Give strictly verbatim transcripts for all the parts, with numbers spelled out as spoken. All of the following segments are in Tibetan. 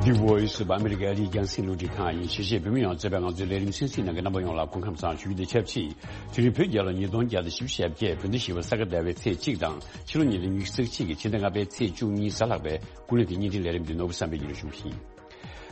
The Voice of America ཨ་རིའི་རྒྱང་སྲིང་རླུང་འཕྲིན་ཁང་ཡིན། གཞིས་བྱེས་བོད་མི་ཡོངས་གཙོས་པའི་ང་ཚོའི་ལས་རིམ་གསན་གཟིགས་གནང་མཁན་རྣམ་པ་ཡོངས་ལ་སྐུ་ཁམས་བཟང་ཞུ་རྒྱུ་དང་ཆབས་ཅིག་དེ་རིང་བོད་རྒྱལ་ལོ་ཉིས་སྟོང་བརྒྱ་དང་བཞི་བཅུ་ཞེ་བརྒྱད། བོད་ཟླ་བཞི་པ་ས་ག་ཟླ་བའི་ཚེས་གཅིག་དང་། ཕྱི་ལོ་ཉིས་སྟོང་ཉི་ཤུ་རྩ་གཅིག་གི་ཕྱི་ཟླ་ལྔ་པའི་ཚེས་བཅུ་གཉིས་གཟའ་ལྷག་པའི་སྐུ་ལུས་དེ་བརྙན་འཕྲིན་ལས་རིམ་འདི་ནོར་བུ་བསམ་འཕེལ་གྱིས་སྒྲོག་ཞུ་གི་ཡིན།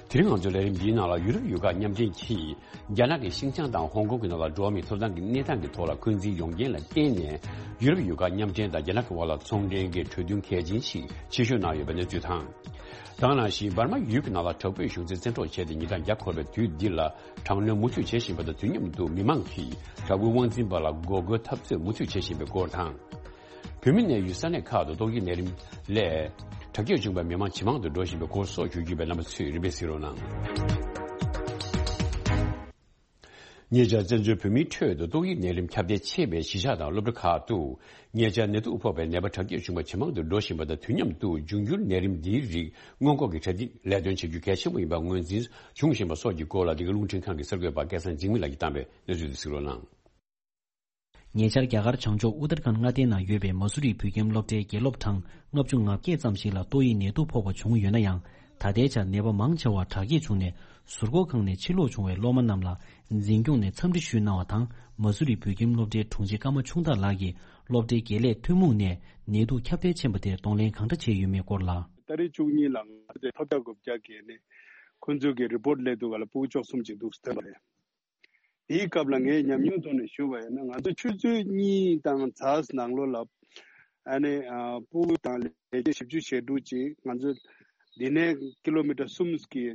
དེ་རིང་ང་ཚོའི་ལས་རིམ་འདིའི་ནང་ལ་ཡུ་རོབ་ཡུལ་ཁག་མཉམ་འབྲེལ་གྱིས་རྒྱ་ནག་གི་ཤིན་ཅང་དང་ཧོང་ཀོང་གི་ནང་ལ་འགྲོ་བ་མིའི་ཐོབ་ཐང་གི་གནས་སྟངས་ཀྱི་ཐོག་ལ་འཁོན་འཛིན་ཡོང་རྐྱེན་ལ་བརྟེན་ནས། ཡུ་རོབ་ཡུལ་ཁག་མཉམ་འབྲེལ་དང་རྒྱ་ནག་གི་དབར་ལ་ཚོང་འབྲེལ་གྱི་གྲོས་མཐུན་གལ་ཆེན་ཞིག་ཕྱིར་བཤོལ་གནང་ཡོད་པའི་གནས་ཚུལ་དང་། དེ་ག་ནང་བཞིན་འབར་མ་ཡུལ་གྱི་ནང་ལ་དྲག་པོའི་གཞུང་འཛིན་བཙན་འཕྲོག་བྱས་ཏེ་ཉིན་གྲངས་བརྒྱ་འཁོར་བའི་དུས་འདི་ལ་དྲག་གནོན་མུ་མཐུད་བྱེད་བཞིན་པ་དང་། དུས་མཉམ་དུ་མི་མང་གིས་དྲག་པོའི་དབང་འཛིན་པ་ལ་འགོག་རྒོལ་འཐབ་རྩོད་མུ་མཐུད་བྱེད་བཞིན་པའི་སྐོར་དང་། བོད་མི་གནས་ཡུལ་ས་གནས་ཁག་ཏུ་ཏོག་དབྱིབས་ནད་རིམས་ལས་དྲག་སྐྱེད་བྱུང་བའི་མི་མང་ཇེ་མང་དུ་འགྲོ་བཞིན་པའི་སྐོར་སོགས་ཞུ་རྒྱུ་ཡོད་པས། རྣམ་པ་ཚོས་རིམ་པས་གཟིགས་རོགས་གནང་། ཉེ་ཆར་བཙན་བྱོལ་བོད་མིའི་ཁྲོད་དུ་ཏོག་དབྱིབས་ནད་རིམས་ཁྱབ་གདལ་ཆེ་བའི་གཞིས་ཆགས་དང་སློབ་གྲྭ་ཁག་ཏུ་ཉེ་ཆར་ནད་དུག་ཕོག་པའི་ནད་པ་དྲག་སྐྱེད་བྱུང་བ་ཇེ་མང་དུ་འགྲོ་བཞིན་པ་དང་། དུས་མཉམ་དུ་འབྱུང་འགྱུར་ནད་རིམས་འདིའི་རིགས་སྔོན་འགོག་གི་གྲ་སྒྲིག་ལས་དོན་བྱེད་རྒྱུ་གལ་ཆེན་པོ་ཡིན་པ་ངོས་འཛིན་བྱུང་བཞིན་པ་སོགས་ཀྱི་སྐོར་ལ། འདི་ག་རླུང་འཕྲིན་ཁང་གི་གསར་འགོད་པ་སྐལ་བཟང་འཇིགས་མེད་ལགས་ཀྱིས་བཏང་བའི་གནས་ཚུལ་དེ་གཟིགས་རོགས་གནང་། ཉེ་ཆར་རྒྱ་གར་བྱང་ཕྱོགས་ཨུ་ཏར་ཁཱན་མངའ་སྡེའི་ནང་ཡོད་པའི་མ་སུ་རི་བོད་ཁྱིམ་སློབ་གྲྭའི་དགེ་སློབ་གྲངས་ལྔ་བཅུ་ང་བརྒྱད་ཙམ་ཞིག་ལ་ཏོག་དབྱིབས་ནད་དུག་ཕོག་པ་བྱུང་ཡོད་ན་ཡང་། ད་ལྟའི་ཆར་ནད་པ་མང་ཆེ་བ་དྲག་སྐྱེད་བྱུང་ནས་ཟུར་འཁོར་ཁང་ནས་ཕྱིར་ལོག་བྱུང་བའི་སློབ་མ་རྣམས་ལ་འཛིན་སྐྱོང་ནས་འཚམས་འདྲི་ཞུས་གནང་བ་དང་། མ་སུ་རི་བོད་ཁྱིམ་སློབ་གྲྭའི་དྲུང་ཆེ་ཀརྨ་ཆུང་བདག་ལགས་ཀྱིས་སློབ་གྲྭའི་དགེ་ལས་ཐུན་མོང་ནས་ནད་དུག་ཁྱབ་གདལ་ཕྱིན་པ་དེར་གདོང་ལེན་གང་འདྲ་བྱས་ཡོད་མེད་སྐོར་ལ། ཏ་རིག་བཅུ་གཉིས་ལ་ང་ཚོས་ཐོབ་ཐང་དགུ་བརྒྱ་བརྒལ་ནས་ཁོང་ཚོས་ཀྱི་རི་པོར་ཊི་སླེབས་འདུག་ག་ལ་སྤུ་གུ་བཅུ་གསུམ་ཅིག་འདུག་ཟེར་བ་རེད། དེའི་སྐབས་ལ་ངས་ཉམས་མྱོང་ཐོག་ནས་ཞུ་བ་ཡིན་ན། ང་ཚོ་ཆུ་ཚོད་གཉིས་དང་ཚ་ནང་ལོགས་ལ་ཨ་ནི་ཨ་སྤུ་གུ་དང་ལས་བྱེད་བཞི་བཅུ་ཞེ་དྲུག་ཅིག་ང་ཚོ་འདི་ནས་ཀི་ལོ་མི་ཊར་གསུམ་གྱི་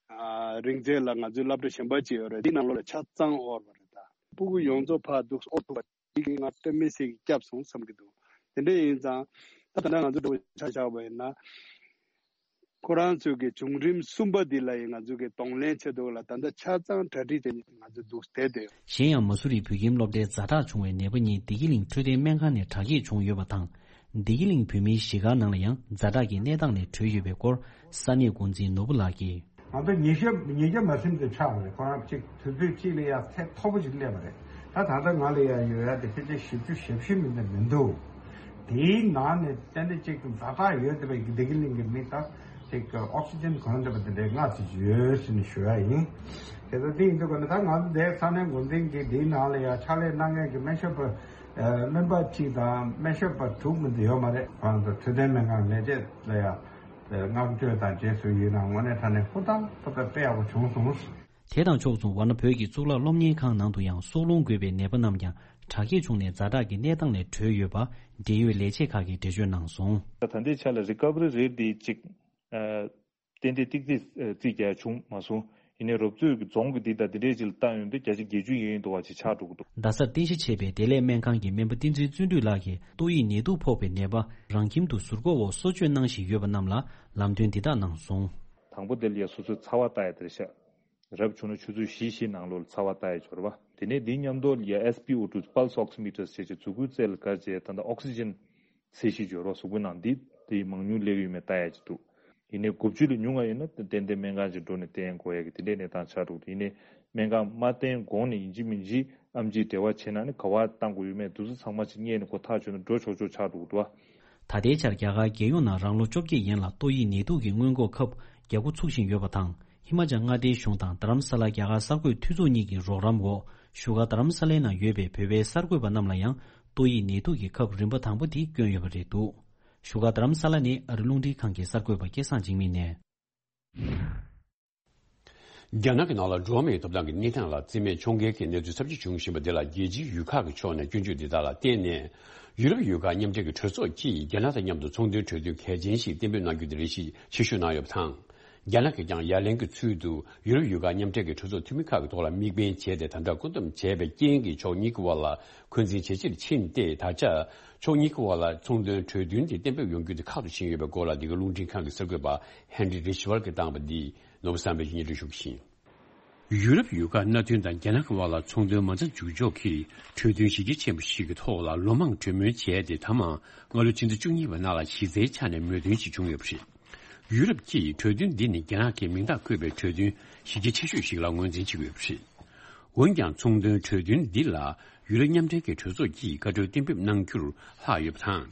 ཨ་རིང་ཚད་ལ་ང་ཚོའི་སློབ་གྲྭ་གཞན་པ་ཅིག་ཡོད་རེད། འདི་ནང་ལོགས་ལ་ཆ་ཚང་དབོར་བ་རེད། ད་སྤུ་གུ་ཡོངས་རྫོགས་ཕར་འདུག་དབོར་ཐུབ་པ། དེ་གིས་ང་དཔེ་མི་སྲིད་ཀྱི་སྐྱབས་སོང་བསམ་གྱི་འདུག་དེ་འདྲ་ཡིན་ཙང་ད་ད་ལྟ་ང་ཚོ་འགྲོ་ཆ་བཞག་པ་ཡིན་ན། ཁོ་རང་ཚོའི་གི་བྱུང་རིམ་གསུམ་པ་འདི་ལ་ཡང་ང་ཚོས་གི་གདོང་ལེན་བྱེད་འདུག་ལ། ད་ལྟ་ཆ་ཚང་གྲ་སྒྲིག་བྱས་ནས་ང་ཚོ་འདུག་བསྡད་དེ། གཞན་ཡང་མ་སུ་རི་བོད་ཁྱིམ་སློབ་གྲྭའི་ཛ་དྲག་བྱུང་བའི་ནད་པ་གཉིས་བདེ་སྐྱིད་གླིང་འཕྲོད་བསྟེན་སྨན་ཁང་ནས་དྲག་སྐྱེད་བྱུང་ཡོད་པ་དང་། བདེ་སྐྱིད་གླིང་བོད་མིའི་གཞིས་སྒར་ནང་ལ་ཡང་ཛ་དྲག་གི་གནས་སྟངས་ནས་གྲོལ་ཡོད་པའི་སྐོར་ས་གནས་འགོ་འཛིན་ནོར་བུ་ལགས་ཀྱིས། ང་ཚོ་ཉིས་བརྒྱ་ཉིས་བརྒྱ་མ་ཟིན་དུ་ཆགས་པ་རེད། ཁོ་རང་གཅིག་དུས་ཚོད་གཅིག་ལ་ཡ་ཚད་མཐོ་པོ་ཞིག་སླེབས་པ་རེད། ད་ད་ལྟ་ང་ལ་ཡ་ཡོད་ཡ་དེ་ཕལ་ཆེར་བཞི་བཅུ་ཞེ་བཞི་མིན་ན་མི་འདུག་དེའི་ནང་ནས་ཏན་ཏན་གཅིག་ཏུ་ཛ་དྲག་ཡོད་བསྡད་པའི་བདེ་སྐྱིད་གླིང་གི་མི་དང་གཅིག་ཨོག་སི་ཇན་གོན་བསྡད་པ་དེ་འདྲའི་ལྔ་ཙམ་ཡོད་ཟེར་ནས་ཞུ་ཡ་ཡིན། དེ་ཚོ་དེ་ཡིན་དུས་ཀ་ནི་ད་ང་ཚོ་འདིའི་ས་གནས་འགོ་འཛིན་གྱིས་དེའི་ནང་ལ་ཡ་ཕྱག་ལས་གནང་མཁན་གྱི་སྨན་ཞབས་པ་སྨན་པ་གཅིག་དང་སྨན་ཞབས་པ་དྲུག་མིན་དུ་ཡོད་མ་རེད། ཁོ་རང་ཚོ་འཕྲོད་བསྟེན་སྨན་ཁང་ལས་བྱེད་ལ་ཡ། བསྔགས་བརྗོད་དང་རྗེས་སུ་ཡི་རང་དངོས་གནས་དྲང་གནས་ཧུར་ཐག་ཧུར་ཐག་དཔེ་ཡག་པོ་བྱུང་སོང་། དེ་དང་ཕྱོགས་མཚུངས་ཝཱ་ཎ་བོད་ཀྱི་གཙུག་ལག་སློབ་གཉེར་ཁང་ནང་དུ་ཡང་སྲོག་རླུང་རྒོད་པའི་ནད་པ་རྣམས་ཀྱང་དྲག་སྐྱེད་བྱུང་ནས་ཛ་དྲག་གི་གནས་སྟངས་ལས་གྲོལ་ཡོད་པ་འབྲེལ་ཡོད་ལས་བྱེད་ཁག་གིས་འགྲེལ་བརྗོད་གནང་སོང་། ད་ལྟའི་ཆ་ལ་རི་ཀ་བ་རི་རེ་ཊི་འདི་གཅིག་ཨ་ཏན་ཏན་ཏིག་ཏིག་རྩིས་རྒྱག་བྱུང་མ་སོང་། ཡིན་ནའི་རོབ་ཙོག་གི་རྫོང་གི་འདི་དང་འདི་འདྲའི་ཅིག་ལ་བལྟ་ཡོང་དུས་བརྒྱ་ཆ་བརྒྱད་ཅུ་ཡན་ཡོད་འདུག་བ་ཅིག་ཆགས་འགྲོ་གི་འདུག་རྡ་སར་རྟེན་གཞི་བྱས་པའི་བདེ་ལེགས་སྨན་ཁང་གི་སྨན་པ་བསྟན་འཛིན་བརྩོན་འགྲུས་ལགས་ཀྱིས་ཏོག་དབྱིབས་ནད་དུག་ཕོག་པའི་ནད་པ་རང་ཁྱིམ་དུ་ཟུར་འགོག་འོག་གསོ་བཅོས་གནང་བཞིན་ཡོད་པ་རྣམས་ལ་ལམ་སྟོན་འདི་དག་གནང་སོང་། དང་པོ་དེ་ལ་ཡ་སོ་སོའི་ཚ་བ་ལྟ་ཡ་དེ་རེད་ཤག་རབ་བྱུང་ན་ཆུ་ཚོད་བཞི་བཞི་ནང་ལོགས་ལ་ཚ་བ་ལྟ་ཡ་འབྱོར་བ། དེ་ནས་འདིའི་མཉམ་དུ་ལ་ཡ་ཨེས་པི་ཨོ་ཊུ་Pulse Oximeter ཟེར་བྱས་གཟུགས་པོའི་རྩལ་ལ་བཀར་བྱས་ད་ལྟ་ཨོག་སི་ཇན་ཚད་གཞི་འབྱོར་བ། གཟུགས་པོའི་ནང་འདི་དེ་མང་ཉུང་སླེབས་ཡོད་མེད་ལྟ་ཡ་ཅིག་འདུག་ཡིན་ནའི་དགུ་བཅུ་ལས་ཉུང་བ་ཡིན་ན་ཏན་ཏན་སྨན་ཁང་ཅིག་འགྲོ་ནས་བསྟེན་དགོས་ཡ་གི་དེ་འདྲའི་གནས་སྟངས་ཆགས་འགྲོ་གི་འདུག་ཡིན་ནའི་སྨན་ཁང་མ་བསྟེན་གོང་ནས་ཡིན་གཅིག་མིན་གཅིག་ཨེམ་ཆིས་འབྲེལ་བ་བྱས་ན་ནི་ག་པར་བཏང་དགོས་ཡོད་མེད་འདུག་ཚང་མ་ཅིག་རྙེད་ནས་གོ་ཐག་ཆོད་ན་འགྲོ་ཆོག་ཆོག་ཆགས་འགྲོ་གི་འདུག་བ། ད་ལྟའི་ཆར་རྒྱ་གར་རྒྱལ་ཡོངས་ནང་རང་ལོ་བཅོ་བརྒྱད་ཡན་ལ་ཏོག་དབྱིབས་ནད་དུག་གི་སྔོན་འགོག་ཁབ་རྒྱག་འགོ་ཚུགས་བཞིན་ཡོད་པ་དང་། ཧི་མ་ཅལ་མངའ་སྡེའི་གཞུང་དང་རྡ་རམ་ས་ལ་རྒྱ་གར་གསར་འགོད་འཐུས་ཚོགས་གཉིས་ཀྱི་རོགས་རམ་འོག་བཞུགས་སྒར་རྡ་རམ་ས་ལའི་ནང་ཡོད་པའི་བོད་པའི་གསར་འགོད་པ་རྣམས་ལ་ཡང་ཏོག་དབྱིབས་ནད་དུག་གི་ཁབ་རིམ་པ་དང་པོ་དེ་བསྐྱོན་ཡོད་པ་རེད་འདུག་བཞུགས་སྒར་རྡ་རམ་ས་ལ་ནས་ཨ་རི་རླུང་འཕྲིན་ཁང་གི་གསར་འགོད་པ་སྐལ་བཟང་འཇིགས་མེད་ནས། རྒྱ་ནག་གི་ནང་ལ་འགྲོ་བ་མིའི་ཐོབ་ཐང་གི་གནས་སྟངས་ལ་རྩིས་མེད་ཕྱོགས་འགལ་གྱི་གནས་ཚུལ་ཚབས་ཆེ་འབྱུང་བཞིན་པ་འདི་ལ་རྒྱལ་སྤྱིའི་ཡུལ་ཁག་གི་ཕྱོགས་ནས་སྐྱོན་བརྗོད་འདི་དག་ལ་བརྟེན་ནས། ཡུ་རོབ་ཡུལ་ཁག་མཉམ་འབྲེལ་གྱི་གྲོས་ཚོགས་ཀྱིས་རྒྱ་ནག་དང་མཉམ་དུ་ཚོང་དོན་གྲོས་མཐུན་གལ་ཆེན་ཞིག་གཏན་འབེབས་གནང་རྒྱུ་དེ་རེ་ཞིག་ཕྱིར་བཤོལ་གནང་ཡོད་པ་དང་། རྒྱ་ནག་གིས་ཀྱང་ཡ་ལན་གྱི་ཚུལ་དུ་ཡུ་རོབ་ཡུལ་ཁག་མཉམ་འབྲེལ་གྱི་གྲོས་ཚོགས་འཐུས་མི་ཁག་གི་ཐོག་ལ་དམིགས་འབེན་བྱས་ཏེ། ད་ལྟ་བཀོད་འདོམས་བྱས་པའི་རྐྱེན་གྱིས་ཕྱོགས་གཉིས་ཀྱི་དབར་ལ་འཁོན་འཛིན་ཇེ་ཆེར་ཕྱིན་ཏེ། ད་ཆ་ཕྱོགས་གཉིས་ཀྱི་དབར་ལ་ཚོང་དོན་གྲོས་མཐུན་དེ་གཏན་འབེབས་ཡོང་རྒྱུ་དེ་ཁག་ཏུ་ཕྱིན་ཡོད་པའི་སྐོར་ལ། འདི་ག་རླུང་འཕྲིན་ཁང་གི་གསར་འགོད་པ་ཧན་རི་རིཆ་ཝར་གྱིས་བཏང་བ་འདི་ནོར་བུ་བསམ་འཕེལ་གྱིས་སྙན་སྒྲོན་ཞུ་གི་ཡིན། ཡུ་རོབ་ཡུལ་ཁག་མནའ་མཐུན་དང་རྒྱ་ནག་གི་དབར་ལ་ཚོང་དོན་མ་རྩ་འཇུག་ཕྱོགས་ཀྱི་གྲོས་མཐུན་གཞི་རྒྱ་ཆེན་པོ་ཞིག་གི་ཐོག་ལ་ལོ་མང་གྲོས་མོལ་བྱས་ཏེ། ད་མ་སྔ་ལོ་ཕྱི་ཟླ་བཅུ་གཉིས་པའི་ནང་ལ་གཞི་རྩའི་ཆ་ནས་མོས་མཐུན་ཞིག་བྱུང་ཡོད་པ་རེད། ཡུ་རོབ་ཀྱིས་གྲོས་མཐུན་འདི་ནི་རྒྱ་ནག་གི་མིང་རྟགས་བཀོད་པའི་གྲོས་མཐུན་གཞི་རྒྱ་ཆེ་ཤོས་ཤིག་ལ་ངོས་འཛིན་བྱེད་ཀྱི་ཡོད་པ་རེད། འོན་ཀྱང་ཚོང་དོན་གྲོས་མཐུན་འདི་ལ་ཡུ་རོབ་མཉམ་འབྲེལ་གྱི་གྲོས་ཚོགས་ཀྱིས་བཀའ་འཁྲོལ་གཏན་འབེབས་གནང་རྒྱུར་ལྷག་ཡོད་པ་དང་།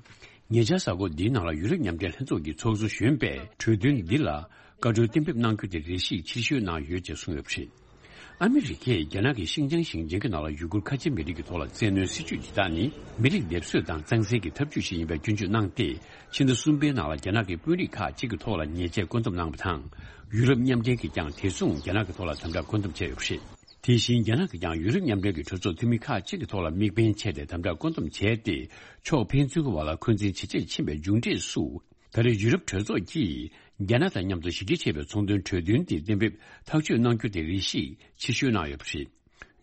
ཉེ་ཆར་གཟའ་འཁོར་འདིའི་ནང་ལ་ཡུ་རོབ་མཉམ་འབྲེལ་ལྷན་ཚོགས་ཀྱི་ཚོགས་ཟུར་གཞོན་པས་གྲོས་མཐུན་འདི་ལ་ བཀའ་འཁྲོལ་གཏན་འབེབས་གནང་རྒྱུ་དེ་རེ་ཞིག་ཕྱིར་བཤོལ་གནང་ཡོད་ཅེས་གསུངས་ཡོད་པ་རེད། ཨ་མི་རི་ཀས་རྒྱ་ནག་གིས་ཤིན་ཅང་ཞིང་ཆེན་གྱི་ནང་ལ་ཡུ་གུར་ཁ་ཆེ་མི་རིགས་ཀྱི་ཐོག་ལ་བཙན་གནོན་སྲིད་ཇུས་འདི་དག་ནི་མི་རིགས་སྡེབ་གསོད་དང་གཙང་སེལ་གྱི་ཐབས་ཇུས་ཤིག་ཡིན་པའི་སྐྱོན་བརྗོད་གནང་སྟེ། ཕྱི་ཟླ་གསུམ་པའི་ནང་ལ་རྒྱ་ནག་གི་དཔོན་རིགས་ཁག་ཅིག་གི་ཐོག་ལ་ཉེས་ཆད་བཀོད་འདོམས་གནང་བ་དང་། ཡུ་རོབ་མཉམ་འབྲེལ་གྱིས་ཀྱང་དེ་མཚུངས་རྒྱ་ནག་གི་ཐོག་ལ་དམ་དྲག་བཀོད་འདོམས་བྱས་ཡོད་པ་རེད། དེ་བཞིན་རྒྱ་ནག་གིས་ཀྱང་ཡུ་རོབ་མཉམ་འབྲེལ་གྱི་གྲོས་ཚོགས་འཐུས་མི་ཁག་ཅིག་གི་ཐོག་ལ་དམིགས་འབེན་བྱས་ཏེ་དམ་དྲག་བཀོད་འདོམས་བྱས་ཏེ། ཕྱོགས་ཕན་ཚུན་གྱི་བར་ལ་འཁོན་འཛིན་ཇེ་ཆེར་ཕྱིན་པའི་མཇུག་འབྲས་སུ། ད་རེས་ཡུ་རོབ་གྲོས་ཚོགས་ཀྱིས་རྒྱ་ནག་དང་མཉམ་དུ་ཞི་རྒྱ་ཆེ་བའི་ཚོང་དོན་གྲོས་མཐུན་དེ་གཏན་འབེབས་ཐག་གཅོད་གནང་རྒྱུ་དེ་རེ་ཞིག་ཕྱིར་བཤོལ་གནང་ཡོད་པ་རེད།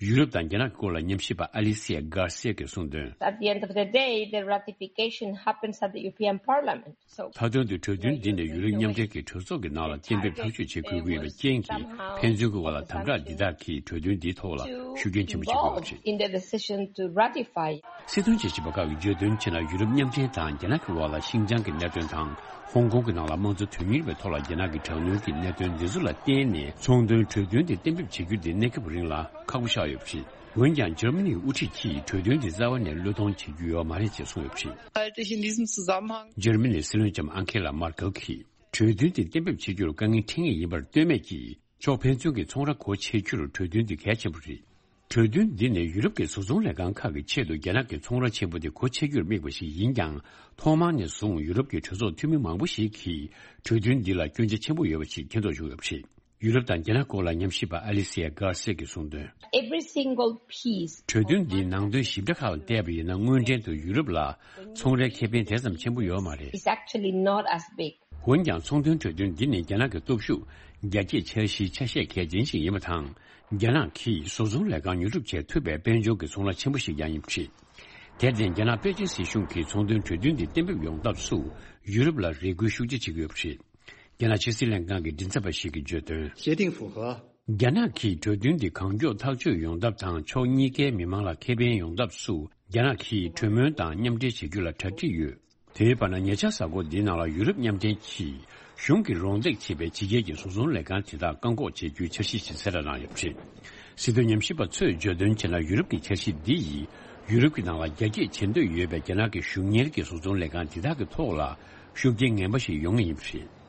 ཡུ་རོབ་དང་རྒྱ་ནག་གི་སྐོར་ལ་ཉམས་ཞིབ་པ་ཨ་ལི་སི་ཡ་གྷར་སི་ཡ་གིས་གསུངས་དོན། At the end of the day, the ratification happens at the European Parliament. So མཐའ་དོན་དུ་གྲོས་མཐུན་འདི་ནི་ཡུ་རོབ་མཉམ་འབྲེལ་གྱི་གྲོས་ཚོགས་ཀྱི་ནང་ལ་གཏན་འབེབས་ཐག་གཅོད་བྱེད་དགོས་ཀྱི་ཡོད་པའི་རྐྱེན་གྱིས། ཕན་ཚུན་གྱི་བར་ལ་དམ་དྲག་འདི་དག་གིས་གྲོས་མཐུན་འདིའི་ཐོག་ལ་ཤུགས་རྐྱེན་ཆེན་པོ་བྱེད་དགོས་པ་རེད། In the decision to ratify. སྲིད་དོན་དཔྱད་ཞིབ་པ་ཁག་གིས་བརྗོད་དོན་བྱས་ན། ཡུ་རོབ་མཉམ་འབྲེལ་དང་རྒྱ་ནག་གི་བར་ལ་ཤིན་ཅང་གི་གནད་དོན་དང་། ཧོང་ཀོང་གི་ནང་ལ་དམངས་གཙོ་དོན་གཉེར་བའི་ཐོག་ལ་རྒྱ་ནག་གི་དྲག་གནོན་གྱི་གནད་དོན་འདི་ཚོ་ལ་བརྟེན་ནས། ཚོང་དོན་གྲོས་མཐུན་དེ་གཏན་འབེབས་བྱེད་རྒྱུ་དེ་གནས་སྐབས་རིང་ལ་ཁག་པོ་ཆགས་ཡོད་པ་རེད། འོན་ཀྱང་འཇར་མ་ནིའི་དབུ་ཁྲིད་ཀྱིས་གྲོས་མཐུན་དེ་རྩ་བ་ནས་བློས་གཏོང་བྱེད་རྒྱུ་ཡོད་མ་རེད་ཅེས་གསུངས་ཡོད་པ་རེད། Halte ich in diesem Zusammenhang འཇར་མ་ནིའི་སྲིད་བློན་ལྕམ་ཨང་ཁེ་ལ་མར་ཀེལ་གྱིས། གྲོས་མཐུན་དེ་གཏན་འབེབས་བྱེད་རྒྱུར་དཀའ་ངལ་འཕྲད་ངེས་ཡིན་པར་ལྟོས་མེད་ཀྱིས། ཕྱོགས་ཕན་ཚུན་གྱི་ཚོང་ར་སྒོ་ཕྱེ་རྒྱུར་གྲོས་མཐུན་དེ་གལ་ཆེན་པོ་རེད། གྲོས་མཐུན་འདི་ནི་ཡུ་རོབ་ཀྱི་བཟོ་ཚོང་ལས་ཁང་ཁག་གི་ཆེད་དུ་རྒྱ་ནག་གི་ཚོང་ར་ཆེན་པོ་དེ་སྒོ་ཕྱེ་རྒྱུར་དམིགས་པ་ཞིག་ཡིན་ཀྱང་། ཐོག་མར་ནས་བཟུང་ཡུ་རོབ་ཀྱི་གྲོས་ཚོགས་འཐུས་མི་མང་པོ་ཞིག་གིས་གྲོས་མཐུན་འདི་ལ་སྐྱོན་ཆ་ཆེན་པོ་ཡོད་པ་ཞིག་མཁྱེན་རྟོགས་བྱུང་ཡོད་པ་རེད། ཡུ་རོབ་དང་རྒྱ་ནག་སྐོར་ལ་ཉམས་ཞིབ་པ་ཨ་ལི་སི་ཡ་གྷར་སི་ཡ་གིས་གསུངས་དོན། Every single piece. གྲོས་མཐུན་འདིའི་ནང་དོན་ཞིབ་ཕྲ་ཁག་ལ་བལྟས་པ་ཡིན་ན། དངོས་འབྲེལ་དུ་ཡུ་རོབ་ལ་ཚོང་རའི་ཁེ་ཕན་དེ་ཙམ་ཆེན་པོ་ཡོད་མ་རེད། It's actually not as big. འོན་ཀྱང་ཚོང་དོན་གྲོས་མཐུན་འདི་ནི་རྒྱ་ནག་གི་སྟོབས་ཤུགས་རྒྱ་སྐྱེད་འཆར་གཞིའི་ཆ་ཤས་གལ་ཆེན་ཞིག་ཡིན་པ་དང་། རྒྱ་ནག་གིས་བཟོ་ཚོང་ལས་ཁང་ཉོ་སྒྲུབ་བྱེད་ཐུབ་པའི་དཔལ་འབྱོར་གྱི་ཚོང་ར་ཆེན་པོ་ཞིག་ཀྱང་ཡིན་པ་རེད། དེར་བརྟེན་རྒྱ་ནག་པེ་ཅིན་སྲིད་གཞུང་གིས་ཚོང་དོན་གྲོས་མཐུན་འདི་གཏན་འབེབས་ཡོང་ཐབས་སུ་ཡུ་རོབ་ལ་རེ་སྐུལ་ཤུགས་ཆེ་བྱེད་ཀྱི་ཡོད་པ་རེད། རྒྱ་ནག་ཕྱི་སྲིད་ལྷན་ཁང་གི་མགྲིན་ཚབ་པ་ཞིག་གིས་བརྗོད་དོན། 协定符合 རྒྱ་ནག་གིས་གྲོས་མཐུན་འདི་གང་མགྱོགས་ཐག་གཅོད་ཡོང་ཐབས་དང་། ཕྱོགས་གཉིས་ཀའི་མི་མང་ལ་ཁེ་ཕན་ཡོང་ཐབས་སུ་རྒྱ་ནག་གིས་གྲོས་མོལ་དང་མཉམ་འབྲེལ་བྱེད་རྒྱུ་ལ་གྲ་སྒྲིག་ཡོད། དེའི་བར་ན་ཉེ་ཆར་གཟའ་འཁོར་འདིའི་ནང་ལ་ཡུ་རོབ་མཉམ་འབྲེལ་གྱིས་གཞུང་གིས་རོགས་འདེགས་བྱེད་པའི་ཕྱི་རྒྱལ་གྱི་བཟོ་ཚོང་ལས་ཁང་དེ་དག་བཀག་འགོག་བྱེད་རྒྱུའི་འཆར་གཞི་ཞིག་གསལ་བསྒྲགས་གནང་ཡོད་པ་རེད། སྲིད་དོན་ཉམས་ཞིབ་པ་ཚོས་བརྗོད་དོན་བྱས་ན། ཡུ་རོབ་ཀྱི་འཆར་གཞི་འདི་ཡིས་ཡུ་རོབ་ཀྱི་ནང་ལ་རྒྱ་སྐྱེད་བྱེད་འདོད་ཡོད་པའི་རྒྱ་ནག་གི་གཞུང་གཉེར་གྱི་བཟོ་ཚོང་ལས་ཁང་དེ་དག་གི་ཐོག་ལ་ཤུགས་རྐྱེན་ངན་པ་ཞིག་ཡོང་ངེས་ཡིན་པ་རེད།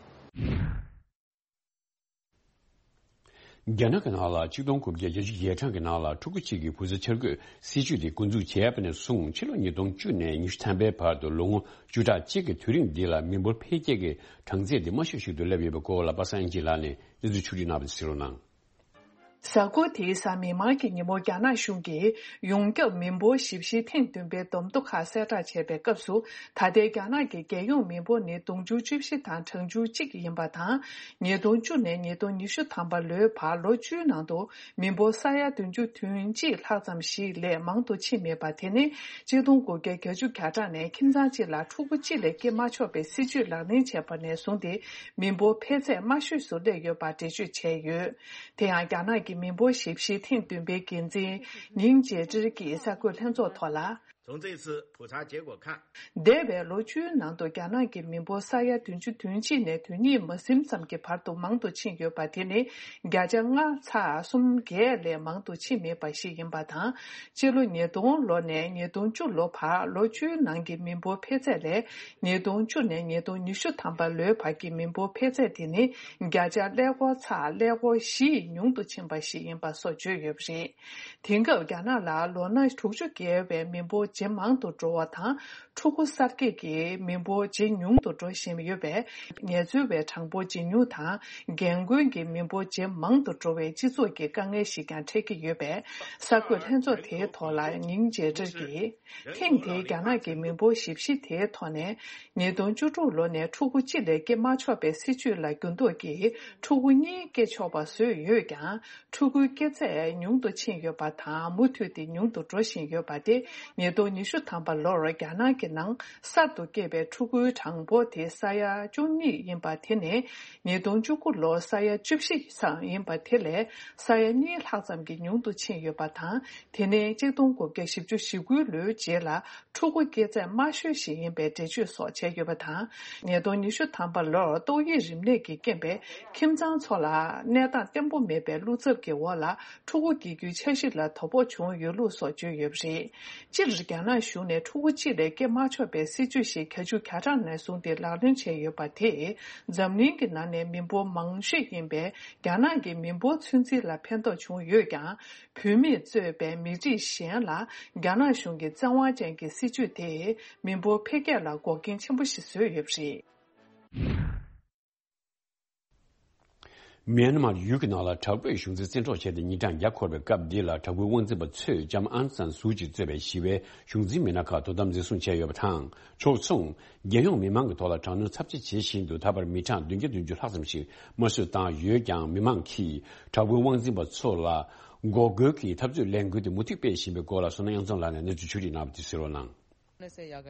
རྒྱ་ནག་གི་ནང་ལ་ཆིག་སྟོང་དགུ་བརྒྱ་བརྒྱད་ཅུ་གྱ་གྲངས་ཀྱི་ནང་ལ་ཕྲུ་གུ་གཅིག་གི་བུ་ཚ་འཆར་འགོད་སྲིད་ཇུས་དེ་འགོ་འཛུགས་བྱས་པ་ནས་བཟུང་། ཕྱི་ལོ་ཉིས་སྟོང་བཅུ་ནས་ཉི་ཤུ་ཐམ་པའི་བར་དུ་ལོ་ངོ་བཅུ་ཕྲག་གཅིག་གི་དུས་རིང་འདི་ལ་མི་འབོར་འཕེལ་རྒྱས་ཀྱི་གྲངས་ཚད་དེ་དམའ་ཤོས་ཤིག་ཏུ་སླེབས་ཡོད་པའི་སྐོར་ལ་པ་སངས་སྐྱིད་ལགས་ནས་གནས་ཚུལ་ཕྱོགས་བསྒྲིགས་གནང་བ་དེ་གསན་རོགས་གནང་། གཟའ་འཁོར་དེའི་གཟའ་མིག་དམར་གྱི་ཉིན་མོ་རྒྱ་ནག་གཞུང་གིས་ཡོངས་ཁྱབ་མི་འབོར་ཞིབ་བཤེར་ཐེངས་བདུན་པའི་བསྡོམས་ཐོ་ཁག་གསལ་བསྒྲགས་བྱས་པའི་སྐབས་སུ། ད་ལྟའི་རྒྱ་ནག་གི་རྒྱལ་ཡོངས་མི་འབོར་ནི་དུང་ཕྱུར་བཅུ་བཞི་དང་གྲངས་ཆུང་གཅིག་ཡིན་པ་དང་། ཉིས་སྟོང་བཅུ་ནས་ཉིས་སྟོང་ཉི་ཤུ་ཐམ་པ་ལོའི་བར་ལོ་བཅུའི་ནང་དུ་མི་འབོར་ས་ཡ་བདུན་ཅུ་དོན་གཅིག་ལྷག་ཙམ་ཞིག་ལས་མང་དུ་ཕྱིན་མེད་པ་དེ་ནི་གཅིག་སྟོང་དགུ་བརྒྱ་གྱ་གྲངས་ནས་ཁྱིམ་ཚང་གཅིག་ལ་ཕྲུ་གུ་གཅིག་ལས་སྐྱེ་མ་ཆོག་པའི་སྲིད་ཇུས་ལག་ལེན་བྱས་པ་ནས་བཟུང་སྟེ། མི་འབོར་འཕེལ་ཚད་དམའ་ཤོས་སུ་སླེབས་ཡོད་པ་འགྲེལ་བརྗོད་བྱས་ཡོད། དེ་ཡང་རྒྱ་ནག་གི་མི་འབོར་ཞིབ་བཤེར་ཐེངས་བདུན་པའི་འགན་འཛིན་ཉིང་ཅེ་ཀྲི་གྱིས་གསར་འགོད་ལྷན་ཚོགས་ཐོག་ལ། 从这次普查结果看། འདས་པའི་ལོ་བཅུའི་ནང་དུ་རྒྱ་ནག་གི་མི་འབོར་ས་ཡ་བདུན་ཅུ་དོན་གཅིག་ནས་དོན་གཉིས་མ་ཟིན་ཙམ་གྱི་བར་དུ་མང་དུ་ཕྱིན་ཡོད་པ་དེ་ནི་བརྒྱ་ཆ་ལྔ་ཚེག་གསུམ་བརྒྱད་ལས་མང་དུ་ཕྱིན་མེད་པ་ཞིག་ཡིན་པ་དང་། སྤྱི་ལོ་ཉིས་སྟོང་ལོ་ནས་ཉིས་སྟོང་བཅུ་ལོ་བར་ལོ་བཅུའི་ནང་གི་མི་འབོར་འཕེལ་ཚད་ལས། ཉིས་སྟོང་བཅུ་ནས་ཉིས་སྟོང་ཉི་ཤུ་ཐམ་པ་ལོའི་བར་གྱི་མི་འབོར་འཕེལ་ཚད་དེ་ནི་བརྒྱ་ཆ་ཀླད་ཀོར་ཚེག་ཀླད་ཀོར་བཞི་ཉུང་དུ་ཕྱིན་པ་ཞིག་ཡིན་པ་སོགས་བརྗོད་ཡོད་པ་རེད། དེང་སྐབས་རྒྱ་ནག་ལ་ལོ་ན་དྲུག་ཅུ་བརྒལ་བའི་མི་འབོར་ཇེ་མང་དུ་འགྲོ་བ་དང་། ཕྲུ་གུ་གསར་སྐྱེས་ཀྱི་མི་འབོར་ཇེ་ཉུང་དུ་འགྲོ་བཞིན་ཡོད་པས། ངལ་རྩོལ་བའི་གྲངས་འབོར་ཇེ་ཉུང་དང་། རྒན་རྒོན་གྱི་མི་འབོར་ཇེ་མང་དུ་འགྲོ་བའི་སྤྱི་ཚོགས་ཀྱི་དཀའ་ངལ་ཞིག་ཀྱང་འཕྲད་ཀྱི་ཡོད་པས། གསར་འགོད་ལྷན་ཚོགས་དེའི་ཐོག་ལ་ཉིང་ཅེ་ཀྲི་གྱིས། ཐེངས་འདིའི་རྒྱ་ནག་གི་མི་འབོར་ཞིབ་བཤེར་དེའི་ཐོག་ནས། ཉིས་སྟོང་བཅུ་དྲུག་ལོ་ནས་ཕྲུ་གུ་གཅིག་ལས་སྐྱེ་མ་ཆོག་པའི་སྲིད་ཇུས་ལ་འགྱུར་ལྡོག་གིས་ཕྲུ་གུ་གཉིས་སྐྱེ་ཆོག་པ་བཟོས་ཡོད་ཀྱང་། ཕྲུ་གུའི་སྐྱེ་ཚད་ཉུང་དུ་ཕྱིན་ཡོད་པ་དང་། མུ་མཐུད་དེ་ཉུང་དུ་འགྲོ་བཞིན་ཡོད་པ་སྟེ། ཉིས་སྟོང་ཉི་ཤུ་ཐམ་པ་ལོར་རྒྱ་ནག་གི་ནང་གསར་དུ་སྐྱེས་པའི་ཕྲུ་གུའི་གྲངས་འབོར་དེ་ས་ཡ་བཅུ་གཉིས་ཡིན་པ་དེ་ནི། ཉིས་སྟོང་བཅུ་དགུ་ལོར་ས་ཡ་བཅུ་བཞི་ཙམ་ཡིན་པ་དེ་ལས་ས་ཡ་གཉིས་ལྷག་ཙམ་གྱིས་ཉུང་དུ་ཕྱིན་ཡོད་པ་དང་། དེ་ནི་གཅིག་སྟོང་དགུ་བརྒྱ་བཞི་བཅུ་ཞེ་དགུའི་ལོའི་རྗེས་ལ་ཕྲུ་གུ་སྐྱེ་ཚད་དམའ་ཤོས་ཤིག་ཡིན་པའི་འགྲེལ་བརྗོད་སོགས་བྱས་ཡོད་པ་དང་། ཉིས་སྟོང་ཉི་ཤུ་ཐམ་པ་ལོར་ཏོག་དབྱིབས་རིམས་ནད་ཀྱི་རྐྱེན་པས་ཁྱིམ་ཚང་ཚོ་ལ་གནས་སྟངས་བརྟན་པོ་མེད་པའི་བློ་འཚབ་ཀྱི་འོག་ལ་ཕྲུ་གུ་སྐྱེ་རྒྱུའི་འཆར་གཞི་ལ་དོ་ཕོག་བྱུང་ཡོད་ལུགས་སོགས་བརྗོད་ཡོད་པ་རེད། སྤྱིར། རྒྱ་ནག་གཞུང་ནས་ཕྲུ་གུ་གཅིག་ལས་སྐྱེ་མ་ཆོག་པའི་སྲིད་ཇུས་ཤིག་བརྒྱད་ཅུ་གྱ་གྲངས་ནས་བཟུང་སྟེ་ལག་ལེན་བྱས་ཡོད་པ་དེས་འཛམ་གླིང་གི་ནང་ནས་མི་འབོར་མང་ཤོས་ཡིན་པའི་རྒྱ་ནག་གི་མི་འབོར་ཚོད་འཛིན་ལ་ཕན་ཐོགས་བྱུང་ཡོད་ཀྱང་། བུད་མེད་གཙོས་པའི་མི་རིགས་གཞན་ལ་རྒྱ་ནག་གཞུང་གི་བཙན་དབང་ཅན་གྱི་སྲིད་ཇུས་དེས་མི་འབོར་འཕེལ་རྒྱས་ལ་འགོག་རྐྱེན་ཆེན་པོ་ཞིག་བཟོས་ཡོད་པ་རེད། མེན་མར་ཡུལ་གྱི་ནང་ལ་དྲག་པོའི་གཞུང་འཛིན་བཙན་འཕྲོག་བྱས་ཏེ་ཉིན་གྲངས་བརྒྱ་འཁོར་བའི་སྐབས་འདི་ལ། དྲག་པོའི་དབང་འཛིན་པ་ཚོས་ལྕམ་ཨང་སན་སུའུ་ཅི་གཙོས་པའི་ཞི་བའི་གཞུང་འཛིན་མི་སྣ་ཁག་དོ་དམ་འཛིན་བཟུང་བྱས་ཡོད་པ་དང་། ཕྱོགས་མཚུངས། རྒྱལ་ཡོངས་མི་མང་གི་ཐོག་ལ་དྲག་གནོན་ཚབས་ཆེ་བྱེད་བཞིན་དུ། ད་བར་མི་གྲངས་བདུན་བརྒྱ་བདུན་ཅུ་ལྷག་ཙམ་ཞིག་དམར་གསོད་བཏང་ཡོད་ཀྱང་། མི་མང་གིས་དྲག་པོའི་དབང་འཛིན་པ་ཚོ་ལ་འགོག་རྒོལ་གྱི་འཐབ་རྩོད་ལས་འགུལ་དེ་མུ་མཐུད་སྤེལ་བཞིན་པའི་སྐོར་ལ། བསོད་ནམས་དབྱངས་འཛོམས་ལགས་ནས་གནས་ཚུལ་ཕྱོགས་སྒྲིག་གནང་བ་དེ་གསན་རོགས་གནང་།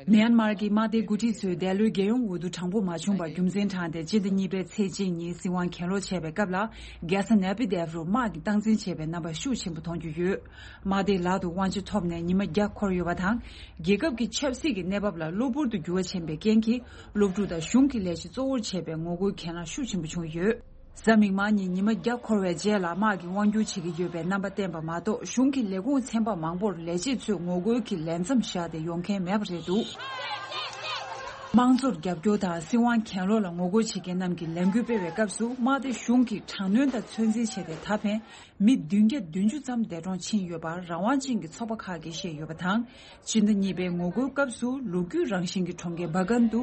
མེན་མར་གྱི་དམག་སྡེའི་འགོ་ཁྲིད་ཚོས་འདས་ལོའི་རྒྱལ་ཡོངས་འོས་བསྡུ་དྲང་པོ་མ་བྱུང་བར་རྒྱུ་མཚན་དྲངས་ཏེ། སྤྱི་ཟླ་གཉིས་པའི་ཚེས་གཅིག་ཉིན་སྲིད་དབང་གྱེན་ལོག་བྱས་པའི་སྐབས་ལ། རྒྱལ་ས་ནེ་པི་དེབ་རུ་དམག་གིས་སྟངས་འཛིན་བྱས་པའི་རྣམ་པ་ཤུགས་ཆེན་པོ་མཐོང་རྒྱུ་ཡོད། དམག་སྡེའི་ལག་ཏུ་དབང་ཆ་ཐོབ་ནས་ཉི་མ་བརྒྱ་འཁོར་ཡོད་པ་དང་། རྒྱལ་ཁབ་ཀྱི་ཆབ་སྲིད་ཀྱི་གནས་བབ་ལ་གློ་བུར་དུ་འགྱུར་བ་ཕྱིན་པའི་རྐྱེན་གྱིས། སློབ་ཕྲུག་དང་གཞུང་གི་ལས་བྱེད་གཙོ་བོར་བྱས་པའི་ངོ་རྒོལ་གྱེན་ལངས་ཤུགས་ཆེན་པོ་བྱུང་ཡོད། གཟའ་མིག་དམར་ཉིན་ཉི་མ་བརྒྱ་འཁོར་བའི་རྗེས་ལ། དམག་གིས་དབང་སྒྱུར་བྱེད་ཀྱི་ཡོད་པའི་རྣམ་པ་བསྟན་པ་མ་གཏོགས། གཞུང་གི་ལས་ཁུངས་ཚན་པ་མང་པོར་ལས་བྱེད་ཚོས་ངོ་རྒོལ་གྱི་ལས་མཚམས་བཞག་སྟེ་ཡོང་མཁན་མེད་པ་རེད་འདུག། དམངས་གཙོར་རྒྱབ་སྐྱོར་དང་སྲིད་དབང་གྱེན་ལོག་ལ་ངོ་རྒོལ་བྱེད་མཁན་རྣམས་ཀྱིས་ལས་འགུལ་སྤེལ་བའི་སྐབས་སུ། དམག་སྡེ་གཞུང་གིས་དྲག་གནོན་དང་ཚོད་འཛིན་བྱས་ཏེ། ད་ཕན་མི་བདུན་བརྒྱ་བདུན་ཅུ་ཙམ་འདས་གྲོངས་ཕྱིན་ཡོད་པར་རང་དབང་ཅན་གྱི་ཚོགས་པ་ཁག་གིས་བཤད་ཡོད་པ་དང་། སྤྱི་ཟླ་གཉིས་པའི་ངོ་རྒོལ་སྐབས་སུ། ལོ་རྒྱུས་རང་བཞིན་གྱི་གྲོང་ཁྱེར་སྦ་གན་དུ་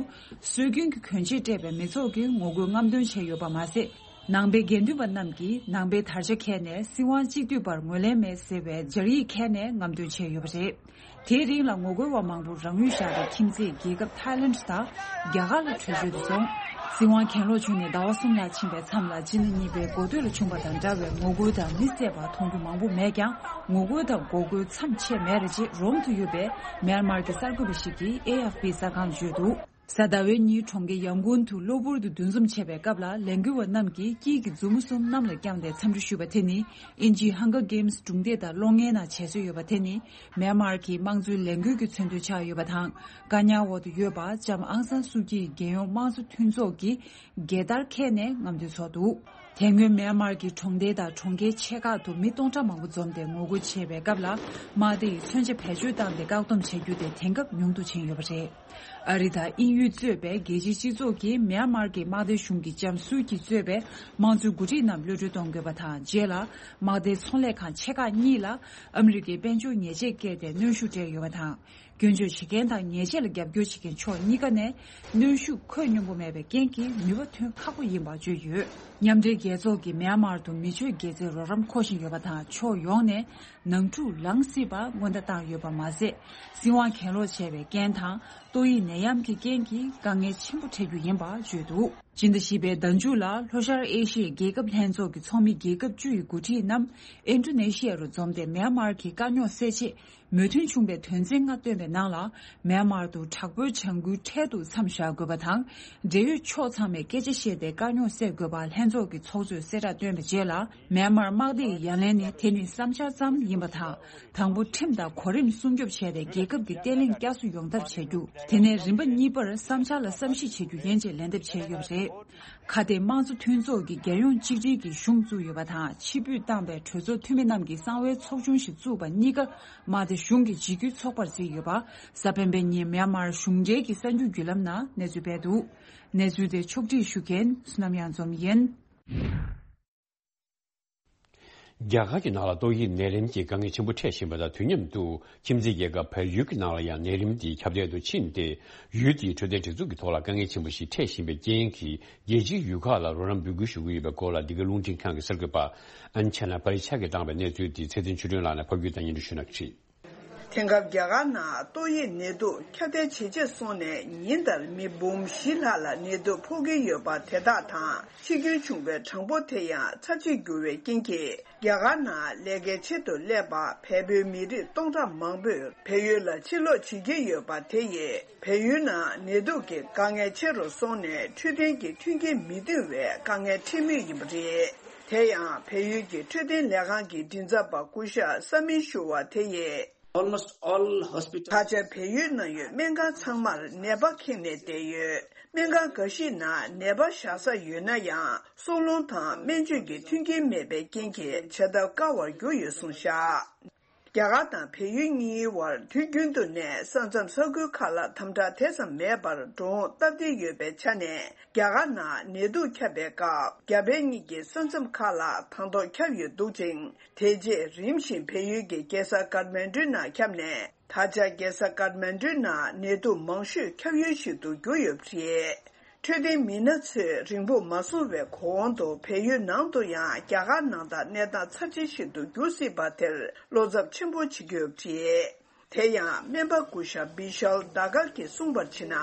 སྲོལ་རྒྱུན་གྱི་གྱོན་ཆས་སྤྲས་པའི་མི་ཚོགས་ཀྱིས་ངོ་རྒོལ་རྔམ་སྟོན་བྱས་ཡོད་པ་མ་ཟད། ནང་པའི་དགེ་འདུན་པ་རྣམས་ཀྱིས་ནང་པའི་དར་ཆ་འཁྱེར་ནས། སྲིད་དབང་གཅིག་སྡུད་པར་ངོས་ལེན་མེད་ཟེར་བའི་སྦྱར་ཡིག་འཁྱེར་ནས་རྔམ་སྟོན་བྱས་ཡོད་པ་རེད། དེའི་རིང་ལ་ངོ་རྒོལ་བ་མང་པོར་རང་ཡུལ་བཞག་སྟེ། ཁྱིམ་མཚེས་རྒྱལ་ཁབ་ཐའི་ལེནྜ་དང་རྒྱ་གར་ལ་བྲོས་བྱོལ་དུ་སོང་། སྲིད་དབང་གྱེན་ལོག་བྱུང་ནས་ཟླ་བ་གསུམ་ལྷག་ཕྱིན་པའི་མཚམས་ལ། སྤྱི་ཟླ་གཉིས་པའི་འགོ་སྟོད་ལ་བྱུང་བ་དང་འདྲ་བའི་ངོ་རྒོལ་དང་མི་བསད་པ་མཐོང་རྒྱུ་མང་པོ་མེད་ཀྱང་། ངོ་རྒོལ་དང་འགོག་རྒོལ་མཚམས་ཆད་མེད་རེ་བྱེད། རོམ་དུ་ཡོད་པའི་མེན་མར་གྱི་གསར་འགོད་པ་ཞིག་གིས་ཨེ་ཨེཕ་པི་གསར་ཁང་ལ་བརྗོད་འདུག། གཟའ་ཟླ་བའི་ཉིན་གྲོང་ཁྱེར་ཡང་གུན་དུ་གློ་བུར་དུ་འདུ་འཛོམས་བྱས་པའི་སྐབས་ལ། ལས་འགུལ་བ་རྣམས་ཀྱིས་དཀྱིལ་གྱི་མཛུབ་མོ་གསུམ་གནམ་ལ་བརྐྱངས་ཏེ་འཚམས་འདྲི་ཞུས་པ་དེ་ནི། དབྱིན་ཇིའི་ཧང་གར་གེམ་སྒྲུང་དེབ་དང་གློག་བརྙན་ནང་བྱེད་སྲོལ་ཡོད་པ་དེ་ནི། མེན་མར་གྱི་དམངས་གཙོའི་ལས་འགུལ་གྱི་མཚོན་དོན་ཆགས་ཡོད་པ་དང་། བཀག་ཉར་འོག་ཏུ་ཡོད་པ་ལྕམ་ཨང་སན་སུའུ་ཀྱིའི་རྒྱལ་ཡོངས་དམངས་གཙོ་མཐུན་ཚོགས་ཀྱི་རྒྱལ་དར་འཁྱེར་ནས་རྔམ་སྟོན་ཚོགས་འདུག། དེ་སྔོན་མེན་མར་གྱི་གྲོང་སྡེ་དང་གྲོང་ཁྱེར་ཆེ་ཁག་ཏུ་མི་སྟོང་ཕྲག་མང་པོ་འཛོམས་ཏེ་ངོ་རྒོལ་བྱས་པའི་སྐབས་ལ། དམག་སྡེ་ཡིས་མཚོན་ཆ་བེད་སྤྱོད་བཏང་སྟེ་བཀག་སྡོམ་བྱ་རྒྱུ་དེ་དེང་སྐབས་ཉུང་དུ་ཕྱིན་ཡོད་པ་རེད། ཨ་རི་དང་དབྱིན་ཡུལ་གཙོས་པའི་རྒྱལ་སྤྱིའི་སྤྱི་ཚོགས་ཀྱིས་མེན་མར་གྱི་དམག་སྡེ་གཞུང་གིས་ལྕམ་སུའུ་ཀྱི་གཙོས་པའི་དམངས་གཙོའི་འགོ་ཁྲིད་རྣམས་གློད་གྲོལ་གཏོང་དགོས་པ་དང་། རྗེས་ལ་དམག་སྡེའི་ཚོང་ལས་ཁང་ཆེ་ཁག་གཉིས་ལ་ཨ་མི་རི་ཀའི་དཔལ་འབྱོར་ཉེས་ཆད་བཀལ་ཏེ་གནོན་ཤུགས་སྤྲད་ཡོད་པ་དང་། སྐྱོན་བརྗོད་བྱེད་མཁན་དང་ཉེས་ཆད་ལ་རྒྱབ་སྐྱོར་བྱེད་མཁན་ཕྱོགས་གཉིས་ཀ་ནས་གནོན་ཤུགས་ཁོད་སྙོམས་པོ་མེད་པའི་རྐྱེན་གྱིས་ནུས་པ་ཐོན་ཁག་པོ་ཡིན་པ་བརྗོད་ཡོད། མཉམ་འབྲེལ་རྒྱལ་ཚོགས་ཀྱིས་མེན་མར་དུ་མི་སྤྱོད་དགེ་རྩའི་རོགས་རམ་མཁོ་བཞིན་ཡོད་པ་དང་། ཕྱོགས་ཡོངས་ནས་ནང་འཁྲུག་ལངས་སྲིད་པ་སྔོན་བརྡ་བཏང་ཡོད་པ་མ་ཟད། སྲིད་དབང་གྱེན་ལོག་བྱས་པའི་རྐྱེན་དང་། ཏོག་དབྱིབས་ནད་ཡམས་ཀྱི་རྐྱེན་གྱིས་དཀའ་ངལ་ཆེན་པོ་འཕྲད་རྒྱུ་ཡིན་པ་བརྗོད་འདུག། སྤྱི་ཟླ་བཞི་པའི་ཟླ་མཇུག་ལ་ལྷོ་ཤར་ཨེ་ཤི་ཡའི་རྒྱལ་ཁབ་ལྷན་ཚོགས་ཀྱི་ཚོགས་མི་རྒྱལ་ཁབ་བཅུ་ཡི་འགོ་ཁྲིད་རྣམས་ཨིན་ཌོ་ནེ་ཤི་ཡ་རུ་འཛོམས་ཏེ། མེན་མར་གྱི་དཀའ་རྙོག་སེལ་ཆེད་མོས་མཐུན་བྱུང་པའི་དོན་ཚན་ལྔ་བཏོན་པའི་ནང་ལ། མེན་མར་དུ་དྲག་པོའི་བྱ་འགུལ་འཕྲལ་དུ་མཚམས་བཞག་དགོས་པ་དང་། འབྲེལ་ཡོད་ཕྱོགས་ཚང་མས་སྐད་ཆ་བཤད་དེ་དཀའ་རྙོག་སེལ་དགོས་པ་ལྷན་ཚོགས་ཀྱི་ཚོགས་གཙོས་གསལ་བསྒྲགས་བཏོན་པའི་རྗེས་ལ། མེན་མར་དམག་སྡེ་ཡི་ཡ་ལན་ནི་དེ་ནི་བསམ་འཆར་ཙམ་ཡིན་པ་དང་། དང་པོ་ཁྲིམས་དང་གོ་རིམ་སྲུང་སྐྱོབ་བྱས་ཏེ། རྒྱལ་ཁབ་ཀྱི་བརྟན་ལྷིང་བསྐྱར་གསོ་ཡོང་ཐབས་བྱ་རྒྱུ། དེ་ནས་རིམ་པ་གཉིས་པར་བསམ་འཆར་ལ་བསམ་གཞིག་བྱེད་རྒྱུ་ཡིན་ཅེས་ལན་འདེབས་བྱས་ཡོད་པ་རེད། ཁ་གཏད་དམངས་གཙོ་མཐུན་ཚོགས་ཀྱིས་རྒྱལ་ཡོངས་གཅིག་སྒྲིལ་གྱི་གཞུང་བཙུགས་ཡོད་པ་དང་། ཕྱིར་འབུད་བཏང་བའི་གྲོས་ཚོགས་འཐུས་མི་རྣམས་ཀྱིས་གསང་བའི་ཚོགས་ཆུང་ཞིག་བཙུགས་པ་གཉིས་ཀ་དམག་སྡེ་གཞུང་གི་འཇིགས་སྐུལ་ཚོགས་པར་བརྩིས་ཡོད་པ། གཟའ་སྤེན་པའི་ཉིན་མེན་མར་གཞུང་འབྲེལ་གྱི་གསར་འགྱུར་བརྒྱུད་ལམ་ནང་གནས་ཚུལ་སྤེལ་འདུག། གནས་ཚུལ་དེ་ཕྱོགས་སྒྲིག་ཞུ་མཁན་བསོད་ནམས་གཡང་འཛོམས་ཡིན། རྒྱ་གར་གྱི་ནང་ལ་ཏོག་དབྱིབས་ནད་རིམས་ཀྱི་དཀའ་ངལ་ཆེན་པོ་འཕྲད་བཞིན་པ་དང་། དུས་མཉམ་དུ་ཁྱིམ་མཚེས་རྒྱལ་ཁབ་བལ་ཡུལ་གྱི་ནང་ལ་ཡང་ནད་རིམས་དེ་ཁྱབ་གདལ་དུ་ཕྱིན་ཏེ། ཡུལ་དེའི་འཕྲོད་བསྟེན་སྒྲིག་འཛུགས་ཀྱི་ཐོག་ལ་དཀའ་ངལ་ཆེན་པོ་ཞིག་འཕྲད་བཞིན་པའི་རྐྱེན་གྱིས། རྒྱལ་སྤྱིའི་ཡུལ་ཁག་ལ་རོགས་རམ་འབོད་སྐུལ་ཞུ་གི་ཡོད་པའི་སྐོར་ལ། འདི་ག་རླུང་འཕྲིན་ཁང་གི་གསར་འགོད་པ་ཨན་ཆེ་ན་པ་རི་ཆ་གིས་བཏང་བའི་གནས་ཚུལ་དེ་ཚེ་བརྟན་ཆོས་སྒྲོན་ལགས་ནས་ཕབ་སྒྱུར་དང་སྙན་སྒྲོན་ཞུ་གནང་གི་རེད། དེང་སྐབས་རྒྱ་གར་ནང་ཏོག་དབྱིབས་ནད་དུག་ཁྱབ་གདལ་ཇེ་ཆེར་སོང་ནས། ཉིན་ལྟར་མི་འབུམ་བཞི་ལྷག་ལ་ནད་དུག་ཕོག་གི་ཡོད་པ་དེ་དག་དང་། འཆི་སྐྱོན་བྱུང་བའི་གྲངས་འབོར་དེ་ཡང་ཚབས་ཆེར་འགྱུར་བའི་རྐྱེན་གྱིས། རྒྱ་གར་ནང་ལས་ཀའི་ཆེད་དུ་སླེབས་པ་བལ་པོའི་མི་རིགས་སྟོང་ཕྲག་མང་པོས་བལ་ཡུལ་ལ་ཕྱིར་ལོག་བྱེད་ཀྱི་ཡོད་པ་དེ་ཡིས། བལ་ཡུལ་ནང་ནད་དུག་གི་དཀའ་ངལ་ཆེ་རུ་སོང་ནས། འཕྲོད་བསྟེན་གྱི་མཐུན་རྐྱེན་མི་ཐོན་བའི་དཀའ་ངལ་འཕྲད་མུས་ཡིན་པ་རེད། དེ་ཡང་བལ་ཡུལ་གྱི་འཕྲོད་བསྟེན་ལས་ཁང་གི་མགྲིན་ཚབ་པ་སྐུ་ཞབས་ས་མི་ཤུ་བ་དེ་ཡིས། Almost all hospital. ད་ཆ་བལ་ཡུལ་ནང་ཡོད་སྨན་ཁང་ཚང་མར་ནད་པ་ཁེངས་ནས་བསྡད་ཡོད། སྨན་ཁང་འགའ་ཞིག་ནང་ནད་པ་བཞག་ས་ཡོད་ན་ཡང་། སྲོག་རླུང་དང་སྨན་བཅོས་ཀྱི་མཐུན་རྐྱེན་མེད་པའི་རྐྱེན་གྱིས། བྱ་ཐབས་དཀའ་བར་གྱུར་ཡོད་གསུངས་བཞག། རྒྱ་གར་དང་བལ་ཡུལ་གཉིས་བར་དུས་རྒྱུན་དུ་ནས་ས་མཚམས་ས་ཁུལ་ཁག་ལ་དམ་དྲག་དེ་ཙམ་མེད་པར་འགྲོ་འོང་སྟབས་བདེ་ཡོད་པའི་ཆ་ནས། རྒྱ་གར་ནང་ནད་དུག་ཁྱབ་པའི་སྐབས། རྒྱ་བལ་གཉིས་ཀྱི་ས་མཚམས་ཁག་ལ་དང་ཐོག་ཁྱབ་ཡོད་འདུག་ཅིང་། དེ་རྗེས་རིམ་བཞིན་བལ་ཡུལ་གྱི་རྒྱལ་ས་ཀཏ་མན་ཌུ་ནང་ཁྱབ་ནས། ད་ཆ་རྒྱལ་ས་ཀཏ་མན་ཌུ་ནང་ནད་དུག་མང་ཤོས་ཁྱབ་ཡུལ་ཞིག་ཏུ་གྱུར་ཡོད་པ་རེད། འཕྲོད་བསྟེན་མི་སྣ་ཚོས་རིང་པོ་མ་སོང་བའི་གོང་དུ་བལ་ཡུལ་ནང་དུ་ཡང་རྒྱ་གར་ནང་དང་གནས་སྟངས་ཚབས་ཆེན་ཞིག་ཏུ་འགྱུར་སྲིད་པ་དེར་བློ་འཚབ་ཆེན་པོ་བྱེད་ཀྱི་ཡོད་པ་རེད། དེ་ཡང་སྨན་པ་སྐུ་ཞབས་བི་ཤལ་དཱ་གར་གྱིས་གསུངས་པར་བྱས་ན།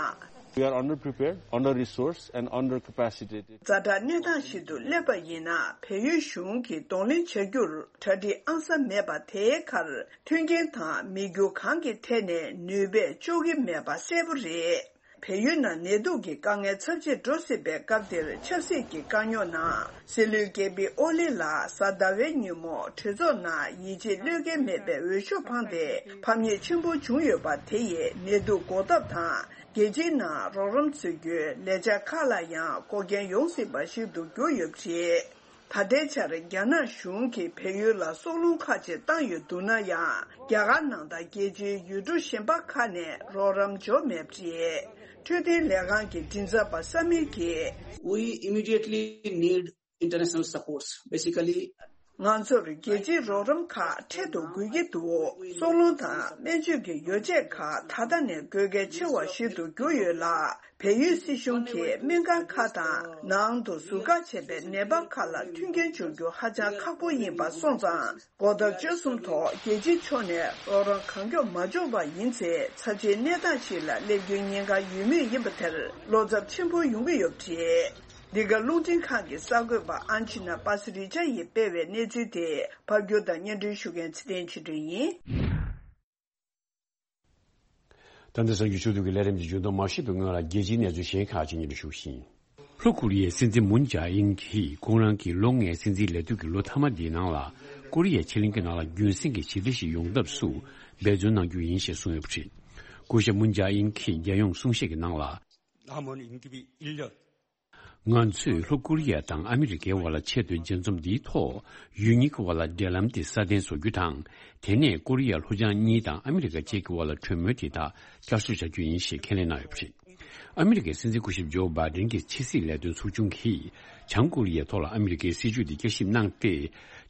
We are underprepared, under-resourced and under-capacitated. ཛ་དྲག་གནས་སྟངས་ཤིག་ཏུ་སླེབས་པ་ཡིན་ན། བལ་ཡུལ་གཞུང་གིས་གདོང་ལེན་བྱ་རྒྱུར་གྲ་སྒྲིག་ཨང་གསར་མེད་པ། དེའི་ཁར་མཐུན་རྐྱེན་དང་མི་རྒྱུ་གང་གི་ཐད་ནས་ནུས་པས་གཅོག་གི་མེད་པ་གསལ་པོ་རེད། བལ་ཡུལ་ནང་ནད་དུག་གི་དཀའ་ངལ་ཚབས་ཆེར་འགྲོ་སྲིད་པའི་སྐབས་འདིར། ཆབ་སྲིད་ཀྱི་དཀའ་རྙོག་ནང་སྲིད་བློན་ཀེ་པི་ཨོ་ལི་ལགས་གཟའ་ཟླ་བའི་ཉིན་མོ་གྲོས་ཚོགས་ནང་ཡིད་ཆེས་བློས་འགེལ་མེད་པའི་འོས་ཤོག་འཕངས་ཏེ། ཕམ་ཉེས་ཆེན་པོ་བྱུང་ཡོད་པ་དེ་ཡིས་ནད་དུག་འགོག་ཐབས་དང་། རྒྱལ་སྤྱིའི་ནང་རོགས་རམ་འཚོལ་རྒྱུའི་ལས་འཆར་ཁག་ལ་ཡང་འགོག་རྐྱེན་ཡོང་སྲིད་པ་ཞིག་ཏུ་གྱུར་ཡོད་པ་རེད། ད་ལྟའི་ཆར་རྒྱ་ནག་གཞུང་གིས་བལ་ཡུལ་ལ་སྲོག་རླུང་ཁག་ཅིག་བཏང་ཡོད་འདུག་ན་ཡང་། རྒྱ་གར་ནང་དང་རྒྱལ་སྤྱིའི་ཡུལ་གྲུ་གཞན་པ་ཁག་ནས་རོགས་རམ་འབྱོར་མེད་པ་རེད། འཕྲོད་བསྟེན་ལས་ཁང་གི་མགྲིན་ཚབ་པ་ས་མིར་གྱིས། We immediately need international supports. Basically, ང་ཚོར་རྒྱལ་སྤྱིའི་རོགས་རམ་ཁག་འཕྲལ་དུ་དགོས་ཀྱི་འདུག་སྲོག་རླུང་དང་སྨན་བཅོས་ཀྱི་ཡོ་བྱད་ཁག་ད་ལྟ་ནས་དགོས་གལ་ཆེ་བ་ཞིག་ཏུ་གྱུར་ཡོད་ལ། བལ་ཡུལ་སྲིད་གཞུང་གིས་སྨན་ཁང་ཁག་དང་ནང་དུ་ཟུར་བཀག་བྱས་པའི་ནད་པ་ཁག་ལ་མཐུན་རྐྱེན་སྦྱོར་རྒྱུ་ཧ་ཅང་ཁག་པོ་ཡིན་པ་སོང་ཙང་། འགོག་ཐབས་སྤྱོད་གསུམ་ཐོག་རྒྱལ་སྤྱིའི་ཕྱོགས་ནས་རོགས་རམ་གང་མགྱོགས་མ་འབྱོར་བ་ཡིན་ཚེ། ཚབས་ཆེའི་གནས་སྟངས་ཤིག་ལ་སླེབས་རྒྱུའི་ཉེན་ཁ་ཡོད་མུས་ཡིན་པ་དེར་བློ་འཚབ་ཆེན་པོ་ཡོང་གི་ཡོད་པ་རེད། འདི་ག་རླུང་འཕྲིན་ཁང་གི་གསར་འགོད་པ་ཨན་ཆི་ན་པ་སི་རི་ཅ་ཡིས་སྤེལ་བའི་གནས་ཚུལ་དེ། ཕབ་སྒྱུར་དང་སྙན་སྒྲོན་ཞུ་མཁན་ཚེ་བརྟན་ཆོས་སྒྲོན་ཡིན། ད་ལྟ་གསར་འགྱུར་ཕྱོགས་བསྡུས་ཀྱི་ལས་རིམ་གྱི་མཇུག་སྡོམ་མ་ཞུས་པའི་སྔོན་ལ། རྒྱལ་སྤྱིའི་གནས་ཚུལ་གཞན་ཁག་ཅིག་སྙན་སྒྲོན་ཞུ་བཞིན། ལྷོ་ཀོ་རི་ཡའི་སྲིད་འཛིན་མུན་ཇཱ་ཨིན་གྱིས་ཁོང་རང་གི་ལོ་ལྔའི་སྲིད་འཛིན་ལས་དུས་ཀྱི་ལོ་མཐའ་མ་འདིའི་ནང་ལ། ཀོ་རི་ཡའི་ཕྱེད་གླིང་གི་ནང་ལ་རྒྱུན་སྲིང་གི་ཞི་བདེ་ཞིག་ཡོང་ཐབས་སུ་འབད་བརྩོན་གནང་རྒྱུ་ཡིན་ཞེས་གསུངས་ཡོད་པ་རེད། སྐུ་ཞབས་མུན་ཇཱ་ཨིན་གྱིས་རྒྱལ་ཡོངས་གསུང་བཤད་ཀྱི་ནང་ལ། ང་ཚོས་ལྷོ་ཀོ་རི་ཡ་དང་ཨ་མི་རི་ཀའི་དབར་ལ་ཆེས་མཐོའི་མཇལ་འཛོམས་འདིའི་ཐོག་ཡུལ་གཉིས་ཀྱི་དབར་ལ་འབྲེལ་ལམ་དེ་སྲ་བརྟན་བཟོ་རྒྱུ་དང་། དེ་ནས་ཀོ་རི་ཡ་ལྷོ་བྱང་གཉིས་དང་ཨ་མི་རི་ཀ་བཅས་ཀྱི་དབར་ལ་གྲོས་མོལ་དེ་དག་བསྐྱར་གསོ་བྱ་རྒྱུ་ཡིན་ཞེས་ཁས་ལེན་གནང་ཡོད་པ་རེད། ཨ་མི་རི་ཀའི་སྲིད་འཛིན་སྐུ་ཞབས་ཇོ་བྷའི་ཌེན་གྱི་ཕྱི་སྲིད་ལས་དོན་ཚོགས་ཆུང་གིས་བྱང་ཀོ་རི་ཡའི་ཐོག་ལ་ཨ་མི་རི་ཀའི་སྲིད་ཇུས་དེ་བསྐྱར་ཞིབ་གནང་སྟེ།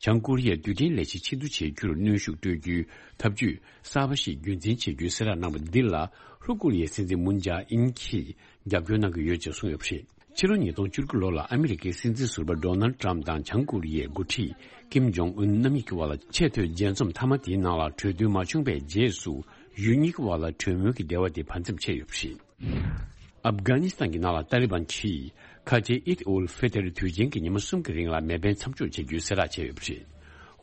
བྱང་ཀོ་རི་ཡའི་རྡུལ་ཕྲན་ལས་གཞི་ཕྱིར་བསྡུ་བྱེད་རྒྱུར་གནོན་ཤུགས་སྤྲོད་རྒྱུའི་ཐབས་ཇུས་གསར་པ་ཞིག་རྒྱུན་འཛིན་བྱེད་རྒྱུའི་གསལ་བསྒྲགས་གནང་བ་འདི་ལ། ལྷོ་ཀོ་རི་ཡའི་སྲིད་འཛིན་མུན་ཇཱ་ཨིན་གྱིས་རྒྱབ་སྐྱོར་གནང་གི་ཡོད་ཅེས་གསུངས་ཡོད་པ་རེད། ཕྱི་ལོ་ཉིས་སྟོང་བཅུ་དགུ་ལོ་ལ་ཨ་མི་རི་ཀའི་སྲིད་འཛིན་ཟུར་པ་ཌོ་ནལ་ཌི་ཊརམ་ཕི་དང་བྱང་ཀོ་རི་ཡའི་འགོ་ཁྲིད་ཀིམ་ཇོང་ཨུན་རྣམ་གཉིས་ཀྱི་དབར་ལ་ཆེས་མཐོའི་མཇལ་འཛོམས་མཐའ་མ་དེའི་ནང་ལ་གྲོས་མཐུན་མ་བྱུང་བའི་རྗེས་སུ། ཡུལ་གཉིས་ཀྱི་དབར་ལ་གྲོས་མོལ་གྱི་འབྲེལ་བ་དེ་བར་མཚམས་ཆད་ཡོད་པ་རེད། ཨབ་གྷ་ནི་སི་ཐན་གྱི་ནང་ལ་ཏཱ་ལི་བན་གྱིས་ཁ་ཆེའི་ཨིད་ཨུལ་ཧྥི་ཏར་དུས་ཆེན་གྱི་ཉི་མ་གསུམ་གྱི་རིང་ལ་མེ་འཕེན་མཚམས་འཇོག་བྱེད་རྒྱུའི་གསལ་བསྒྲགས་བྱས་ཡོད་པ་རེད།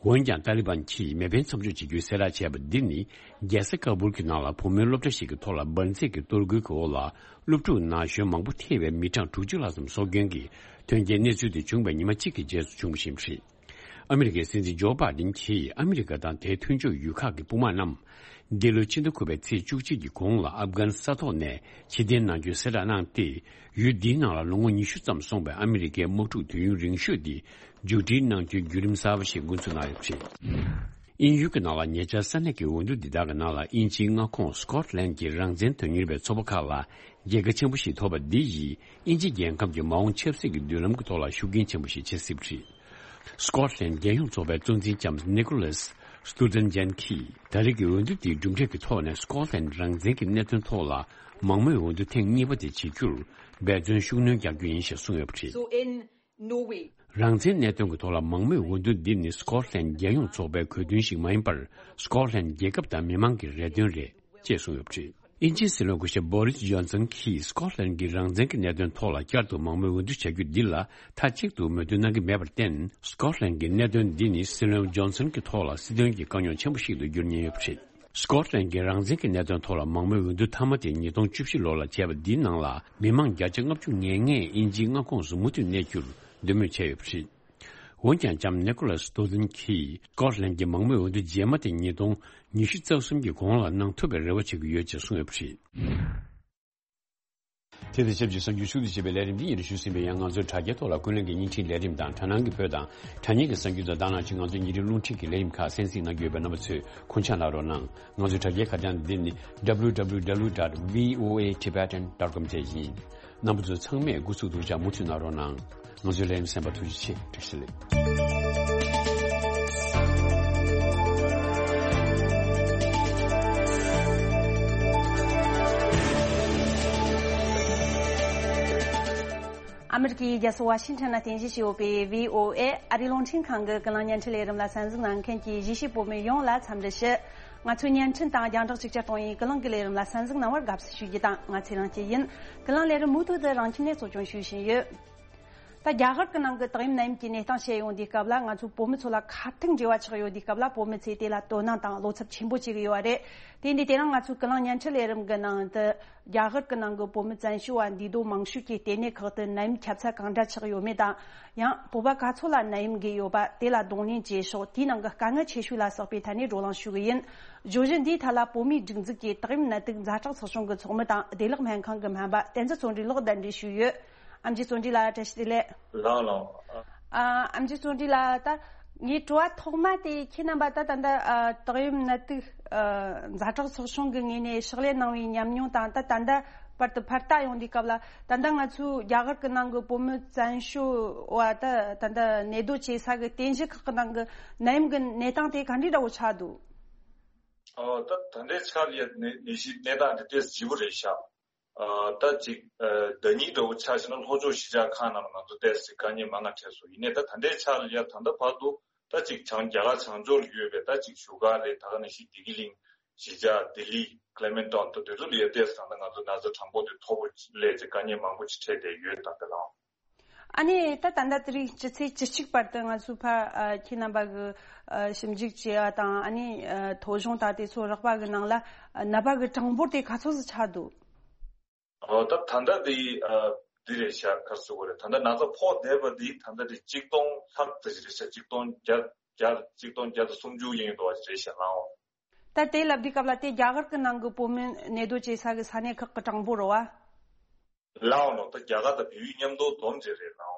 འོན་ཀྱང་། ཏཱ་ལི་བན་གྱིས་མེ་འཕེན་མཚམས་འཇོག་བྱེད་རྒྱུའི་གསལ་བསྒྲགས་བྱས་པ་འདི་ནི། རྒྱལ་ས་ཀ་བུལ་གྱི་ནང་ལ་བུ་མོའི་སློབ་གྲྭ་ཞིག་གི་ཐོག་ལ་འབར་རྫས་ཀྱི་གཏོར་རྒོལ་གྱི་འོག་ལ། སློབ་ཕྲུག་ན་གཞོན་མང་པོ་ཐེ་བའི་མི་གྲངས་དྲུག་ཅུ་ལྷག་ཙམ་སྲོག་སྐྱོན་གྱི་དོན་རྐྱེན་གནས་ཚུལ་དེ་བྱུང་བའི་ཉི་མ་གཅིག་གི་རྗེས་སུ་བྱུང་བཞིན་པ་རེད། ཨ་མི་རི་ཀའི་སྲིད་འཛིན་ཇོ་བྷའི་ཌེན་གྱིས་ཨ་མི་རི་ཀ་དང་དེའི་མཐུན་ཕྱོགས་ཡུལ་ཁག་གི་དཔུང་དམག་རྣམས། འདི་ལོའི་ཕྱི་ཟླ་དགུ་པའི་ཚེས་བཅུ་གཅིག་གི་གོང་ལ་ཨབ་གྷན་ས་ཐོག་ནས་ཕྱིར་འཐེན་གནང་རྒྱུའི་གསལ་བསྒྲགས་གནང་སྟེ། ཡུལ་འདིའི་ནང་ལ་ལོ་ངོ་ཉི་ཤུ་ཙམ་སོང་བའི་ཨ་མི་རི་ཀའི་དམག་འཁྲུག་དུས་ཡུན་རིང་ཤོས་དེ་མཇུག་སྒྲིལ་གནང་རྒྱུའི་བརྒྱུད་རིམ་གསར་པ་ཞིག་འགོ་འཛུགས་གནང་ཡོད་པ་རེད། དབྱིན་ཡུལ་གྱི་ནང་ལ་ཉེ་ཆར་ས་གནས་ཀྱི་འོས་བསྡུ་འདི་དག་གི་ནང་ལ་དབྱིན་ཇིའི་མངའ་ཁོངས་སི་ཀོ་ཊི་ལན་གྱི་རང་བཙན་དོན་གཉེར་བའི་ཚོགས་པ་ཁག་ལ་རྒྱལ་ཁ་ཆེན་པོ་ཞིག་ཐོབ་པ་འདི་ཡིས་དབྱིན་ཇི་རྒྱལ་ཁབ་ཀྱི་མ་འོངས་ཆབ་སྲིད་ཀྱི་མདུན་ལམ་གྱི་ཐོག་ལ་ཤུགས་རྐྱེན་ཆེན་པོ་ཞིག་བྱེད་སྲིད་པ་རེད། སི་ཀོ་ཊི་ལན་རྒྱལ་ཡོངས་ཚོགས་པའི་གཙོ་འཛིན་ལྕམ་ནི་ཀོ་ལཱས་སྟུ་ཏན་ཇན་གྱིས་ད་རེས་ཀྱི་འོས་བསྡུ་དེའི་གྲུབ་འབྲས་ཀྱི་ཐོག་ནས་སི་ཀོ་ཊི་ལན་རང་བཙན་གྱི་གནད་དོན་ཐོག་ལ་མང་མོས་འོས་བསྡུ་ཐེངས་གཉིས་པ་དེ་བྱེད་རྒྱུར་འབད་བརྩོན་ཤུགས་སྣོན་རྒྱག་རྒྱུ་ཡིན་ཞེས་གསུངས་ཡོད་པ་རེད། So in Norway. རང་བཙན་གནད་དོན་གྱི་ཐོག་ལ་མང་མོས་འོས་བསྡུ་འདི་ནི་སི་ཀོ་ཊི་ལན་རྒྱལ་ཡོངས་ཚོགས་པའི་གོ་དོན་ཞིག་མ་ཡིན་པར། སི་ཀོ་ཊི་ལན་རྒྱལ་ཁབ་དང་མི་མང་གི་རེ་འདུན་རེད། ཅེས་གསུངས་ཡོད་པ་རེད། དབྱིན་ཇིའི་སྲིད་བློན་སྐུ་ཞབས་བོ་རིས་ཇོན་སན་གྱིས་སི་ཀོ་ཊི་ལན་གྱི་རང་བཙན་གྱི་གནད་དོན་ཐོག་ལ་བསྐྱར་དུ་མང་མོས་འོས་བསྡུ་བྱ་རྒྱུ་འདི་ལ་མཐའ་གཅིག་ཏུ་མོས་མཐུན་གནང་གི་མེད་པར་བརྟེན། སི་ཀོ་ཊི་ལན་གྱི་གནད་དོན་འདི་ནི་སྲིད་བློན་ཇོན་སན་གྱི་ཐོག་ལ་སྲིད་དོན་གྱི་དཀའ་རྙོག་ཆེན་པོ་ཞིག་ཏུ་འགྱུར་ཉེན་ཡོད་པ་རེད། སི་ཀོ་ཊི་ལན་གྱི་རང་བཙན་གྱི་གནད་དོན་ཐོག་ལ་མང་མོས་འོས་བསྡུ་མཐའ་མ་དེ་ཉིས་སྟོང་བཅུ་བཞི་ལོ་ལ་བྱས་པ་འདིའི་ནང་ལ་མི་མང་བརྒྱ་ཆ་ལྔ་བཅུ་ང་ལྔས་དབྱིན་ཇིའི་མངའ་ཁོངས་སུ་མུ་མཐུད་གནས་རྒྱུར་འདོད་མོས་བྱས་ཡོད་པ་རེད། འོན་ཀྱང་ལྕམ་ནི་ཀོ་ལཱས་སྟོ་ཛིན་གྱིས་སི་ཀོ་ཊི་ལན་གྱི་མང་མོས་འོས་བསྡུ་རྗེས་མ་དེ་ཉིས་སྟོང་ཉི་ཤུ་རྩ་གསུམ་གྱི་གོང་ལ་གནང་ཐུབ་པའི་རེ་བ་བྱེད་ཀྱི་ཡོད་ཅེས་གསུངས་ཡོད་པ་རེད། དེ་དང་ཆབས་ཅིག་གསར་འགྱུར་ཤུགས་ཆེ་བའི་ལས་རིམ་འདི་ཡིན་རུ་ཞུ་ཟིན་པའི་ཡང་ང་ཚོའི་དྲ་རྒྱའི་ཐོག་ལ་ཀུན་གླེང་གི་བརྙན་འཕྲིན་ལས་རིམ་དང་དྲ་སྣང་གི་བོད་དང་དྲ་བརྙན་གྱི་གསར་འགྱུར་དང་དང་བླངས་ཀྱིས་ང་ཚོའི་ཉིན་རེའི་རླུང་འཕྲིན་གྱི་ལས་རིམ་ཁག་གསན་གཟིགས་གནང་གི་ཡོད་པས་རྣམ་པ་ཚོས་དགོངས་འཇགས་གནང་རོགས་གནང་། ང་ཚོའི་དྲ་རྒྱའི་ཁ་བྱང་འདི་ནི་W W W dot V O A Tibetan dot com བཅས་ཡིན། རྣམ་པ་ཚོ་ཚང་མས་སྒུག་ཚུགས་འདུག་ཅག་མུ་མཐུད་གནང་རོགས་གནང་། ང་ཚོའི་ལས་རིམ་གསན་པར་ཐུགས་རྗེ་ཆེ། བཀྲ་ཤིས་བདེ་ལེགས། ཨ་མི་རི་ཀའི་རྒྱལ་ས་ཝ་ཤིང་ཊོན་ན་རྟེན་གཞི་བྱས་ཡོད་པའི་V O A ཨ་རིའི་རླུང་འཕྲིན་ཁང་གི་ཀུན་གླེང་བརྙན་འཕྲིན་ལས་རིམ་ལ་གསན་གཟིགས་གནང་མཁན་གྱི་གཞིས་བྱེས་བོད་མི་ཡོངས་ལ་འཚམས་འདྲི་ཞུ། ང་ཚོའི་བརྙན་འཕྲིན་དང་རྒྱང་བསྒྲགས་གཅིག་གྱུར་གཏོང་བའི་ཀུན་གླེང་གི་ལས་རིམ་ལ་གསན་གཟིགས་གནང་བར་དགའ་བསུ་ཞུ་རྒྱུ་དང་། ང་ཚེ་རིང་སྐྱིད་ཡིན། ཀུན་གླེང་ལས་རིམ་མུ་མཐུད་དུ་རང་ཁྱིམ་ནས་གཙོ་སྐྱོང་ཞུ་བཞིན་ཡོད། ད་རྒྱ་གར་གྱི་ནང་གི་ཏོག་དབྱིབས་ནད་ཡམས་ཀྱི་གནས་སྟངས་བཤད་ཡོང་དུས་སྐབས་ལ། ང་ཚོ་བོད་མི་ཚོ་ལ་ཁ་ཐུག་འབྲེལ་བ་ཆགས་ཡོད་དུས་སྐབས་ལ། བོད་མི་ཚོས་དེ་ལ་དོ་སྣང་དང་བློ་འཚབ་ཆེན་པོ་བྱེད་ཀྱི་ཡོད་པ་རེད། དེ་འདི་དེ་རིང་ང་ཚོའི་ཀུན་གླེང་བརྙན་འཕྲིན་ལས་རིམ་གྱི་ནང་དུ། རྒྱ་གར་གྱི་ནང་གི་བོད་མི་བཙན་བྱོལ་བ་འདུས་སྡོད་མང་ཤོས་ཀྱི་ལྟེ་གནས་ཁག་ཏུ་ནད་ཡམས་ཁྱབ་ཚད་གང་འདྲ་ཆགས་ཡོད་མེད་དང་། ཡང་བོད་པ་ག་ཚོད་ལ་ནད་ཡམས་འགོས་ཡོད་པ། དེ་ལ་གདོང་ལེན་བྱེད་ཕྱོགས། དེའི་ནང་གི་དཀའ་ངལ་ཆེ་ཤོས་ལ་སོགས་པའི་ཐད་ནས་བགྲོ་གླེང་ཞུ་གི་ཡིན། བརྗོད་གཞི་འདིའི་ཐད་ལ་བོད་མིའི་སྒྲིག་འཛུགས་ཀྱི་ཏོག་དབྱིབས་ནད་དུག་ཛ་དྲག་ཚོགས་ཆུང་གི་ཚོགས་མི་དང་བདེ་ལེགས་སྨན་ཁང་གི་སྨན་པ་བསྟན་འཛིན་བརྩོན་འགྲུས་ལགས་གདན་འདྲེན་ཞུས་ཡོད། ཨེམ་ཆི་བརྩོན་འགྲུས་ལགས་བཀྲ་ཤིས་བདེ་ལེགས། ལགས་ལགས། ཨ། ཨེམ་ཆི་བརྩོན་འགྲུས་ལགས། ད་ངའི་དྲི་བ་ཐོག་མ་དེ་ཁྱེད་རྣམ་པ་ད་ད་ལྟ་ཨ་ཏོག་དབྱིབས་ནད་དུག་ཨ་ཛ་དྲག་ཚོགས་ཆུང་གི་ངོས་ནས་ཕྱག་ལས་གནང་བའི་ཉམས་མྱོང་དང་། ད་ད་ལྟ་བར་དུ་ཕར་ལྟ་ཡོང་དུས་སྐབས་ལ། ད་ལྟ་ང་ཚོའི་རྒྱ་གར་གྱི་ནང་གི་བོད་མི་བཙན་བྱོལ་བ་ད་ད་ལྟ་གནས་སྡོད་བྱེད་ས་གི་རྟེན་གཞི་ཁག་གི་ནང་གི་ནད་ཡམས་ཀྱི་གནས་སྟངས་དེ་ག་འདྲའི་འདྲ་བོ་ཆགས་འདུག་ཨོ། ད་ད་ལྟའི་ཆར་ཡ་ནད་ནད་གཞིའི་གནས་སྟངས་དེ་ཏོག་ཙམ་ལྗིད་པོ་རེད་ཤག་ཨ། ད་ཅིག་ཨ། ཟླ་ཉིན་འདྲ་བོ་ཆགས་ཤིང་ན་ལྷོ་ཕྱོགས་གཞིས་ཆགས་ཁག་ནང་ལ་ང་ཚོ་ཏོག་ཙམ་དཀའ་ངལ་མང་ང་འཕྲད་སོང་། ཡིན་ནའི་ད་ད་ལྟའི་ཆར་ལ་ཡ་ད་ལྟ་བར་དུ་ད་ཅིག་བྱང་རྒྱ་གར་བྱང་ཕྱོགས་ལ་ཡོད་པའི་ད་ཅིག་བཞུགས་སྒར་རེད། ད་ག་ནང་བཞིན་བདེ་སྐྱིད་གླིང་གཞིས་ཆགས་ལྡི་ལི་ཀླེ་མེན་ཊོན་ད་དེ་ཚོ་ལ་ཡ་ཏོག་ཙམ་ད་ལྟ་ང་ཚོ་ན་ཚ་གྲངས་འབོར་དེ་མཐོ་པོ་སླེབས་ཏེ་དཀའ་ངལ་མང་པོ་ཅིག་འཕྲད་བསྡད་ཡོད། ད་ལྟ་ལའང་། ཨ་ནི་ད་ད་ལྟ་དེ་རིང་སྤྱི་ཚེས་བཅུ་གཅིག་བར་དུ་ང་ཚོས་ཕར་ཨ་ཁྱེད་རྣམ་པ་གི་ཨ་ཞིབ་འཇུག་བྱས་པ་དང་། ཨ་ནི་ཨ་ཐོ་གཞུང་དང་དེ་ཚོ་རགས་པ་གི་ནང་ལ་ཨ་ནད་པ་གི་གྲངས་འབོར་དེ་ག་ཚོད་ཙམ་ཆགས་འདུག་ཨོ། ད་ད་ལྟ་དེ་ཨ་འདི་རེད་ཤག་ག་རེ་ཟེར་དགོས་རེད། ད་ལྟ་ན་ཚ་ཕོག་བསྡད་པ་འདི་ད་ལྟ་དེ་གཅིག་སྟོང་ལྷག་ཙམ་ཞིག་རེད་ཤག་གཅིག་སྟོང་བརྒྱ་བརྒྱ་གཅིག་སྟོང་བརྒྱ་དང་སུམ་ཅུ་ཡིན་འདུག་པ་རེད་ཤག་ལའང་། ད་དེ་ལབ་དུས་སྐབས་ལ་དེ་རྒྱ་གར་གྱི་ནང་གི་བོད་མི་གནས་སྡོད་བྱེད་ས་གི་ས་གནས་ཁག་གི་གྲངས་འབོར་རེད་པ། ལའོ་ནོ། ད་རྒྱ་གར་དང་བལ་ཡུལ་མཉམ་དུ་བསྡོམས་བྱས་རེད་ལའོ།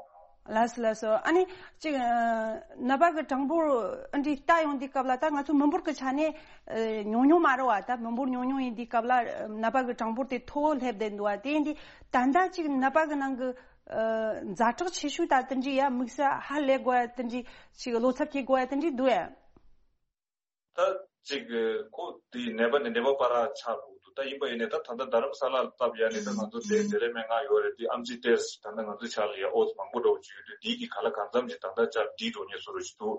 ལགས་སོ་ལགས་སོ། ཨ་ནི་ཅིག་ཨ་ནད་པ་གི་གྲངས་འབོར་ཨ་འདྲ་ལྟ་ཡོང་དུས་སྐབས་ལ། ད་ང་ཚོ་མི་འབོར་གི་ཆ་ནས་ཨ་ཉུང་ཉུང་མ་རེད་པ། ད་མི་འབོར་ཉུང་ཉུང་ཡིན་དུས་སྐབས་ལ་ཨ་ནད་པ་གི་གྲངས་འབོར་དེ་མཐོ་བོ་སླེབས་བསྡད་འདུག་པ། དེ་ཡིན་དུས་ད་ལྟ་ཅིག་ནད་པ་གི་ནང་གི་ཨ་ཛ་དྲག་ཆེ་ཤོས་ད་དེ་འདྲ་ཡ་དམིགས་བསལ་ཧ་ལས་དགོས་ཡ་དེ་འདྲ། ཅིག་བློ་འཚབ་སྐྱེ་དགོས་ཡ་དེ་འདྲ་འདུག་ཡ། ད་ཅིག་ཁོ་དེ་ནད་པ་ནས་ནད་པ་བར་ཆགས་འགྲོ་གི་འདུག་ད་ཡིན་པ་ཡིན་ནའི་ད་ད་ལྟ་རྡ་རམ་ས་ལ་ལ་བལྟས་ཡ་ནི་ད་ང་ཚོ་དེ་བདེ་ལེགས་སྨན་ཁང་ཡོད་རེད། དེ་ཨེམ་ཆི་ཏོག་ཙམ་ད་ལྟ་ང་ཚོའི་ཆ་ལ་ཡ་ཨོ་ཙམ་མང་པོ་འདྲ་བོ་ཅིག་ཡོད་དུས། དེའི་གི་ག་ལ་གང་འཚམ་ཅིག་ད་ལྟ་ཅིག་འགྲིག་འགྲོ་ཉེན་བཟོ་འདྲ་ཅིག་འདུག་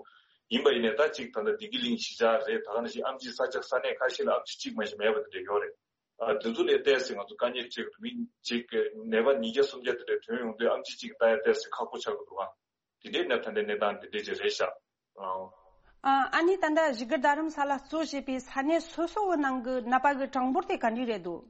ཡིན་པ་ཡིན་ནའི་ད་ཅིག་ད་ལྟ་བདེ་སྐྱིད་གླིང་གཞིས་ཆགས་རེད། ད་ག་ནང་བཞིན་ཨེམ་ཆི་ས་ཆ་ས་གནས་ཁ་ཤས་ལ་ཨེམ་ཆི་གཅིག་མ་གཏོགས་མེད་པ་དེ་འདྲ་ཡོད་རེད། ཨ། དེ་ཚོ་ལ་ཏོག་ཙམ་ང་ཚོ་དཀའ་ངལ་འཕྲད་ཀྱི་འདུག་མི་གཅིག་གི་ནད་པ་ཉིས་བརྒྱ་སུམ་བརྒྱ་དེ་འདྲ་ཐོན་ཡོང་དུས་ཨེམ་ཆི་གཅིག་ལྟ་ཡ་ཏོག་ཙམ་ཁག་པོ་ཆགས་ཀྱི་འདུག་ག་དེ་འདྲའི་གནས་ད་ལྟའི་གནས་སྟངས་འདི་འདྲ་ཅིག་རེད་ཤག་ཨང་། ཨ་ཨ་ནི་ད་ལྟ་བཞུགས་སྒར་རྡ་རམ་ས་ལ་གཙོ་བྱས་པའི་ས་གནས་སོ་སོ་གི་ནང་གི་ནད་པ་གི་གྲངས་འབོར་དེ་ག་འདྲ་རེད་འདུག་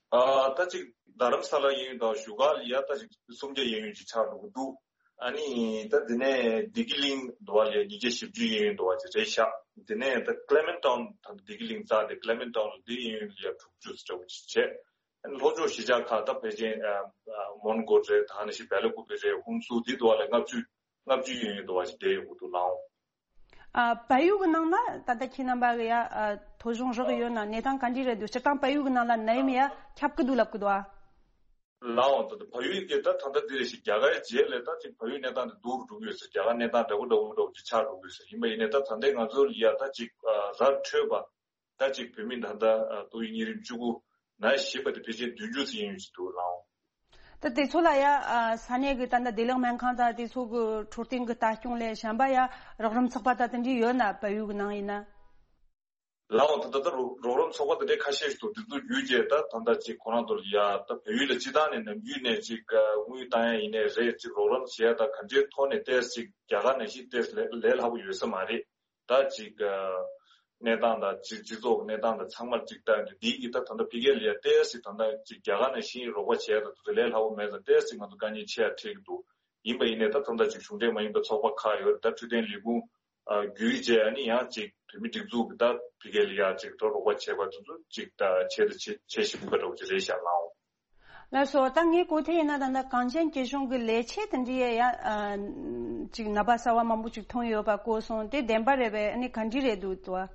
ཨ། ད་ཅིག་རྡ་རམ་ས་ལ་གཡས་གཡོན་དང་བཞུགས་སྒར་ལ་ཡ་ད་ཅིག་སུམ་བརྒྱ་གཡས་གཡོན་ཅིག་ཆགས་འགྲོ་གི་འདུག་ཨ་ནི་ད་དེ་ནས་བདེ་སྐྱིད་གླིང་འདྲ་བ་ལ་ཡ་ཉིས་བརྒྱ་བཞི་བཅུ་གཡས་གཡོན་འདྲ་བ་ཅིག་རེད་ཤག་དེ་ནས་ད་ཀླེ་མེན་ཊོན་ད་བདེ་སྐྱིད་གླིང་རྩ་དེ་ཀླེ་མེན་ཊོན་ལ་དེ་གཡས་གཡོན་ལ་ཡ་དྲུག་ཅུ་ཙམ་འདྲ་བོ་ཅིག་བྱས། ལྷོ་ཕྱོགས་གཞིས་ཆགས་ཁག་ད་ཕལ་ཆེར་ཨ་ཨ་མོན་གྷོ་རེད། ད་ནང་བཞིན་བེ་ལ་ཀུ་པེ་རེད། ཧུན་སུར་འདི་འདྲ་བ་ལ་ལྔ་བཅུ་ལྔ་བཅུ་ཡན་ཡོད་འདྲ་བ་ཞིག་བསྡད་ཡོད་འདུག་ལའོ། ཨ། བལ་ཡུལ་གྱི་ནང་ལ་ད་ལྟ་ཁྱེད་རྣམ་པ་གི་ཡ་ཨ་ཐོ་གཞུང་རག་ཡོད་ན་གནས་སྟངས་ག་འདྲ་རེད་འདུག་སྤྱིར་བཏང་བལ་ཡུལ་གྱི་ནང་ལ་ནད་ཡམས་ཡ་ཁྱབ་ཀྱི་འདུག་ལབ་ཀྱི་འདུག་ཨ། ལའོ། ད་ལྟ་བལ་ཡུལ་གྱི་ད་ད་ལྟ་འདི་རེད་ཤག་རྒྱ་གར་རྗེས་ལ་ད་ཅིག་བལ་ཡུལ་གནས་སྟངས་འདི་སྡུག་རུ་འགྲོ་གི་ཡོད་ཟེར། རྒྱ་གར་གནས་སྟངས་འདྲ་པོ་འདྲ་པོ་འདྲ་པོ་ཅིག་ཆགས་འགྲོ་གི་ཡོད་ཟེར། ཡིན་པ་ཡིན་ནའི་ད་ད་ལྟའི་ང་ཚོ་ལ་ཡ་ད་ཅིག་ཨ་ར་འཕྲོད་པ། ད་ཅིག་བོད་མི་ད་ལྟ་ཨ་ཏོག་དབྱིབས་གཉན་རིམས་བཅུ་དགུ་ན་བཞེས་པ་དེ་ཕལ་ཆེར་བདུན་ཅུ་ཙམ་ཡན་ཡོད་ཅིག་འདུག་ལའོ། ད་དེ་ཚོ་ལ་ཡ་ཨ་ས་གནས་ཀྱི་ད་ལྟ་བདེ་ལེགས་སྨན་ཁང་དང་དེ་ཚོ་གི་འཕྲོད་བསྟེན་གྱི་ལྟ་སྐྱོང་ལས་གཞན་པ་ཡ་རོགས་རམ་ཚོགས་པ་དང་དེ་འདྲ་ཡོད་ན་བལ་ཡུལ་གྱི་ནང་ཡིན་ན། ལའོ། ད་ད་ལྟ་རོགས་རོགས་རམ་ཚོགས་པ་དེ་འདྲའི་ཁ་ཤས་ཤིག་འདུག་དེ་ཚོ་བརྒྱུད་བྱས་ད་ད་ལྟ་ཅིག་ཁོ་རང་ཚོ་ལ་ཡ་ད་བལ་ཡུལ་ལ་སྤྱིར་བཏང་ནས་ནམ་རྒྱུན་ནས་ཅིག་ཨ་དངུལ་བཏང་ཡ་ཡིན་ནའི་རེད། ཅིག་རོགས་རམ་བྱེད་ཡ་ད་ག་འདྲའི་ཐོག་ནས་ཏོག་ཙམ་ཅིག་རྒྱ་གར་ནང་བཞིན་ཏོག་ཙམ་ལས་ལས་སླ་པོ་ཡོད་ས་མ་རེད། ད་ཅིག་ཨ་གནས་སྟངས་དང་ཅིག་སྤྱི་ཚོགས་ཀྱི་གནས་སྟངས་དང་ཚང་མར་ཅིག་ལྟ་ཡོང་དུས་འདི་གི་ད་ད་ལྟ་ཕ་གི་ལ་ཡ་ཏོག་ཙམ་ད་ལྟ་ཅིག་རྒྱ་གར་ནང་བཞིན་རོགས་པ་བྱས་ད་དུ་ལས་སླ་པོ་མེད་ཙང་ཏོག་ཙམ་ང་ཚོ་དཀའ་ངལ་ཆེ་ཡ་འཕྲད་ཀྱི་འདུག་ཡིན་པ་ཡིན་ནའི་ད་ད་ལྟ་ཅིག་གཞུང་འབྲེལ་མ་ཡིན་པའི་ཚོགས་པ་ཁག་ཡོད་རེད། ད་འཕྲོད་བསྟེན་ལས་ཁུངས་བརྒྱུད་བྱས་ཨ་ནི་ཡང་ཅིག་བོད་མི་སྒྲིག་འཛུགས་ཀྱི་ད་ཕ་གི་ལ་ཡ་ཅིག་ད་རོགས་པ་བྱས་པ་དེ་ཚོ་ཅིག་ད་བྱས་ད་བྱེད་བྱེད་བཞིན་པ་འདྲ་བོ་ཅིག་རེད་ཤག་ལའོ། ལགས་སོ། ད་ངས་གོ་ཐོས་ཡིན་ན་ད་ལྟ་གངས་ཅན་སྐྱིད་གཤོངས་ཀྱི་ལས་བྱེད་དེ་འདྲའི་ཡ་ཨ་ཅིག་ནད་པ་གསར་བ་མང་པོ་ཅིག་ཐོན་ཡོད་པ་གོ་སོང་། དེ་བདེན་པ་རེད་པས། ཨ་ནི་ག་འདྲ་རེད་འདུག་ཏུ་བ།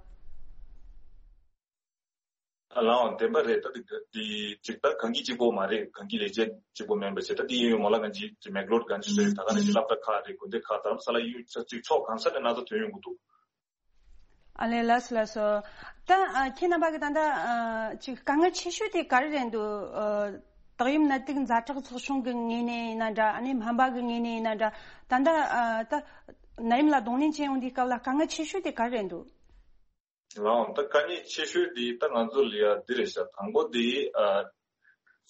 ལའང་བདེན་པ་རེད། ད་དེ་དེ་ཅིག་ད་གངས་སྐྱིད་གཅིག་པོ་མ་རེད། གངས་སྐྱིད་ལས་བྱེད་གཅིག་པོ་མིན་པ་བྱས། ད་དེ་ཡིན་ཡོད་མ་ལ་གང་ཅི་ཅིག་མེག་ལོར་གང་ཅི་རེད། ད་ག་ནང་བཞིན་སློབ་གྲྭ་ཁག་རེད། དགོན་སྡེ་ཁག་རྡ་རམ་ས་ལ་ཡུལ་ས་ཅིག་ཕྱོགས་གང་ས་ནས་ན་ཚ་ཐོན་ཡོང་གི་འདུག་ཨ་ལས། ལགས་སོ་ལགས་སོ། ད་ཨ་ཁྱེད་རྣམ་པ་གི་ད་ལྟ་ཨ་ཅིག་དཀའ་ངལ་ཆེ་ཤོས་དེ་ག་རེ་རེད་འདུག་ཨ་ཏོག་དབྱིབས་ནད་དུག་ཛ་དྲག་ཚོགས་ཆུང་གི་ངོས་ནས་ཡིན་ན་འདྲ། ཨ་ནི་སྨན་པ་གི་ངོས་ནས་ཡིན་ན་འདྲ། ད་ལྟ་ཨ་ད་ནད་ཡམས་ལ་གདོང་ལེན་བྱེད་ཡོང་དུས་སྐབས་ལ་དཀའ་ངལ་ཆེ་ཤོས་དེ་ག་རེ་རེད་འདུག་ལའང་ད་དཀའ་ངལ་ཆེ་ཤོས་དེ་ད་ང་ཚོ་ལ་ཡ་འདི་རེད་ཤག་དང་པོ་དེ་ཨ་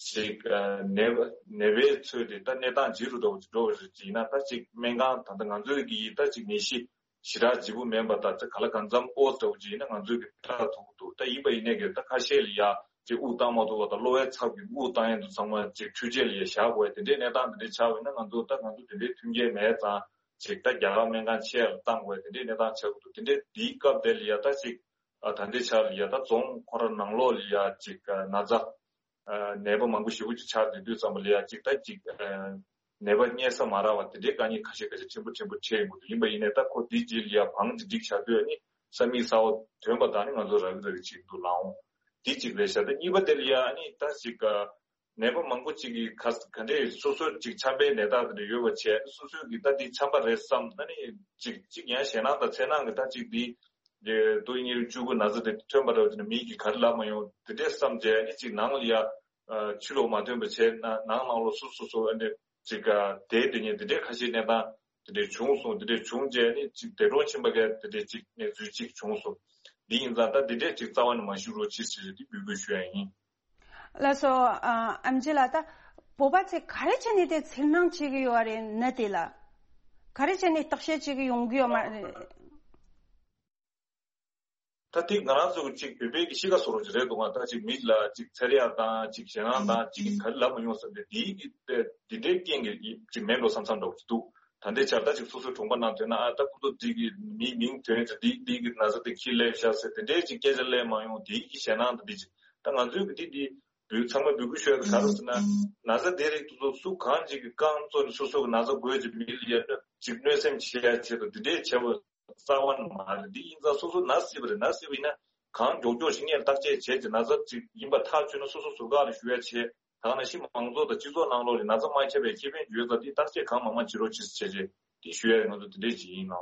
ཅིག་ཨ་ནད་པ་ནད་པའི་ཚོས་དེ་ད་གནས་སྟངས་ཇེ་རུ་འགྲོ་བ་ཅིག་འགྲོ་བ་རེད། ཅིག་ཡིན་ན་ད་ཅིག་སྨན་ཁང་ད་ལྟ་ང་ཚོའི་གི་ད་ཅིག་ནད་གཞི་ཞེ་དྲག་ལྗིད་པོ་མིན་པ་དང་། ད་ག་ལ་གང་འཚམ་ཨོ་ཙམ་ཅིག་ཡིན་ན་ང་ཚོའི་གི་ཁྲག་ཐུག་གི་འདུག་ད་ཡིན་པ་ཡིན་ནའི་གི་ད་ཁ་ཤས་ལ་ཡ་ཅིག་དབུགས་བཏང་མ་ཐུབ་པ་དང་། གློ་བའི་ཚབ་ཀྱིས་དབུགས་བཏང་ཡས་འདུག་ཚང་མ་ཅིག་འཕྲུལ་ཆས་ལ་ཡ་བཞག་དགོས་དེ་འདྲའི་གནས་སྟངས་དེ་འདྲའི་ཆགས་པ་ཡིན་ན། ང་ཚོ་ད་ང་ཚོ་དེ་འདྲའི་མཐུན་རྐྱེན་མེད་ཙང་ཅིག་ད་རྒྱ་གར་སྨན་ཁང་ཆེ་ལ་བཏང་དགོས་དེ་འདྲའི་གནས་སྟངས་ཆགས་ཀྱི་འདུག་དེ་འདྲའི་དེའི་སྐབས་དེ་ལ་ཡ་ད་ཅིག་ཨ་ད་ལྟའི་ཆར་ལ་ཡ་ད་རྫོང་ཁོ་ར་ནང་ལོགས་ལ་ཡ་ཅིག་ཨ་ན་ཚ་ཨ་ནད་པ་མང་པོ་ཞེ་པོ་ཅིག་ཆགས་བསྡད་དུས་ཙམ་པ་ལ་ཡ་ཅིག་ད་ཅིག་ཨ་ནད་པ་རྙེད་ས་མ་རག་པ་དེ་འདྲའི་དཀའ་ངལ་ཁ་ཤས་ཁ་ཤས་ཕྲན་བུ་ཕྲན་བུ་འཕྲད་ཡོང་གི་འདུག་ཡིན་པ་ཡིན་ནའི་ད་ཁོ་དེའི་རྗེས་ལ་ཡ་བང་ཅིག་སྒྲིག་བྱ་དུས་ཨ་ནི་ས་མིག་གསར་པ་ཐོན་པ་དང་ནི་ང་ཚོ་རག་གི་རག་གི་བྱེད་ཀྱི་འདུག་ལའང་། དེ་གཅིག་རེད་ཤག་ད་གཉིས་པ་དེ་ལ་ཡ་ཨ་ནི་ད་ཅིག་ཨ་ནད་པ་མང་པོ་ཅིག་གིས་ག་ག་འདྲས་སོ་སོར་ཅིག་ཆམ་པའི་ནད་རྟགས་དེ་འདྲ་ཡོད་པ་བྱས། སོ་སོས་ཀྱིས་ད་འདི་ཆམ་པ་རེད་བསམ་ན་ནི་ཅིག་ཅིག་ཡང་ཞེད་སྣང་དང་འཚེར་སྣང་གིས་ད་ཅིག་འདི་ཏོག་དབྱིབས་ཉེར་བཅུ་དགུ་ན་ཚ་དེ་ཐོན་པ་འདྲ་བ་དེ་ནི་མིག་གིས་ག་རེ་ལབ་མ་ཡོང་། དེ་འདྲས་བསམ་བྱས་ནི་ཅིག་ནང་ལ་ཡ་ཕྱི་ལོགས་མ་ཐོན་པ་བྱས་ན་ནང་ནང་ལོགས་སོ་སོ་སོ་ཨ་འདྲས་ཅིག་བསྡད་དེ་ཉིན་དེ་འདྲས་ཁ་ཤས་གནས་སྟངས་དེ་འདྲས་བྱུང་སོང་། དེ་འདྲས་བྱུང་རྗེས་ནི་ཅིག་འདས་གྲོངས་ཕྱིན་པ་གས་དེ་འདྲས་ཅིག་གནས་ཚུལ་ཅིག་བྱུང་སོང་། འདི་ཡིན་ཙང་ད་དེ་འདྲས་ཅིག་རྩ་བ་ནས་མ་ཞུ་རོགས་གྱིས་ཟེར་དེ་འབོད་སྐུལ་ཞུ་ཡ་ཡིན། ལགས་སོ། ཨ་ཨེམ་ཆི་ལགས། ད་བོད་པ་ཚོས་ག་རེ་བྱས་ནས་དེ་འཚེར་སྣང་བྱེད་ཀྱི་ཡོད་རེད་ནད་དེ་ལ། ག་རེ་བྱས་ནས་བརྟག་དཔྱད་བྱེད་ཀྱི་ཡོང་གི་ཡོད་མ་རེད། ད་དེ་ང་རང་ཚོ་གཅིག་བོད་པའི་གི་གཤིས་ཀ་བཟོ་འདྲ་ཅིག་རེད་འདུག་ག་ད་ཅིག་མི་ལ་ཅིག་འཚེར་ཡག་དང་ཅིག་ཞེད་སྣང་དང་ཅིག་ག་རེ་ལབ་མ་ཡོང་བསམ་སྟེ། དེའི་གི་དེ་འདྲའི་རྐྱེན་གྱིས་ཅིག་མེད་འགྲོ་བསམ་བསམ་འདྲ་བོ་ཅིག་འདུག་ད་ལྟའི་ཆར་ད་ཅིག་སོ་སོའི་གྲོང་པ་ནང་ཐོན་ན། ཨ་ད་ཁོ་ཚོ་འདི་གི་མི་མིང་ཐོན་ཚེ་འདི་འདི་གི་ན་ཚ་དེ་ཁྱི་སླེབས་ཤག་ཟེར་དེ་འདྲའི་ཅིག་སྐད་ཆ་སླེབས་མ་ཡོང་། དེའི་གི་ཞེད་སྣང་དང་འདི་ཅིག་ད་ང་ཚོའི་གི་འདི་འདི་འབུལ་ཚང་མ་འབོད་སྐུལ་ཞུ་ཡ་དེ་ག་རེ་ཟེར་ན། ན་ཚ་དེ་རིགས་དེ་ཚོ་སུ་གང་ཅིག་གི་རྐང་བཙུགས་ནས་སོ་སོ་གི་ན་ཚ་འགོས་ཀྱི་མི་ལ་ཡ་ཅིག་གནོད་སེམས་བྱེད་ཡ་ཆེད་དུ་འདི་འདྲའི་བྱས་པ་རྩ་བ་ནས་མ་རེད། འདི་ཡིན་ཙང་སོ་སོ་ན་སྲིད་པ་རེད། ན་སྲིད་པ་ཡིན་ན་གང་མགྱོགས་མགྱོགས་ཤིག་སྔོན་བརྟག་དཔྱད་བྱས་ཀྱི་ན་ཚ་ཅིག་ཡིན་པ་ཐག་ཆོད་ན་སོ་སོ་ཟུར་བཀག་ལ་ཞུ་ཡ་བྱས། ད་ག་ནང་བཞིན་མང་ཚོགས་དང་སྤྱི་ཚོགས་ནང་ལོགས་ལ་ན་ཚ་མ་ཁྱབ་པའི་ཁེ་ཕན་ཡོད་ཙང་འདི་བརྟག་དཔྱད་གང་མང་མང་བྱེད་རོགས་གྱིས་བྱས་རྗེས་འདི་ཞུ་ཡ་ཡོད། ང་ཚོ་འདི་འདྲས་ཅིག་ཡིན་ནོ།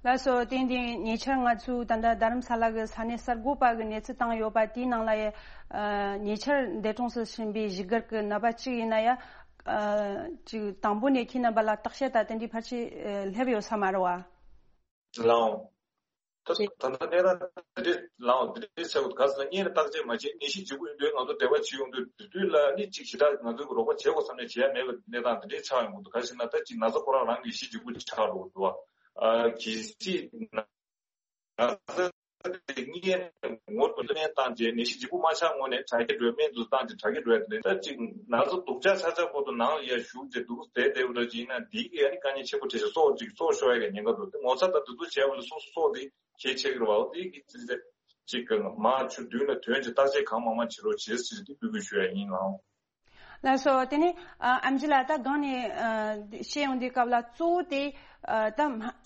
ལགས་སོ། དེ་འདི་ཉེ་ཆར་ང་ཚོའི་ད་ལྟ་རྡ་རམ་ས་ལ་གི་ས་གནས་གསར་འགོད་པ་གི་གནས་ཚུལ་བཏང་ཡོད་པ་དེའི་ནང་ལ་ཡ། ཨ་ཉེ་ཆར་འདས་གྲོངས་སུ་ཕྱིན་པའི་བཞུགས་སྒར་གི་ནད་པ་གཅིག་ཡིན་ན་ཡ། ཨ་ཅིག་དང་པོ་ནས་ཁྱེད་རྣམ་པ་ལ་བརྟག་དཔྱད་དང་དེ་འདྲའི་ཕལ་ཆེར་ཨ་སླེབས་ཡོད་ས་མ་རེད་བ། ལའང་། ད་ད་ལྟ་གནས་སྟངས་དེ་འདྲས་ལའང་དེ་འདྲས་ཆགས་ཀྱི་འདུག་ག་ཟེར་ན། སྔོན་ལ་བརྟག་དཔྱད་མ་བྱས་ནད་གཞི་ལྗིད་པོ་ཡོང་དུས་ང་ཚོ་འབྲེལ་བ་བྱེད་ཡོང་དུས་དེ་དུས་ལ་ནི་ཅིག་ཞེ་དྲག་ང་ཚོས་རོགས་པ་བྱེད་དགོས་བསམ་ནས་བྱེད་ཡ་མེད་པའི་གནས་སྟངས་དེ་འདྲས་ཆགས་ཡོང་གི་འདུག་ག་ཟེར་ན་ད་ཅིག་ན་ཚ་ཁོ་རང་རང་གི་གཞི་ལྗིད་པོ་ཆགས་འགྲོ་གི་འདུག་བ། ཨ་གལ་སྲིད་ན་ཚ་དེ་སྔོན་ངོ་ལ་ལན་བཏང་རྗེས་ནད་གཞི་ལྗིད་པོ་མ་ཆགས་སྔོན་ནས་དྲག་སྐྱེད་འགྲོ་སྨན་དུ་བཏང་རྗེས་དྲག་སྐྱེད་འགྲོ་ཡ་དེ་ད་ཅིག་ན་ཚ་སྡུག་ཅག་ཆགས་ཆགས་བར་དུ་ནང་ལ་ཡ་ཞུགས་རྗེས་འདུག་བསྡད་བསྡད་པ་འདྲ་ཅིག་ཡིན་ན་འདི་གི་ཡ་ནི་དཀའ་ངལ་ཆེན་པོ་འཕྲད་ཤག་སྲོག་ཅིག་སྲོག་ཤོར་ཡ་གི་ཉེན་ཁ་འདུག་དེ་ངོ་ཚ་དང་དེ་ཚོ་བྱས་པ་ལ་སོ་སོ་སྲོག་དེ་གལ་ཆེ་གི་རེད་བ། འོ་དེ་གི་ཅི་ཟེར་ཅིག་གི་མ་ཆུ་མདུན་ལ་ཐོན་རྗེས་བརྟག་དཔྱད་གང་མང་མང་བྱེད་རོགས་བྱེད་ཟེར་དེ་འབོད་སྐུལ་ཞུ་ཡ་ཡིན་ལགས། ལགས་སོ། དེ་ནས་ཨ་ཨེམ་ཆི་ལགས། ད་སྒང་ནས་ཨ་བཤད་ཡོང་དུས་སྐབས་ལ་གཙོ་བོ་དེ་ཨ་ད་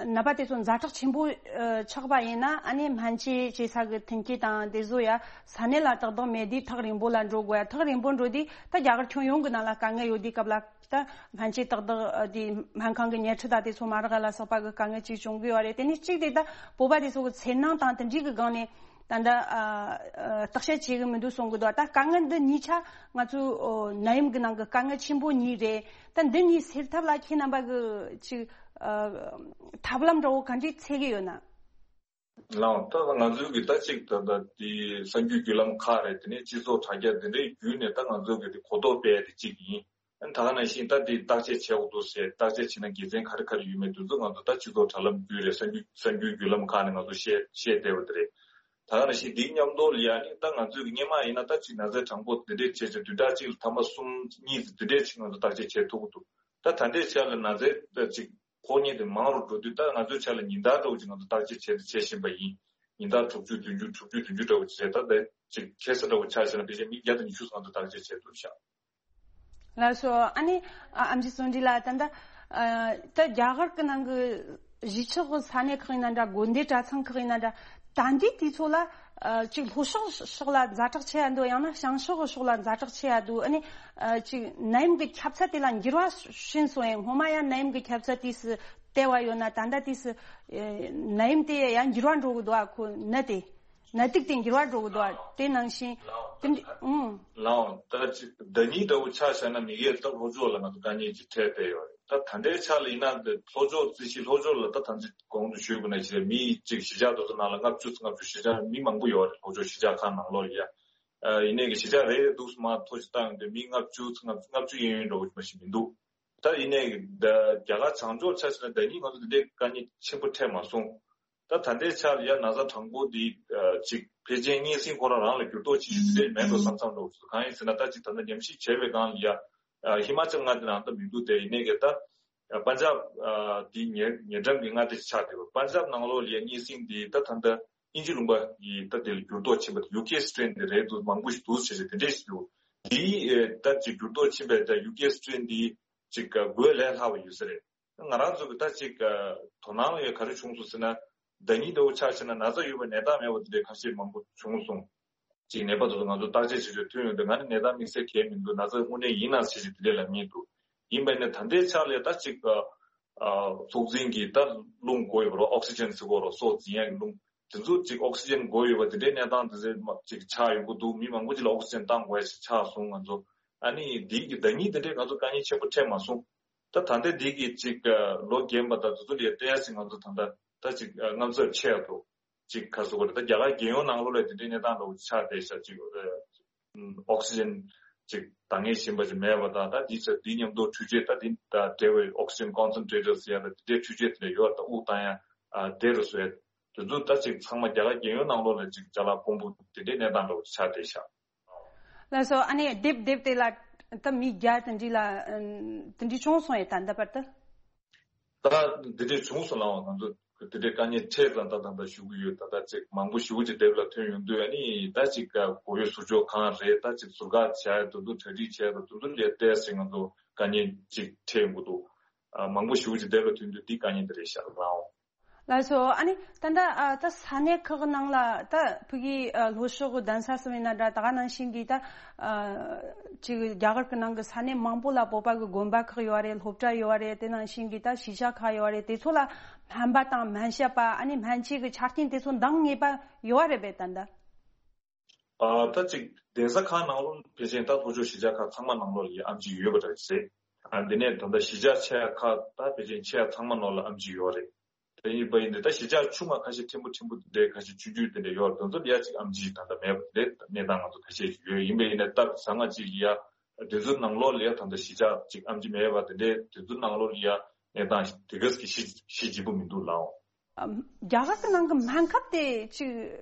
ནད་པ་དེ་ཚོ་ཛ་དྲག་ཆེན་པོ་ཨ་ཆགས་པ་ཡིན་ན་ཨ་ནི་སྨན་བཅོས་བྱེད་ས་གི་མཐུན་རྐྱེན་དང་དེ་ཚོ་ཡ་ས་གནས་ལ་ཏག་ཏག་མེད་དུས་ཐག་རིང་པོ་ལ་འགྲོ་དགོས་ཡ། ཐག་རིང་པོ་འགྲོ་དུས་ད་རྒྱ་གར་ཁྱོན་ཡོངས་ཀྱི་ནང་ལ་དཀའ་ངལ་ཡོད་དུས་སྐབས་ལ་ད་སྨན་བཅོས་ཏག་ཏག་ཨ་དེ་སྨན་ཁང་གི་ཉལ་ཁྲི་དང་དེ་ཚོ་མ་རག་ལ་སོགས་པ་གི་དཀའ་ངལ་ཅིག་བྱུང་གི་ཡོད་རེད། དེ་ནས་གཅིག་དེ་ད་བོད་པ་དེ་ཚོ་གི་འཚེར་སྣང་དང་དེ་འདྲའི་གི་སྒང་ནས། ད་ལྟ་ཨ་ཨ་བརྟག་དཔྱད་བྱེད་གི་མི་འདུག་གསུང་གི་འདུག་ད་དཀའ་ངལ་འདི་གཉིས་ཆ་ང་ཚོའི་ཨོ་ནད་ཡམས་གི་ནང་གི་དཀའ་ངལ་ཆེན་པོ་གཉིས་རེད། ད་འདི་གཉིས་སེལ་ཐབས་ལ་ཁྱེད་རྣམ་པ་གི་ཅིག་ཨ་ཐབས་ལམ་འདྲ་བོ་ག་འདྲས་འཚོལ་གི་ཡོད་ན། ལགས། ད་ང་ཚོའི་གི་ད་ཅིག་ད་ད་དེ་གསར་འགྱུར་བརྒྱུད་ལམ་ཁག་རེད། དེ་ནས་སྤྱི་ཚོགས་དྲ་རྒྱ་དེ་འདྲའི་བརྒྱུད་ནས་ད་ང་ཚོའི་གི་དེ་གོ་རྟོགས་སྤེལ་ཡ་དེ་གཅིག་ཡིན། ཨ་ནི་ད་ག་ནང་བཞིན་ད་དེ་བརྟག་དཔྱད་བྱེད་དགོས་འདུག་ཟེར། བརྟག་དཔྱད་བྱེད་ན་དགེ་མཚན་ག་རེ་ག་རེ་ཡོད་མེད་དེ་ཚོ་ང་ཚོ་ད་སྤྱི་ཚོགས་དྲ་ལམ་བརྒྱུད་རེད། གསར་འགྱུར་གསར་འགྱུར་བརྒྱུད་ལམ་ཁག་ནས་ང་ཚོ་བཤད་བཤད་བསྡད་པ་དེ་རེད། ད་ག་ནང་བཞིན་དེའི་མཉམ་དུ་ལ་ཡ་ནི་ད་ང་ཚོས་ཀྱི་སྔོན་མ་ཡིན་ན་ད་ཅིག་ན་ཚའི་གྲངས་འབོར་དེ་འདྲས་བྱས་བྱས་བདུན་ཕྲག་གཅིག་ལ་ཐེངས་མ་གསུམ་གཉིས་དེ་འདྲས་ཅིག་ང་ཚོ་བརྟག་དཔྱད་བྱེད་ཐུབ་ཀྱི་འདུག་ད་ད་ལྟའི་ཆར་ལ་ན་ཚའི་ད་ཅིག་ཕོ་ཉ་དེ་མང་རུ་འགྲོ་དུས་ད་ང་ཚོའི་ཆ་ལ་ཉིན་ལྟར་འདྲ་བོ་ཅིག་ང་ཚོ་བརྟག་དཔྱད་བྱས་བྱེད་བཞིན་པ་ཡིན། ཉིན་ལྟར་དྲུག་ཅུ་བདུན་ཅུ་དྲུག་ཅུ་བདུན་ཅུ་འདྲ་བོ་ཅིག་རེད། ད་ད་ཅིག་ཁ་སང་འདྲ་བོ་ཆ་བཞག་ན་ཕལ་ཆེར་མི་བརྒྱ་དང་ཉི་ཤུ་ཙམ་ང་ཚོ་བརྟག་དཔྱད་བྱས་འདུག་ཤག་ལགས་སོ། ཨ་ནི་ཨ་ཨེམ་ཆི་བརྩོན་འགྲུས་ལགས། ད་ལྟ་ཨ་ད་རྒྱ་གར་གྱི་ནང་གི་གཞིས་ཆགས་ཀྱི་ས་གནས་ཁག་ཡིན་ན་འདྲ། དགོན་སྡེ་གྲྭ་ཚང་ཁག་ཡིན་ན་འདྲ། ད་ལྟའི་དུས་ཚོད་ལ་ཨ་ཅིག་ལྷོ་ཕྱོགས་ཕྱོགས་ལ་ཛ་དྲག་ཆེ་ཡ་འདུག་ཡང་ན་བྱང་ཕྱོགས་ཕྱོགས་ལ་ཛ་དྲག་ཆེ་ཡ་འདུག་ཨ་ནི་ཨ་ཅིག་ནད་ཡམས་ཀྱི་ཁྱབ་ཚད་དེ་ལ་འགྱུར་བ་ཕྱིན་སོང་ཡང་། སྔོན་མ་ཡང་ནད་ཡམས་ཀྱི་ཁྱབ་ཚད་དུས་སུ་དལ་བ་ཡོད་ན། ད་ལྟ་དུས་སུ་ཨ་ནད་ཡམས་དེ་ཡང་འགྱུར་བ་འགྲོ་གི་འདུག་ཨ་ཁོ་ནད་དེ། ནད་དུག་དེ་འགྱུར་བ་འགྲོ་གི་འདུག་དེ་ནང་བཞིན་དེ་འདྲ། ཨང་། ལའོ། ད་ཅིག་ཟླ་གཉིས་འདྲ་བོ་ཆ་བཞག་ན། མི་སྒེར་ད་ལྷོ་ཕྱོགས་ལ་ང་ཚོ་དཀའ་ངལ་ཅིག་འཕྲད་བསྡད་ཡོད་རེད། ད་ད་ལྟའི་ཆ་ལ་ཡིན་ན། འདི་ལྷོ་ཕྱོགས་རྩིས་གཞི་ལྷོ་ཕྱོགས་ལ་ད་ད་ཅིག་གོང་དུ་ཞུས་པ་ནང་བཞིན་མི་ཅིག་གཞིས་ཆགས་དེ་ཚོ་ནང་ལ་ལྔ་བཅུ་ཙམ། ལྔ་བཅུ། གཞིས་ཆགས་མི་མང་པོ་ཡོད་རེད། ལྷོ་ཕྱོགས་གཞིས་ཆགས་ཁག་ནང་ལོགས་ལ་ཡ། ཨ་ཡིན་ནའི་གི་གཞིས་ཆགས་རེ་རེ་འདུག་སེ་མར་ཐོ་ཞིག་བཏང་ཡོང་དུས་མི་ལྔ་བཅུ་ཙམ། ལྔ་བཅུ་ལྔ་བཅུ་གཡས་གཡོན་འདྲ་བོ་ཞིག་མ་ཞིག་མི་འདུག་ད་ཡིན་ནའི་ད་རྒྱ་གར་བྱང་ཕྱོགས་ཆ་བཞག་ན་ཟླ་གཉིས་ང་ཚོ་འདི་འདྲའི་དཀའ་ངལ་ཆེན་པོ་འཕྲད་མ་སོང་། ད་ད་ལྟའི་ཆར་ཡ་ན་ཚ་གྲངས་འབོར་འདི་ཨ་ཅིག་ཕལ་ཆེར་སྙན་སེང་ཁོ་རང་རང་ལ་འགྱུར་ལྡོག་ཆེ་ཤོས་འདི་འདྲའི་མེད་འགྲོ་བསམ་བསམ་འགྲོ་གི་འདུག་གང་ཡིན་ཟེར་ན། ད་ཅིག་ད་ལྟ་ཉམས་ཞིབ་བྱས་པའི་སྒང་ལ་ཡ། ཨ་ཧི་མ་ཅལ་མངའ་སྡེ་ནང་ད་མི་འདུག་དེ་ཡིན་ནའི་གི་ད་ཨ་པན་ཇབ་ཨ་འདི་ཉེ་ཉེ་འགྲམ་གྱི་མངའ་སྡེ་ཆགས་བསྡད་པ། པན་ཇབ་ནང་ལོགས་ལ་ཡ་སྙན་སེང་འདི་ད་ད་ལྟ་དབྱིན་ཇི་ལུང་པ་ཡི་ད་དེ་ལ་འགྱུར་ལྡོག་ཕྱིན་པ་དེ་ཡུ་ཀེ་སི་ཊེན་དེ་རེད་འདུག་མང་པོ་ཞིག་འདུག་ཟེར་བྱས་དེ་འདྲས་ཞིག་འདུག་དེའི་ཨེ་ད་ཅིག་འགྱུར་ལྡོག་ཕྱིན་པའི་ད་ཡུ་ཀེ་སི་ཊེན་དེ་ཅིག་ཨ་འགོས་ལས་སླ་བ་ཡོད་ས་རེད། ང་རང་ཚོ་གི་ད་ཅིག་ཨ་དོ་སྣང་ཡོད་ག་རེ་བྱུང་སོང་ཟེར་ན། ཟླ་གཉིས་འདྲ་བོ་ཆ་བཞག་ན་ན་ཚ་ཡོད་པ་ནད་རྟགས་མེད་པ་དེ་འདྲའི་ཁ་ཤས་མང་པོ་བྱུང་སོང་། ཅིག་ནད་པ་དེ་ཚོ་ང་ཚོ་བརྟག་དཔྱད་བྱེད་ཆོག་ཐོན་ཡོང་དུས། ང་ནི་ནད་རྟགས་དམིགས་བསལ་གང་ཡང་མི་འདུག་ན་ཚ་དངོས་གནས་ཡིན་ན་ཟེར་བྱས་དེ་འདྲས་ལབ་མཁན་འདུག་ཡིན་པ་ཡིན་ན་ད་ལྟའི་ཆ་ལ་ད་ཅིག་ཨ་ཨ་སྲོག་འཛིན་གྱི་ད་རླུང་དགོས་ཡོད་པ་རེད། ཨོག་སི་ཇན་ཟེར་གྱི་ཡོད་རེད། སྲོག་འཛིན་ཡག་གི་རླུང་། དེ་ཚོ་ཅིག་ཨོག་སི་ཇན་དགོས་ཡོད་པ་དེ་འདྲའི་གནས་སྟངས་དེ་ཚོ་མ་ཅིག་ཆགས་ཡོང་གི་འདུག་མི་མང་པོ་ཅིག་ལ་ཨོག་སི་ཇན་བཏང་དགོས་ཡ་ཞིག་ཆགས་སོང་ང་ཚོ། ཨ་ནི་འདི་གི་ཟླ་གཉིས་དེ་འདྲའི་ང་ཚོ་དཀའ་ངལ་ཆེན་པོ་འཕྲད་མ་སོང་། ད་ད་ལྟ་འདི་གི་ཅིག་ཨ་ལོ་རྒན་པ་དང་དེ་ཚོ་ལ་ཡ་བལྟས་ཡ་ཞིག་ང་ཚོ་ད་ལྟ་ད་ཅིག་ཨ་དངངས་འཚབ་ཆེ་ཡ་འདུག་ཅིག་ག་རེ་ཟེར་དགོས་རེད། ད་རྒྱ་གར་རྒྱལ་ཡོངས་ནང་ལོགས་ལ་དེ་འདྲའི་གནས་སྟངས་འདྲ་བོ་ཆགས་བསྡད་ཤག་ཅིག་ཨ་ཨོག་སི་ཇན་ཅིག་འདང་ངེས་བཞིན་པ་ཅིག་མེད་པ་དང་། ད་འདི་ཚོ་འདི་མཉམ་དུ་འཕྲུལ་ཆས་ད་འདི་དང་འབྲེལ་བའི་ཨོག་སི་ཇན་ཀོན་སེན་ཊེ་ཊར་ཟེར་ཡ་ད་དེ་འདྲའི་འཕྲུལ་ཆས་དེ་འདྲ་ཡོད། ད་དབུགས་བཏང་ཡ་ཨ་བདེ་རུ་བཟོ་ཡ། དེ་ཚོ་ད་ཅིག་ཚང་མ་རྒྱ་གར་རྒྱལ་ཡོངས་ནང་ལོགས་ལ་ཅིག་ཅ་ལག་ཕོན་པོ་དེ་འདྲའི་གནས་སྟངས་འདྲ་བོ་ཆགས་བསྡད་ཤག་ལགས་སོ། ཨ་ནི་རྡེབ་རྡེབ་དེ་ལ་ད་མི་བརྒྱ་དེ་འདྲ་ལ་ཨ་དེ་འདྲ་བྱུང་སོང་ཡ། ད་ད་བར་དུ། ད་འདི་འདྲས་བྱུང་སོང་ལགས། ང་ཚོ་འདི་འདྲས་དཀའ་ངལ་འཕྲད་ཙང་ད་ད་ད་ཞུ་གི་ཡོད། ད་ད་ཅིག་མང་པོ་ཞེ་པོ་ཅིག་རྡེབ་ལ་ཐོན་ཡོང་དུས། ཨ་ནི་ད་ཅིག་ག་གོ་ཡོད་ཟུར་ཕྱོགས་གང་རེད། ད་ཅིག་ཟུར་བཀག་བྱས་དེ་ཚོ་གྲ་སྒྲིག་བྱས་དེ་ཚོ་ལ་བལྟས་ཚེ་ང་ཚོ་དཀའ་ངལ་ཅིག་འཕྲད་ཡོང་གི་འདུག་ཨ་མང་པོ་ཞེ་པོ་ཅིག་རྡེབ་ལ་ཐོན་དུས་འདི་དཀའ་ངལ་འདི་རེད་ཤག་ལགས། ལགས་སོ། ཨ་ནི་ད་ལྟ་ཨ་ད་ས་གནས་ཁག་ནང་ལ་ད་ཕ་གི་ཨ་ལྷོ་ཕྱོགས་གདན་ས་སུ་མིན་ན་འདྲ། ད་ག་ནང་བཞིན་གྱི་ད་ཨ་ཅིག་རྒྱ་གར་གྱི་ནང་གི་ས་གནས་མང་པོ་ལ་བོད་པ་གི་དགོན་པ་ཁག་ཡོད་རེད། སློབ་གྲྭ་ཡོད་རེད། དེ་ནང་བཞིན་གྱི་ད་གཞིས་ཆགས་ཁག་ཡོད་རེད། དེ་ཚོ་ལ་སྨན་པ་དང་སྨན་ཞབས་པ། ཨ་ནི་སྨན་བཅོས་ཀྱི་ཆ་རྐྱེན་དེ་ཚོ་འདང་ངེས་པ་ཡོད་རེད་པས་ད་ལྟ། ཨ་ད་ཅིག་གདན་ས་ཁག་ནང་ལོགས་ཕལ་ཆེར་ད་ལྷོ་ཕྱོགས་གཞིས་ཆགས་ཁག་ཚང་མ་ནང་ལོགས་ལ་ཡ་ཨེམ་ཆི་ཡོད་པ་འདྲ་ཞིག་རེད། ཨ་འདི་ནས་ད་ལྟ་གཞིས་ཆགས་ཆེ་ཁག་ད་ཕལ་ཆེར་ཆེ་ཚང་མ་ནང་ལ་ཨེམ་ཆི་ཡོད་རེད། དེ་ཡིན་པ་ཡིན་ཏེ་ད་གཞིས་ཆགས་ཆུང་བ་ཁ་ཤས་ཕྲན་བུ་ཕྲན་བུ་དེ་འདྲའི་ཁ་ཤས་ཆུང་ཆུང་དེ་འདྲ་ཡོད་རེད། དེ་ཚོ་ལ་ཡ་ཅིག་ཨེམ་ཆི་ད་ལྟ་མེད་པ་དེ་འདྲའི་གནས་སྟངས་ང་ཚོ་ཁ་ཤས་ཤིག་ཡོད། ཡིན་པ་ཡིན་ན་སྟབས་བཟང་ང་ཅིག་ལ་ཡ་དེ་ཚོ་ནང་ལོགས་ལ་ཡ་ད་ལྟ་གཞིས་ཆགས་ཅིག་ཨེམ་ཆི་མེད་པ་དེ་འདྲའི་དེ་ཚོ་ནང་ལོགས་ལ་ཡ་གནས་སྟངས་དེ་ག་ཙམ་གྱི་ཤི་ཤི་འཇིགས་པོ་མི་འདུག་ལགས། ཨ་རྒྱ་གར་གྱི་ནང་གི་སྨན་ཁབ་དེ་ཅིག་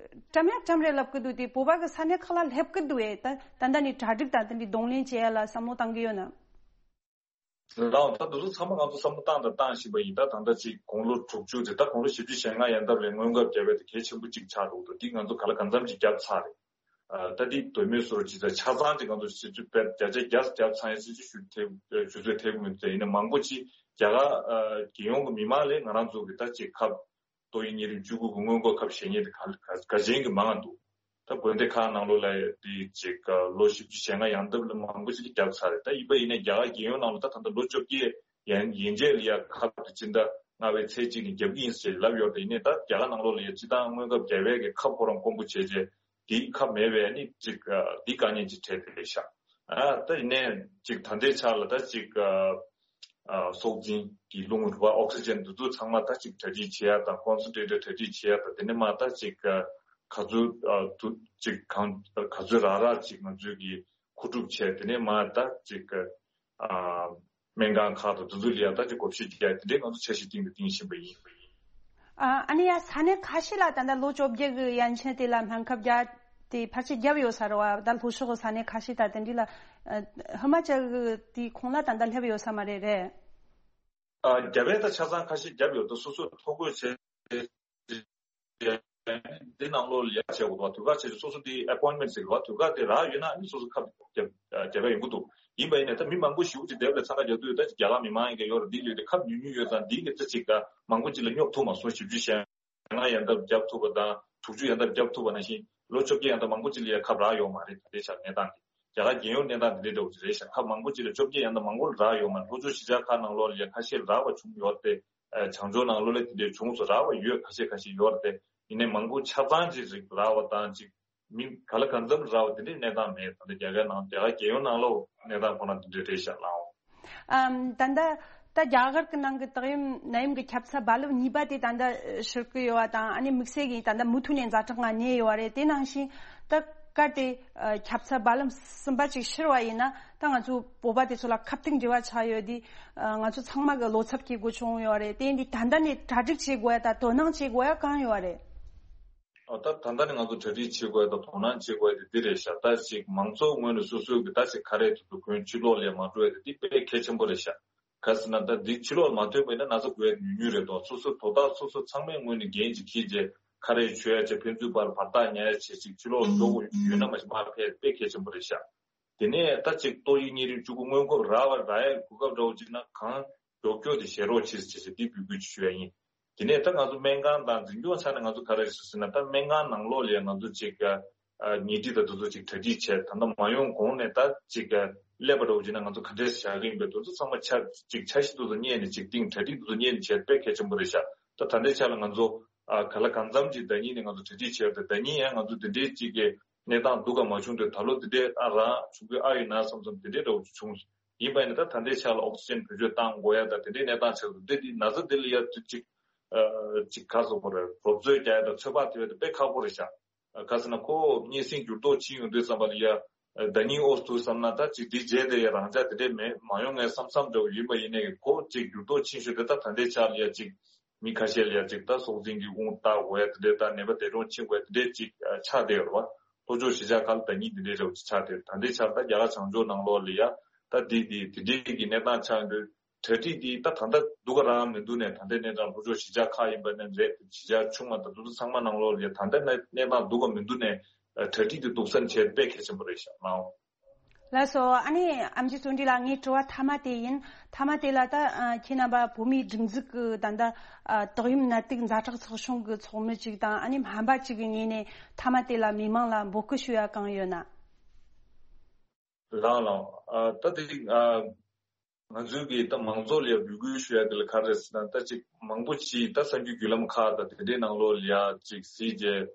བཀྲམ་ཡ་བཀྲམ་རེད་ལབ་ཀྱི་འདུག་དེ་བོད་པ་གི་ས་གནས་ཁག་ལ་སླེབས་ཀྱི་འདུག་ཨེ། ད་ད་ལྟ་ནས་གྲ་སྒྲིག་དང་དེ་འདྲའི་གདོང་ལེན་བྱེད་ཡ་ལ་བསམ་བློ་བཏང་གི་ཡོད་ན། ལགས། ད་དེ་ཚོ་ཚང་མ་ང་ཚོ་བསམ་བློ་བཏང་དང་བཏང་བཞིན་པ་ཡིན། ད་ད་ལྟ་ཅིག་དགུང་ལོ་དྲུག་ཅུ་དེ། ད་དགུང་ལོ་བཞི་བཅུ་ཞེ་ལྔ་ཡན་འདབ་ལ་སྔོན་ཁབ་བརྒྱབ་པ་དེ་གལ་ཆེན་པོ་གཅིག་ཆགས་འདུག་འདུག་འདི་ང་ཚོ་ག་ལ་གང་འཚམ་ཅིག་བརྒྱབ་ཚར་རེད། ཨ་ད་འདི་གདོད་མའི་ཟུར་ཅིག་ད་ཆ་ཚང་ཅིག་ང་ཚོ་སྤྱི་འཐུས་དཔེ་བརྒྱ་ཆ་བརྒྱ་བརྒྱབ་ཚར་ཡ་སྲིད་ཇུས་ཞུ་ཐེབས་ཞུ་ཚོད་ཐེབས་ཀྱི་མི་འདུག་ཡིན་ན་མང་པོ་ཅིག་རྒྱ་གར་ཨ་རྒྱལ་ཡོངས་ཀྱི་མི་མང་ལས་ང་རང་ཚོ་གི་ད་ཅིག་ཁབ་ཏོག་དབྱིབས་གཉན་རིམས་བཅུ་དགུ་གི་སྔོན་འགོག་ཁབ་བཞེས་མཁན་དེ་ག་ག་ག་ཅན་གྱི་མང་ང་འདུག་ད་དགོན་སྡེ་ཁག་ནང་ལོགས་ལ་དེ་ཅིག་ལོ་བཞི་བཅུ་ཞེ་ལྔ་ཡན་འདབ་ལ་མང་པོ་ཞིག་གིས་བརྒྱབ་ཚར་རེད། ད་ཡིན་པ་ཡིན་ན་རྒྱ་གར་རྒྱལ་ཡོངས་ནང་ལ་ད་ད་ལྟ་ལོ་བཅོ་བརྒྱད་ཡན་ཡན་ཆད་ལ་ཡ་ཁབ་དེ་སྤྱི་ཟླ་ལྔ་པའི་ཚེས་གཅིག་ནས་བརྒྱབ་ཀྱི་ཡིན་ཟེར་ལབ་ཡོད་རེད། ཡིན་ནའི་ད་རྒྱ་གར་ནང་ལོགས་ལ་ཡ་སྤྱི་བཏང་སྔོན་ཁབ་བརྒྱབ་ཡས་ཀྱི་ཁབ་ཁོ་རང་དཀོན་པོ་བྱས་རྗེས་དེའི་ཁབ་མེད་པས་ནི་ཅིག་འདི་དཀའ་ངལ་ཅིག་འཕྲད་དེ་རེད་ཤག་ཨ་ད་ཡིན་ནའི་ཅིག་ད་ལྟའི་ཆ་ལ་ད་ཅིག་ཨ་སྲོག་འཛིན་གྱི་རླུང་རུ་བ་ཨོག་སི་ཇན་འདི་ཚོ་ཚང་མ་ད་ཅིག་གྲ་སྒྲིག་བྱེད་ཡ་དང་ཀོན་སེན་ཊེ་ཊར་གྲ་སྒྲིག་བྱེད་ཡ་དང་། དེ་ནས་མར་ད་ཅིག་ག་ཚོད་ཨ་དུ་ཅིག་གང་ག་ཚོད་རག་རག་ཅིག་ང་ཚོས་ཀྱི་མཁོ་སྒྲུབ་བྱས། དེ་ནས་མར་ད་ཅིག་ཨ་སྨན་ཁང་ཁག་དང་འདི་ཚོ་ལ་ཡ་ད་ཅིག་བགོ་བཤའ་རྒྱག་ཡ་དེ་འདྲའི་ང་ཚོ་འཆར་གཞི་སྟེང་དུ་བཏིང་བཞིན་པ་ཡིན། ཨ་ཨ་ནི་ཡ་ས་གནས་ཁ་ཤས་ལ་ད་ལྟ་ལོ་བཅོ་བརྒྱད་ཀྱི་ཡན་ཆད་དེ་ལ་སྨན་ཁབ་རྒྱག་དེ་ཕལ་ཆེར་བརྒྱབ་ཡོད་ས་རེད་བ། ད་ལྷོ་ཕྱོགས་ཀྱི་ས་གནས་ཁ་ཤས་ད་དེ་འདྲ་ལ་ཨ་ཧི་མ་ཅལ་གྱི་དེའི་ཁོངས་ལ་ད་ལྟ་སླེབས་ཡོད་ས་མ་རེད། རེད། ཨ་རྒྱ་བལ་ད་ཆ་ཚང་ཁ་ཤས་བརྒྱབ་ཡོད། ད་སོ་སོ་ཐོ་འགོད་བྱས། འདི་ནང་ལོགས་ལ་ཡར་བྱེད་དགོས་འདུག་དུས་བཀག་བྱེད་ཆོག་སོ་སོ་དེ་appointment་ཟེར་གི་རེད་བ། དུས་བཀག་དེ་རག་ཡོད་ན་ཨ་ནི་སོ་སོ་ཁབ་རྒྱག་རྒྱག་ག་ཡོང་གི་འདུག་ཡིན་པ་ཡིན་ནའི་ད་མི་མང་པོ་ཞེ་པོ་ཅིག་དེབ་ལ་འཚང་ཁ་རྒྱག་དུས་ད་ཅིག་རྒྱ་གར་མི་མང་ཡིན་གྱི་ཡོད་རེད། འདི་ལོས་དེ་ཁབ་ཉུང་ཉུང་ཡོད་ཙང་འདི་གི་ད་ཅིག་ད་མང་པོ་ཅིག་ལ་སྙོབ་ཐུབ་མ་སོང་། བཞི་བཅུ་ཞེ་ལྔ་ཡན་འདབ་བརྒྱབ་ཐུབ་པ་དང་དྲུག་ཅུ་ཡན་འདབ་བརྒྱབ་ཐུབ་པ་ནང་བཞིན་ལོ་བཅོ་བརྒྱད་ཡན་འདབ་མང་པོ་ཅིག་ལ་ཡ་ཁབ་རག་ཡོད་མ་རེད། ད་ལྟའི་ཆར་གནས་སྟངས་འདི་རྒྱ་གར་རྒྱལ་ཡོངས་གནས་སྟངས་འདི་འདྲ་འདྲ་བོ་ཅིག་རེད་ཤག་ཁབ་མང་པོ་ཅིག་ལ་བཅོ་བརྒྱད་ཡན་འདབ་མང་པོ་ལ་རག་ཡོད་མ་རེད། ལྷོ་ཕྱོགས་གཞིས་ཆགས་ཁག་ནང་ལོགས་ལ་ཡ་ཁ་ཤས་རག་པ་བྱུང་ཡོད་རེད་དེ། བྱང་ཕྱོགས་ནང་ལོགས་ལ་དེ་འདྲའི་བྱུང་སོང་། རག་པ་ཡོད་ཁ་ཤས་ཁ་ཤས་ཡོད་རེད་དེ། ཡིན་ནའི་མང་པོ་ཆ་ཚང་ཅིག་རིགས་རག་པ་དང་ཅིག་མི་ག་ལ་གང་འཚམ་རག་པ་དེ་འདྲའི་གནས་སྟངས་མེད། ད་ལྟ་རྒྱ་གར་ནང་རྒྱ་གར་རྒྱལ་ཡོངས་ནང་ལོགས་གནས་སྟངས་ཁོ་ན་དེ་འདྲའི་རེད་ཤག་ལགས། ཨམ། ད་ལྟ་ད་རྒྱ་གར་གྱི་ནང་གི་ཏོག་དབྱིབས་ནད་ཡམས་ཀྱི་ཁྱབ་ཚད་རྦ་རླབས་གཉིས་པ་དེ་ད་ལྟ་ཤར་གྱི་ཡོད་པ་དང་། ཨ་ནི་དམིགས་བསལ་གྱིས་ད་ལྟ་མུ་མཐུད་ནས་ཛ་དྲག་ངང་གནས་ཡོད་པ་རེད། དེ་ནང་བཞིན་ད་གལ་ཏེ་ཨ་ཁྱབ་ཚད་རྦ་རླབས་གསུམ་པ་ཅིག་ཤར་བ་ཡིན་ན། ད་ང་ཚོ་བོད་པ་དེ་ཚོ་ལ་ཁ་གཏད་འགྲིག་པ་ཆགས་ཡོད་དེ། ཨ་ང་ཚོ་ཚང་མ་གི་བློ་འཚབ་སྐྱེ་དགོས་བྱུང་ཡོད་རེད། དེ་འདི་ད་ལྟ་ནས་གྲ་སྒྲིག་བྱེད་དགོས་ཡ་དང་དོ་སྣང་བྱེད་དགོས་ཡ་གང་ཡོད་རེད། ཨ་ད་ད་ལྟ་ནས་ང་ཚོ་གྲ་སྒྲིག་བྱེད་དགོས་ཡ་དང་དོ་སྣང་བྱེད་དགོས་ཡ་དེ་འདི་རེད་ཤག་ད་ཅིག་མང་ཚོགས་ངོས་ནས་སོ་སོའི་གི་ད་ཅིག་ཁ་རས་དེ་ཚོ་གོན། ཕྱི་ལོགས་ལ་མ་འགྲོ་ཡ་དེ་འདི་དཔེ་གལ་ཆེན་པོ་རེད་ཤག་ག་ཟེར་ན་ད་འདི་ཕྱི་ལོགས་ལ་མ་ཐོན་པ་ཡིན་ན་ན་ཚ་འགོས་ཡ་ཉུང་ཉུང་རེད་དོ། སོ་སོ་དོ་བདག་སོ་སོ་ཚང་མའི་ངོས་ནས་འགན་ཅིག་འཁྱེར་བྱས་ཁ་རས་མཆོད་ཡ་བྱས། ཕན་ཚུན་བར་བར་ཐག་ཉར་ཡ་བྱས། ཅིག་ཕྱི་ལོགས་ལ་འགྲོ་དགོས་ཡོད་ན་མ་གཞི་མར་ཕེབས་དཔེ་གལ་ཆེན་པོ་རེད་ཤག་དེ་ནས་ད་ཅིག་ཏོག་དབྱིབས་གཉན་རིམས་བཅུ་དགུ་སྔོན་འགོག་རག་པ་རག་ཡས་གོ་སྐབས་འདྲ་བོ་ཅིག་ན་གང་མགྱོགས་མགྱོགས་དེ་བཞེས་རོགས་བྱེད་ཟེར་བྱས་འདི་འབོད་སྐུལ་ཞུ་ཡ་ཡིན། དེ་ནས་ད་ང་ཚོ་སྨན་ཁང་དང་འཛིན་སྐྱོང་ས་ནས་ང་ཚོ་ག་རེ་ཞུ་ཟེར་ན། ད་སྨན་ཁང་ནང་ལོགས་ལ་ཡ་ང་ཚོ་ཅིག་ཨ་ཉལ་ཁྲི་དང་དེ་ཚོ་ཅིག་གྲ་སྒྲིག་བྱས། ད་ལྟ་མ་ཡོང་གོང་ནས་ད་ཅིག་ཨ་སླེབས་པ་འདྲ་བོ་ཅིག་ན་ང་ཚོ་ག་འདྲས་བཞག་གི་ཡིན་པས་དེ་ཚོ་ཚང་མ་ཆ་ཅིག་འཆར་གཞི་དེ་ཚོ་གཉེར་ནས་ཅིག་སྟེང་གྲ་སྒྲིག་དེ་ཚོ་གཉེར་ནས་བྱས་དཔེ་གལ་ཆེན་པོ་རེད་ཤག་ད་ད་ལྟའི་ཆ་ལ་ང་ཚོ་ཨ་ག་ལ་གང་འཚམ་ཅིག་ཟླ་ཉིན་ནས་ང་ཚོ་གྲ་སྒྲིག་བྱས་ཏེ། ཟླ་ཉིན་ཡང་ང་ཚོ་དེ་འདྲའི་ཅིག་གི་གནས་སྟངས་སྡུག་ག་མ་བྱུང་དུས་ད་ལོ་འདི་འདྲའི་ཨ་རང་བྱུང་གི་ཨ་ཡོད་ན་བསམ་བསམ་དེ་འདྲའི་འདྲ་བོ་བྱུང་། ཡིན་པ་ཡིན་ན་ད་ད་ལྟའི་ཆ་ལ་ཨོག་སི་ཅན་བེད་སྤྱོད་བཏང་དགོས་ཡ་ད་དེ་འདྲའི་གནས་སྟངས་ཆགས་འདུག་དེ་འདི་ན་ཚ་འདི་ལ་ཡ་ཅིག་ཅིག་ཨ་ཅིག་ག་ཟེར་དགོས་རེད། རོབ་ཚོད་རྒྱག་ཡ་དང་ཚོད་དཔག་ཐེབས་ཡ་དེ་དཔེ་ཁག་པོ་རེད་ཤག་ག་ཟེར་ན་ཁོ་སྙན་སེང་འགྱུར་ལྡོག་ཕྱིན་ཡོང་དུས་ཙམ་པ་ལ་ཡ་ཟླ་ཉིན་ཨོ་འདུག་བསམ་ན་ད་ཅིག་འདི་རྗེས་དེ་ཡ་རང་འཇགས་དེ་འདྲའི་མེད་མ་ཡོང་ངས་བསམ་བསམ་འདྲ་བོ་ཡིན་པ་ཡིན་ནའི་ཁོ་ཅིག་འགྱུར་ལྡོག་ཕྱིན་ཤོས་དེ་ད་ད་ལྟའི་ཆ་ལ་ཡ་ཅིག་མི་ཁ་ཤས་ལ་ཡ་ཅིག་ད་སྲོག་འཛིན་གྱི་དབང་བཏགས་དགོས་ཡ་དེ་འདྲའི་ད་ནད་པ་འདས་གྲོངས་ཕྱིན་དགོས་ཡ་དེ་འདྲའི་ཅིག་ཆགས་བསྡད་ཡོད་རེད་བ། ལྷོ་ཕྱོགས་གཞིས་ཆགས་ཁག་ལ་ཟླ་ཉིན་དེ་འདྲའི་འདྲ་བོ་ཅིག་ཆགས་བསྡད། ད་ལྟའི་ཆར་ད་རྒྱ་གར་བྱང་ཕྱོགས་ནང་ལོགས་ལ་ཡ་ད་འདི་འདི་དེ་འདྲའི་གི་གནས་སྟངས་ཆགས་ཡོང་དུས་གྲ་སྒྲིག་འདི་ད་ད་ལྟ་སྡུག་ག་རང་མི་འདུག་ནས། ད་ལྟའི་གནས་སྟངས་ལྷོ་ཕྱོགས་གཞིས་ཆགས་ཁག་ཡིན་པ་ནས་རེད། གཞིས་ཆགས་ཆུང་བ་དང་དེ་ཚོ་ཚང་མ་ནང་ལོགས་ལ་ཡ་ད་ལྟ་གནས་གནས་སྟངས་སྡུག་ག་མི་འདུག་ནས་གྲ་སྒྲིག་འདི་སྡུག་སན་བྱས་དཔེ་གལ་ཆེན་པོ་རེད་ཤག་ལགས། ལགས་སོ། ཨ་ནི་ཨེམ་ཆི་བརྩོན་འགྲུས་ལགས། ངའི་དྲི་བ་མཐའ་མ་དེ་ཡིན། མཐའ་མ་དེ་ལ་ད་ཨ་ཁྱེད་རྣམ་པ་བོད་མིའི་སྒྲིག་འཛུགས་ཀྱི་ད་ལྟ་ཨ་ཏོག་དབྱིབས་ནད་དུག་ཛ་དྲག་ཚོགས་ཆུང་གི་ཚོགས་མི་ཅིག་དང་། ཨ་ནི་སྨན་པ་ཅིག་གི་ངོས་ནས་མཐའ་མ་དེ་ལ་མི་མང་ལ་འབོད་སྐུལ་ཞུ་ཡ་གང་ཡོད་ན། ལགས་ལགས། ཨ་ད་དེ་ཨ་ང་ཚོའི་གི་ད་མང་ཚོགས་ལ་ཡ་འབོད་སྐུལ་ཞུ་ཡ་དེ་ལ་ག་རེ་ཟེར་ན། ད་ཅིག་མང་པོ་ཅིག་ད་གསར་འགྱུར་བརྒྱུད་ལམ་ཁག་དང་དེ་འདྲའི་ནང་ལོགས་ལ་ཡ་ཅིག་གཟིགས་རྗེས།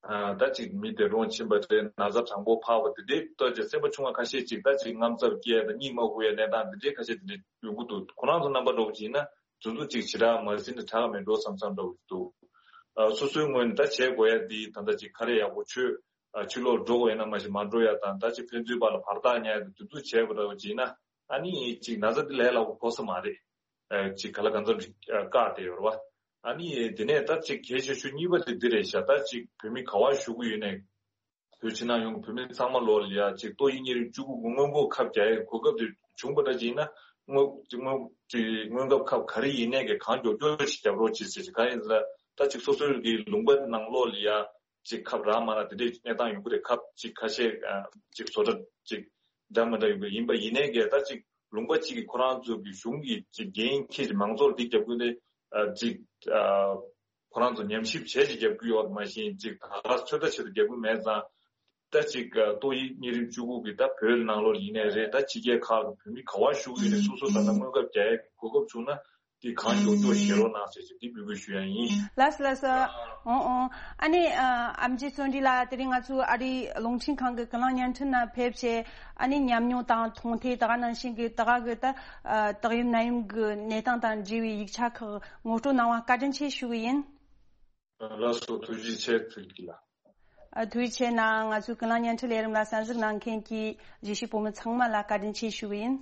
ཨ་ད་ཅིག་མི་འདས་གྲོངས་ཕྱིན་པ་རེད། ན་ཚ་གྲང་པོ་འཕར་བ་དེ་འདྲའི་ལྟོས་ཀྱི་སེམས་པ་ཆུང་བ་ཁ་ཤས་ཅིག་ད་ཅིག་དངངས་འཚབ་སྐྱེ་དང་གཉིད་མ་ཁུག་ཡ་གནས་སྟངས་དེ་འདྲའི་ཁ་ཤས་དེ་འདྲའི་ཡོང་གི་འདུག་ཁོ་རང་ཚོ་རྣམ་པ་འདྲ་བོ་ཅིག་ཡིན་ན་དུས་ཚོད་ཅིག་ཞེ་དྲག་མ་ཟིན་ན་དྲག་མི་འགྲོ་བསམ་བསམ་འདྲ་བོ་ཅིག་འདུག་ཨ་སོ་སོའི་ངོས་ནས་ད་བྱེད་དགོས་ཡ་འདི་ད་ལྟ་ཅིག་ཁ་རས་ཡག་པོ་མཆོད། ཨ་ཕྱི་ལོགས་འགྲོ་དགོས་ཡིན་ན་མ་གཞི་མ་འགྲོ་ཡ་དང་། ད་ཅིག་ཕན་ཚུན་བར་ལ་བར་ཐག་ཉར་ཡ་དེ་དུས་ཚོད་བྱེད་དགོས་འདྲ་བོ་ཅིག་ཡིན་ན། ཨ་ནི་ཅིག་ན་ཚ་འདི་ལས་སླ་པོ་ཕོག་ས་མ་རེད། ཨ་ཅིག་ག་ལ་གང་འཚམ་ཅིག་ཨ་བཀག་བསྡད་ཡོད་རེད་བ། ཨ་ནི་དེ་ནས་ད་ཅིག་གལ་ཆེ་ཤོས་གཉིས་པ་དེ་འདི་རེད་ཤག་ད་ཅིག་བོད་མི་ག་བ་བཞུགས་ཀྱི་ཡོད་ནའི་བོད་ཕྱི་ནང་ཡོངས་ཀྱི་བོད་མི་ཚང་མ་ལོགས་ལ་ཡ་ཅིག་ཏོག་དབྱིབས་གཉན་རིམས་བཅུ་དགུ་གི་སྔོན་འགོག་ཁབ་རྒྱག་ཡའི་གོ་སྐབས་དེ་བྱུང་པ་འདྲ་ཅིག་ཡིན་ན། སྔོན་སྔོན་ཅིག་སྔོན་ཁབ་ཁབ་ག་རེ་ཡིན་ནའི་གི་གང་མགྱོགས་མགྱོགས་ཤིག་རྒྱབ་རོགས་བྱེད་ཟེར་ཅིག་གང་ཡིན་ཟེར་ན། ད་ཅིག་སོ་སོའི་གི་ལུང་པ་ནང་ལོགས་ལ་ཡ་ཅིག་ཁབ་རག་མ་རག་དེ་འདྲའི་གནས་སྟངས་ཡོང་གི་རེད། ཁབ་ཅིག་ཁ་ཤས་ཨ་ཅིག་བཟོ་གྲྭ་ཅིག་འདྲ་མི་འདྲ་ཡོང་གི་ཡིན་པ་ཡིན་ནའི་གི། ད་ཅིག་ལུང་པ་གཅིག་གིས་ཁོ་རང་ཚོ་གི་གཞུང་གི་ཅིག་འགན་འཁྱེར་ཅིག་མང་ཚོགས་འདི་རྒྱབ་ཀྱི་ནི་ཨ་ཅིག་ཨ་ཁོ་རང་ཚོ་ཉམས་ཞིབ་བྱས་ཅིག་རྒྱབ་ཀྱི་ཡོད་མ་གཞི་ཅིག་ད་ག་ཚོད་ལྟ་བྱེད་དུ་རྒྱབ་ཀྱི་མེད་ཙང་། ད་ཅིག་ཨ་ཏོག་དབྱིབས་གཉན་རིམས་བཅུ་དགུ་གི་ད་བོད་ནང་ལོགས་ཡིན་ནའི་རེད། ད་ཕྱི་རྒྱལ་ཁག་གི་བོད་མི་ག་བ་བཞུགས་ཡོད་ནའི་སོ་སོ་ད་ལྟ་སྔོན་ཁབ་རྒྱག་ཡའི་གོ་སྐབས་བྱུང་ན། དེ་གང་མགྱོགས་མགྱོགས་བཞེས་རོགས་གནང་ཟེར་ཞིག་འདི་འབོད་སྐུལ་ཞུ་ཡ་ཡིན། ལགས་སོ་ལགས་སོ། འོང་འོང་། ཨ་ནི་ཨ་ཨེམ་ཆི་བརྩོན་འགྲུས་ལགས། དེ་རིང་ང་ཚོའི་ཨ་རིའི་རླུང་འཕྲིན་ཁང་གི་ཀུན་གླེང་བརྙན་འཕྲིན་ནང་ཕེབས་བྱས། ཨ་ནི་ཉམས་མྱོང་དང་མཐོང་ཐོས་ད་ག་ནང་བཞིན་གྱི་ད་ག་གི་ད་ཨ་ཏོག་དབྱིབས་ནད་ཡམས་ཀྱི་གནས་སྟངས་དང་འབྲེལ་བའི་ཡིག་ཆ་ཁག་ངོ་སྤྲོད་གནང་བ་བཀའ་དྲིན་ཆེ་ཞུ་གི་ཡིན། ལགས་སོ། ཐུགས་རྗེ་ཆེ། ཐུགས་རྗེ་ཆེ་ལགས། ཨ་ཐུགས་རྗེ་ཆེ་གནང་། ང་ཚོའི་ཀུན་གླེང་བརྙན་འཕྲིན་ལས་རིམ་ལ་གསན་གཟིགས་གནང་མཁན་གྱི་གཞིས་བྱེས་བོད་མི་ཚང་མ་ལ་བཀའ་དྲིན་ཆེ་ཞུ་གི་ཡིན།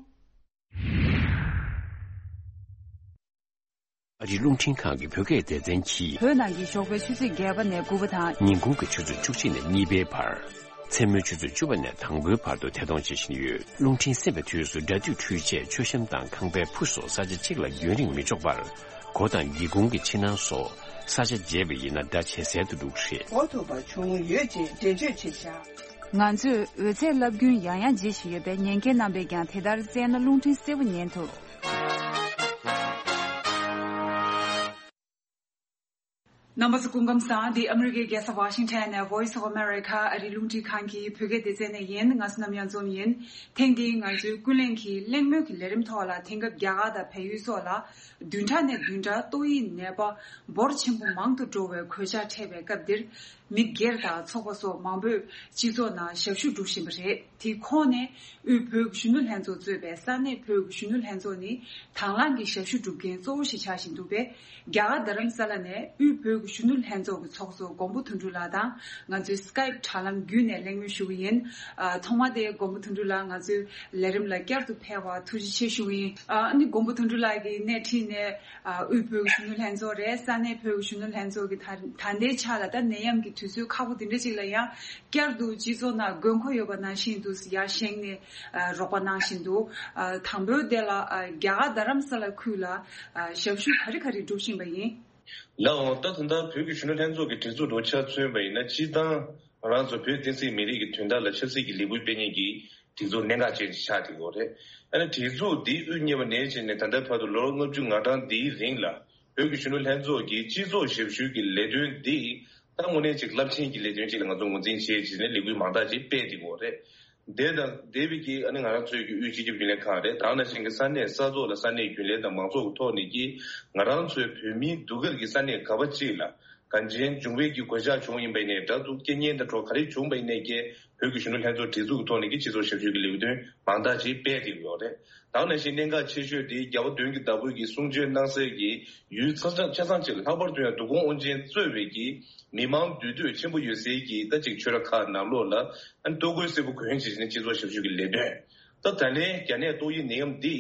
ཨ་རིའི་རླུང་འཕྲིན་ཁང་གི་བོད་སྐད་སྡེ་ཚན་གྱིས། བོད་ནང་གི་ཞོགས་པའི་ཆུ་ཚོད་བརྒྱད་པ་ནས་དགུ་པ་དང་། ཉིན་གུང་གི་ཆུ་ཚོད་བཅུ་གཅིག་ནས་གཉིས་པའི་བར། མཚན་མོའི་ཆུ་ཚོད་བཅུ་པ་ནས་དང་པོའི་བར་དུ་ཐད་གཏོང་བྱེད་བཞིན་ཡོད། རླུང་འཕྲིན་གསན་པའི་དུས་སུ་སྒྲ་སྡུད་འཕྲུལ་ཆས། མཆོད་བཤམས་དང་ཁང་པའི་ཕུ་སོགས་ས་ཆ་གཅིག་ལ་རྒྱུན་རིང་མི་འཇོག་པར། སྒོ་དང་སྒེའུ་ཁུང་གི་ཕྱི་ནང་སོགས་ ས་ཆ་བརྗེས་པ་ཡིན་ན་ཟླ་ཕྱེད་གསལ་དུ་འགྲོ་གི་རེད། འགོ་ཐུག་པ་བྱུང་ཡོད་ཅེས་འགྲེལ་བརྗོད་བྱས་བཞག་ང་ཚོས་འོད་ཟེར་རླབས་རྒྱུན་ཡང་ཡང་བརྗེ་བཞིན་ཡོད་པས། ཉན་མཁན་རྣམ་པས་ཀྱང་དེ་ལྟར་བཙལ་ན་རླུང་འཕྲིན་གསལ་པོ་ཉན་ཐུབ། རྣམ་པ་ཚོ་སྐུ་ཁམས་བཟང་། འདི་ཨ་མི་རི་ཀའི་རྒྱལ་ས་ཝ་ཤིང་ཊོན་ནས་Voice of America ཨ་རིའི་རླུང་འཕྲིན་ཁང་གི་བོད་སྐད་སྡེ་ཚན་ནས་ཡིན། ང་ཚོ་ནམ་ཡང་འཛོམས་ཡིན། ཐེངས་འདིའི་ང་ཚོའི་ཀུན་གླེང་གི་གླེང་མོལ་གྱི་ལས་རིམ་ཐོག་ལ། དེང་སྐབས་རྒྱ་གར་དང་བལ་ཡུལ་སོགས་ལ་བདུན་ཕྲག་ནས་བདུན་ཕྲག་ཏོག་དབྱིབས་ནད་པ་འབོར་ཆེན་པོ་མང་དུ་འགྲོ་བའི་གོད་ཆག་འཕྲད་པའི་སྐབས་འདིར། མི་སྒེར་དང་ཚོགས་པ་སོགས་མང་པོས་སྤྱི་ཚོགས་ནང་ཞབས་ཞུ་སྒྲུབ་བཞིན་པ་རེད། དེའི་ཁོངས་ནས་དབུས་བོད་ཀྱི་གཞོན་ནུ་ལྷན་ཚོགས་གཙོས་པའི་ས་གནས་བོད་ཀྱི་གཞོན་ནུ་ལྷན་ཚོགས་ནི་དང་བླངས་ཀྱི་ཞབས་ཞུ་སྒྲུབ་མཁན་གཙོ་བོ་ཞིག་ཆགས་བཞིན་འདུག་པས། རྒྱ་གར་རྡ་རམ་ས་ལ་ནས་དབུས་བོད་ཀྱི་གཞོན་ནུ་ལྷན་ཚོགས་ཀྱི་ཚོགས་གཙོ་མགོན་པོ་དོན་གྲུབ་ལགས་དང་ང་ཚོས་སི་ཀའིབ་དྲ་ལམ་བརྒྱུད་ནས་གླེང་མོལ་ཞུ་གི་ཡིན། ཨ། ཐོག་མ་དེ་མགོན་པོ་དོན་གྲུབ་ལགས་ང་ཚོའི་ལས་རིམ་ལ་བསྐྱར་དུ་ཕེབས་པར་ཐུགས་རྗེ་ཆེ་ཞུ་གི་ཡིན། ཨ་ནི་མགོན་པོ་དོན་གྲུབ་ལགས་ཀྱིས་སྣེ་ཁྲིད་ནས། ཨ། དབུས་བོད་ཀྱི་གཞོན་ནུ་ལྷན་ཚོགས་རེད། ས་གནས་བོད་ཀྱི་གཞོན་ནུ་ལྷན་ཚོགས་ཀྱིས་ད་ད་ལྟའི་ཆ་ལ་ད་ནད་ཡམས་ཀྱི་དུས་ཚོད་ཁག་པོ་དེ་འདྲ་ཅིག་ལ་ཡང་བསྐྱར་དུ་སྤྱི་ཚོགས་ནང་དགོས་མཁོ་ཡོད་པ་ནང་བཞིན་དུ་ཡར་བཞེངས་ནས། ཨ། རོགས་པ་གནང་བཞིན་འདུག་ཨ། དང་པོའི་དེ་ལ། ཨ། རྒྱ་གར་རྡ་རམ་ས་ལ་ཁུལ་ལ། ཨ། ཞབས་ཞུ་ག་རེ་ག་རེ་སྒྲུབ་བཞིན་པ་ཡིན། ལགས་འོང་། ད་ད་ལྟ་བོད་ཀྱི་གཞོན་ནུ་ལྷན་ཚོགས་ཀྱི་སྒྲིག་འཛུགས་དང་ཆ་མཚོན་པ་ཡིན་ན། སྤྱིར་བཏང་ང་རང་ཚོ་བོད་བསྟན་སྲིད་མི་རིགས་ཀྱི་དོན་དག་ལ་ཆབ་སྲིད་ཀྱི་ལས་འགུལ་སྤེལ་མཁན་གྱི་སྒྲིག་འཛུགས་གནད་འགག་ཅན་ཞིག་ཆགས་བསྡད་ཡོད་རེད། ཨ་ནི་སྒྲིག་འཛུགས་འདི་དབུ་བརྙེས་པ་ནས་བྱས་ནས་ད་ལྟའི་བར་དུ་ལོ་ལྔ་བཅུ་ང་གྲངས་འདིའི་རིང་ལ་བོད་ཀྱི་གཞོན་ནུ་ལྷན་ཚོགས་ཀྱིས་སྤྱི་ཚོགས་ཞབས་ཞུའི་གི་ལས་དོན་འདི་ད་དངོས་གནས་ཅིག་རླབས་ཆེན་གྱི་ལས་དོན་ཅིག་ལ་ང་ཚོ་ངོས་འཛིན་བྱས་བྱས་ནས་ལས་འགུལ་མང་དག་ཅིག་སྤེལ་བསྡད་ཡོད་རེད། དེ་དང་འདས་པའི་གི་ཨ་ནི་ང་རང་ཚོའི་གི་དབུས་སྤྱི་ཁྱབ་རྒྱུན་ལས་ཁང་རེད། དེ་ནང་བཞིན་གྱི་ས་གནས་ས་ཐོག་ལ་ས་གནས་རྒྱུན་ལས་དང་མང་ཚོགས་ཀྱི་ཐོག་ནས་ཀྱི་ང་རང་ཚོའི་བོད་མིའི་སྡུག་སྐལ་གྱི་ས་གནས་ག་པ་ཅིག་ལ་གང་ཅན་འབྱུང་བའི་གི་གོད་ཆག་བྱུང་ཡིན་པ་ཡིན་ནའི་འདྲ་འདུག་རྐྱེན་ངན་དང་འགྲོ་ག་རེ་བྱུང་པ་ཡིན་ནའི་ཀྱི་བོད་ཀྱི་གཞོན་ནུ་ལྷན་ཚོགས་སྒྲིག་འཛུགས་ཀྱི་ཐོག་ནས་ཀྱི་སྤྱི་ཚོགས་ཞབས་ཞུ་གི་ལས་དོན་མང་དག་ཅིག་སྤེལ་བསྡད་ཡོད་རེད། དེ་ནང་བཞིན་གནད་འགག་ཆེ་ཤོས་དེ་རྒྱལ་བ་དོན་གྱི་བདག་པོ་གིས་གསུང་ཆོས་གནང་སའི་གི་ཡུལ་ཆ་ཚང་ཆ་ཚང་ཅིག་ལ་ལྷག་པར་དུ་ཡང་འདུ་ཁང་དབུ་ཅན་གཙོས་པའི་གི་མི་མང་འདུས་སྡོད་ཆེན་པོ་ཡོད་སའི་གི་ད་ཅིག་ཆོས་ར་ཁག་ནང་ལོགས་ལ་ཨ་ནི་ལྟོ་གོས་སེར་པོ་གོན་བྱས་ནས་སྤྱི་ཚོགས་ཞབས་ཞུ་གི་ལས་དོན། ད་ད་ལན་རྒྱ་ནད་ཏོག་དབྱིབས་ནད་ཡམས་འདི་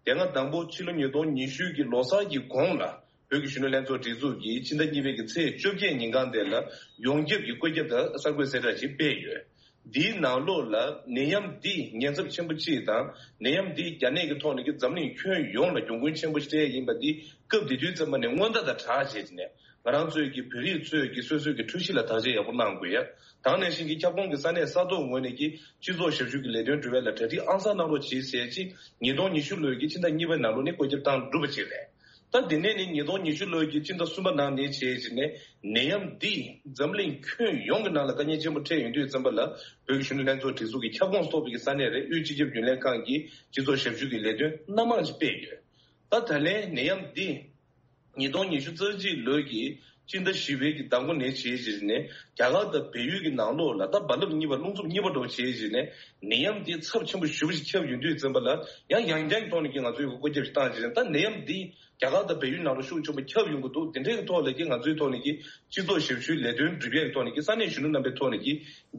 དེ་སྔ་དང་པོ་ཕྱི་ལོ་ཉིས་སྟོང་ཉི་ཤུ་གི་ལོ་གསར་གྱི་གོང་ལ་བོད་ཀྱི་གཞོན་ནུ་ལྷན་ཚོགས་སྒྲིག་འཛུགས་ཀྱིས་ཕྱི་ཟླ་གཉིས་པའི་གི་ཚེས་བཅོ་བརྒྱད་ཉིན་གང་དེ་ལ་ཡོངས་ཁྱབ་ཀྱི་བཀོད་ཁྱབ་དང་གསར་འགོད་གསལ་བསྒྲགས་ཤིག་སྤེལ་ཡོད། འདིའི་ནང་ལོགས་ལ་ནད་ཡམས་འདི་ཉེན་ཚབས་ཆེན་པོ་གཅིག་དང་། ནད་ཡམས་འདི་རྒྱ་ནད་ཀྱི་ཐོག་ནས་ཀྱི་འཛམ་གླིང་ཁྱོན་ཡོངས་ལ་གྱོང་གུན་ཆེན་པོ་ཞིག་སྤྲད་ཡིན་པ་འདི་སྐབས་དེ་དུས་ཙམ་པ་ནས་སྔོན་བརྡ་དང་སྦྲགས་བྱས་ནས་ང་རང་ཚོའི་གི་བོད་རིགས་ཚོས་ཀྱི་སོ་སོའི་གི་འཕྲུལ་གཞི་ལ་བརྟག་དཔྱད་ཡག་པོ་གནང་དགོས་ཡ། དེ་ནང་བཞིན་གྱི་ཁྱབ་ཁོངས་ཀྱི་ས་གནས་ས་ཐོག་ངོས་ནས་ཀྱི་སྤྱི་ཚོགས་ཞབས་ཞུ་གི་ལས་དོན་སྒྲུབ་ཡ་ལ་གྲ་སྒྲིག་ཨང་གསར་གནང་རོགས་གྱིས་ཟེར་ཅིག་ཉིས་སྟོང་ཉི་ཤུ་ལོའི་གི་ཕྱི་ཟླ་གཉིས་པའི་ནང་ལོགས་ནས་བཀོད་ཁྱབ་བཏང་གྲུབ་པ་ཅིག་རེད། ད་དེ་ནས་ནི་ཉིས་སྟོང་ཉི་ཤུ་ལོའི་གི་སྤྱི་ཟླ་གསུམ་པ་ནང་ནས་བྱས་བྱས་ནས་ནད་ཡམས་འདིས་འཛམ་གླིང་ཁྱོན་ཡོངས་ཀྱི་ནང་ལ་དཀའ་ངལ་ཆེན་པོ་འཕྲད་ཡོང་དུས་ཙམ་པ་ལ་བོད་ཀྱི་གཞོན་ནུ་ལྷན་ཚོགས་སྒྲིག་འཛུགས་ཀྱི་ཁྱབ་ཁོངས་གཏོགས་པའི་གི་ས་གནས་རེད། དབུས་སྤྱི་ཁྱབ་རྒྱུན་ལས་ཁང་གིས་སྤྱི་ཚོགས་ཞབས་ཞུ་གི་ལས་དོན་སྣ་མང་ཞིག་སྤེལ་ཡོད། ད་ད་ལན་ནད་ཡམས་འདི་ཉིས་སྟོང་ཉི་ཤུ་རྩ་གཅིག་ལོའི་གི་སྤྱི་ཟླ་བཞི་པའི་གི་ཟླ་མགོ་ནས་བྱས་བྱས་ནས་རྒྱ་གར་དང་བལ་ཡུལ་གྱི་ནང་ལོགས་ལ་ད་རྦ་རླབས་གཉིས་པ་རླུང་འཚུབ་གཉིས་པ་འདྲ་བོ་བྱས་བྱས་ནས་ནད་ཡམས་འདི་ཚབས་ཆེན་པོ་ཞེ་པོ་ཞིག་ཁྱབ་ཡོང་དུས་ཙམ་པ་ལ་ཡང་ཡང་བསྐྱར་གྱི་ཐོག་ནས་ཀྱི་ང་ཚོས་གི་བཀོད་ཁྱབ་ཞིག་བཏང་བྱས་ནས་ད་ནད་ཡམས་འདི་རྒྱ་གར་དང་བལ་ཡུལ་ནང་ལ་ཤུགས་ཆེན་པོ་ཁྱབ་ཡོང་གི་འདུག་དེ་འདྲའི་གི་ཐོག་ལ་གི་ང་ཚོའི་ཐོག་ནས་གི་སྤྱི་ཚོགས་ཞབས་ཞུའི་ལས་དོན་སྒྲུབ་ཡས་ཀྱི་ཐོག་ནས་གི་ས་གནས་གཞོན་ནུ་རྣམ་པའི་ཐོག་ནས་གི་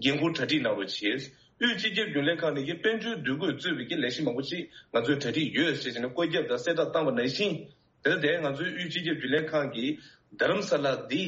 འགན་འཁུར་གྲ་སྒྲིག་གནང་རོགས་བྱས། དབུས་སྤྱི་ཁྱབ་རྒྱུན་ལས་ཁང་ནས་གི་དཔལ་འབྱོར་འདུ་འགོད་གཙོས་པའི་གི་ལས་གཞི་མང་པོ་ཅིག་ང་ཚོས་གྲ་སྒྲིག་ཡོད་ཟེར་བྱས་ནས་བཀོད་ཁྱབ་དང་གསལ་བསྒྲགས་བཏང་བ་ནང་བཞིན། དེ་ལྟར་ང་ཚོའི་དབུས་སྤྱི་ཁྱབ་རྒྱུན་ལས་ཁང་གིས་རྡ་རམ་ས་ལ་འདི་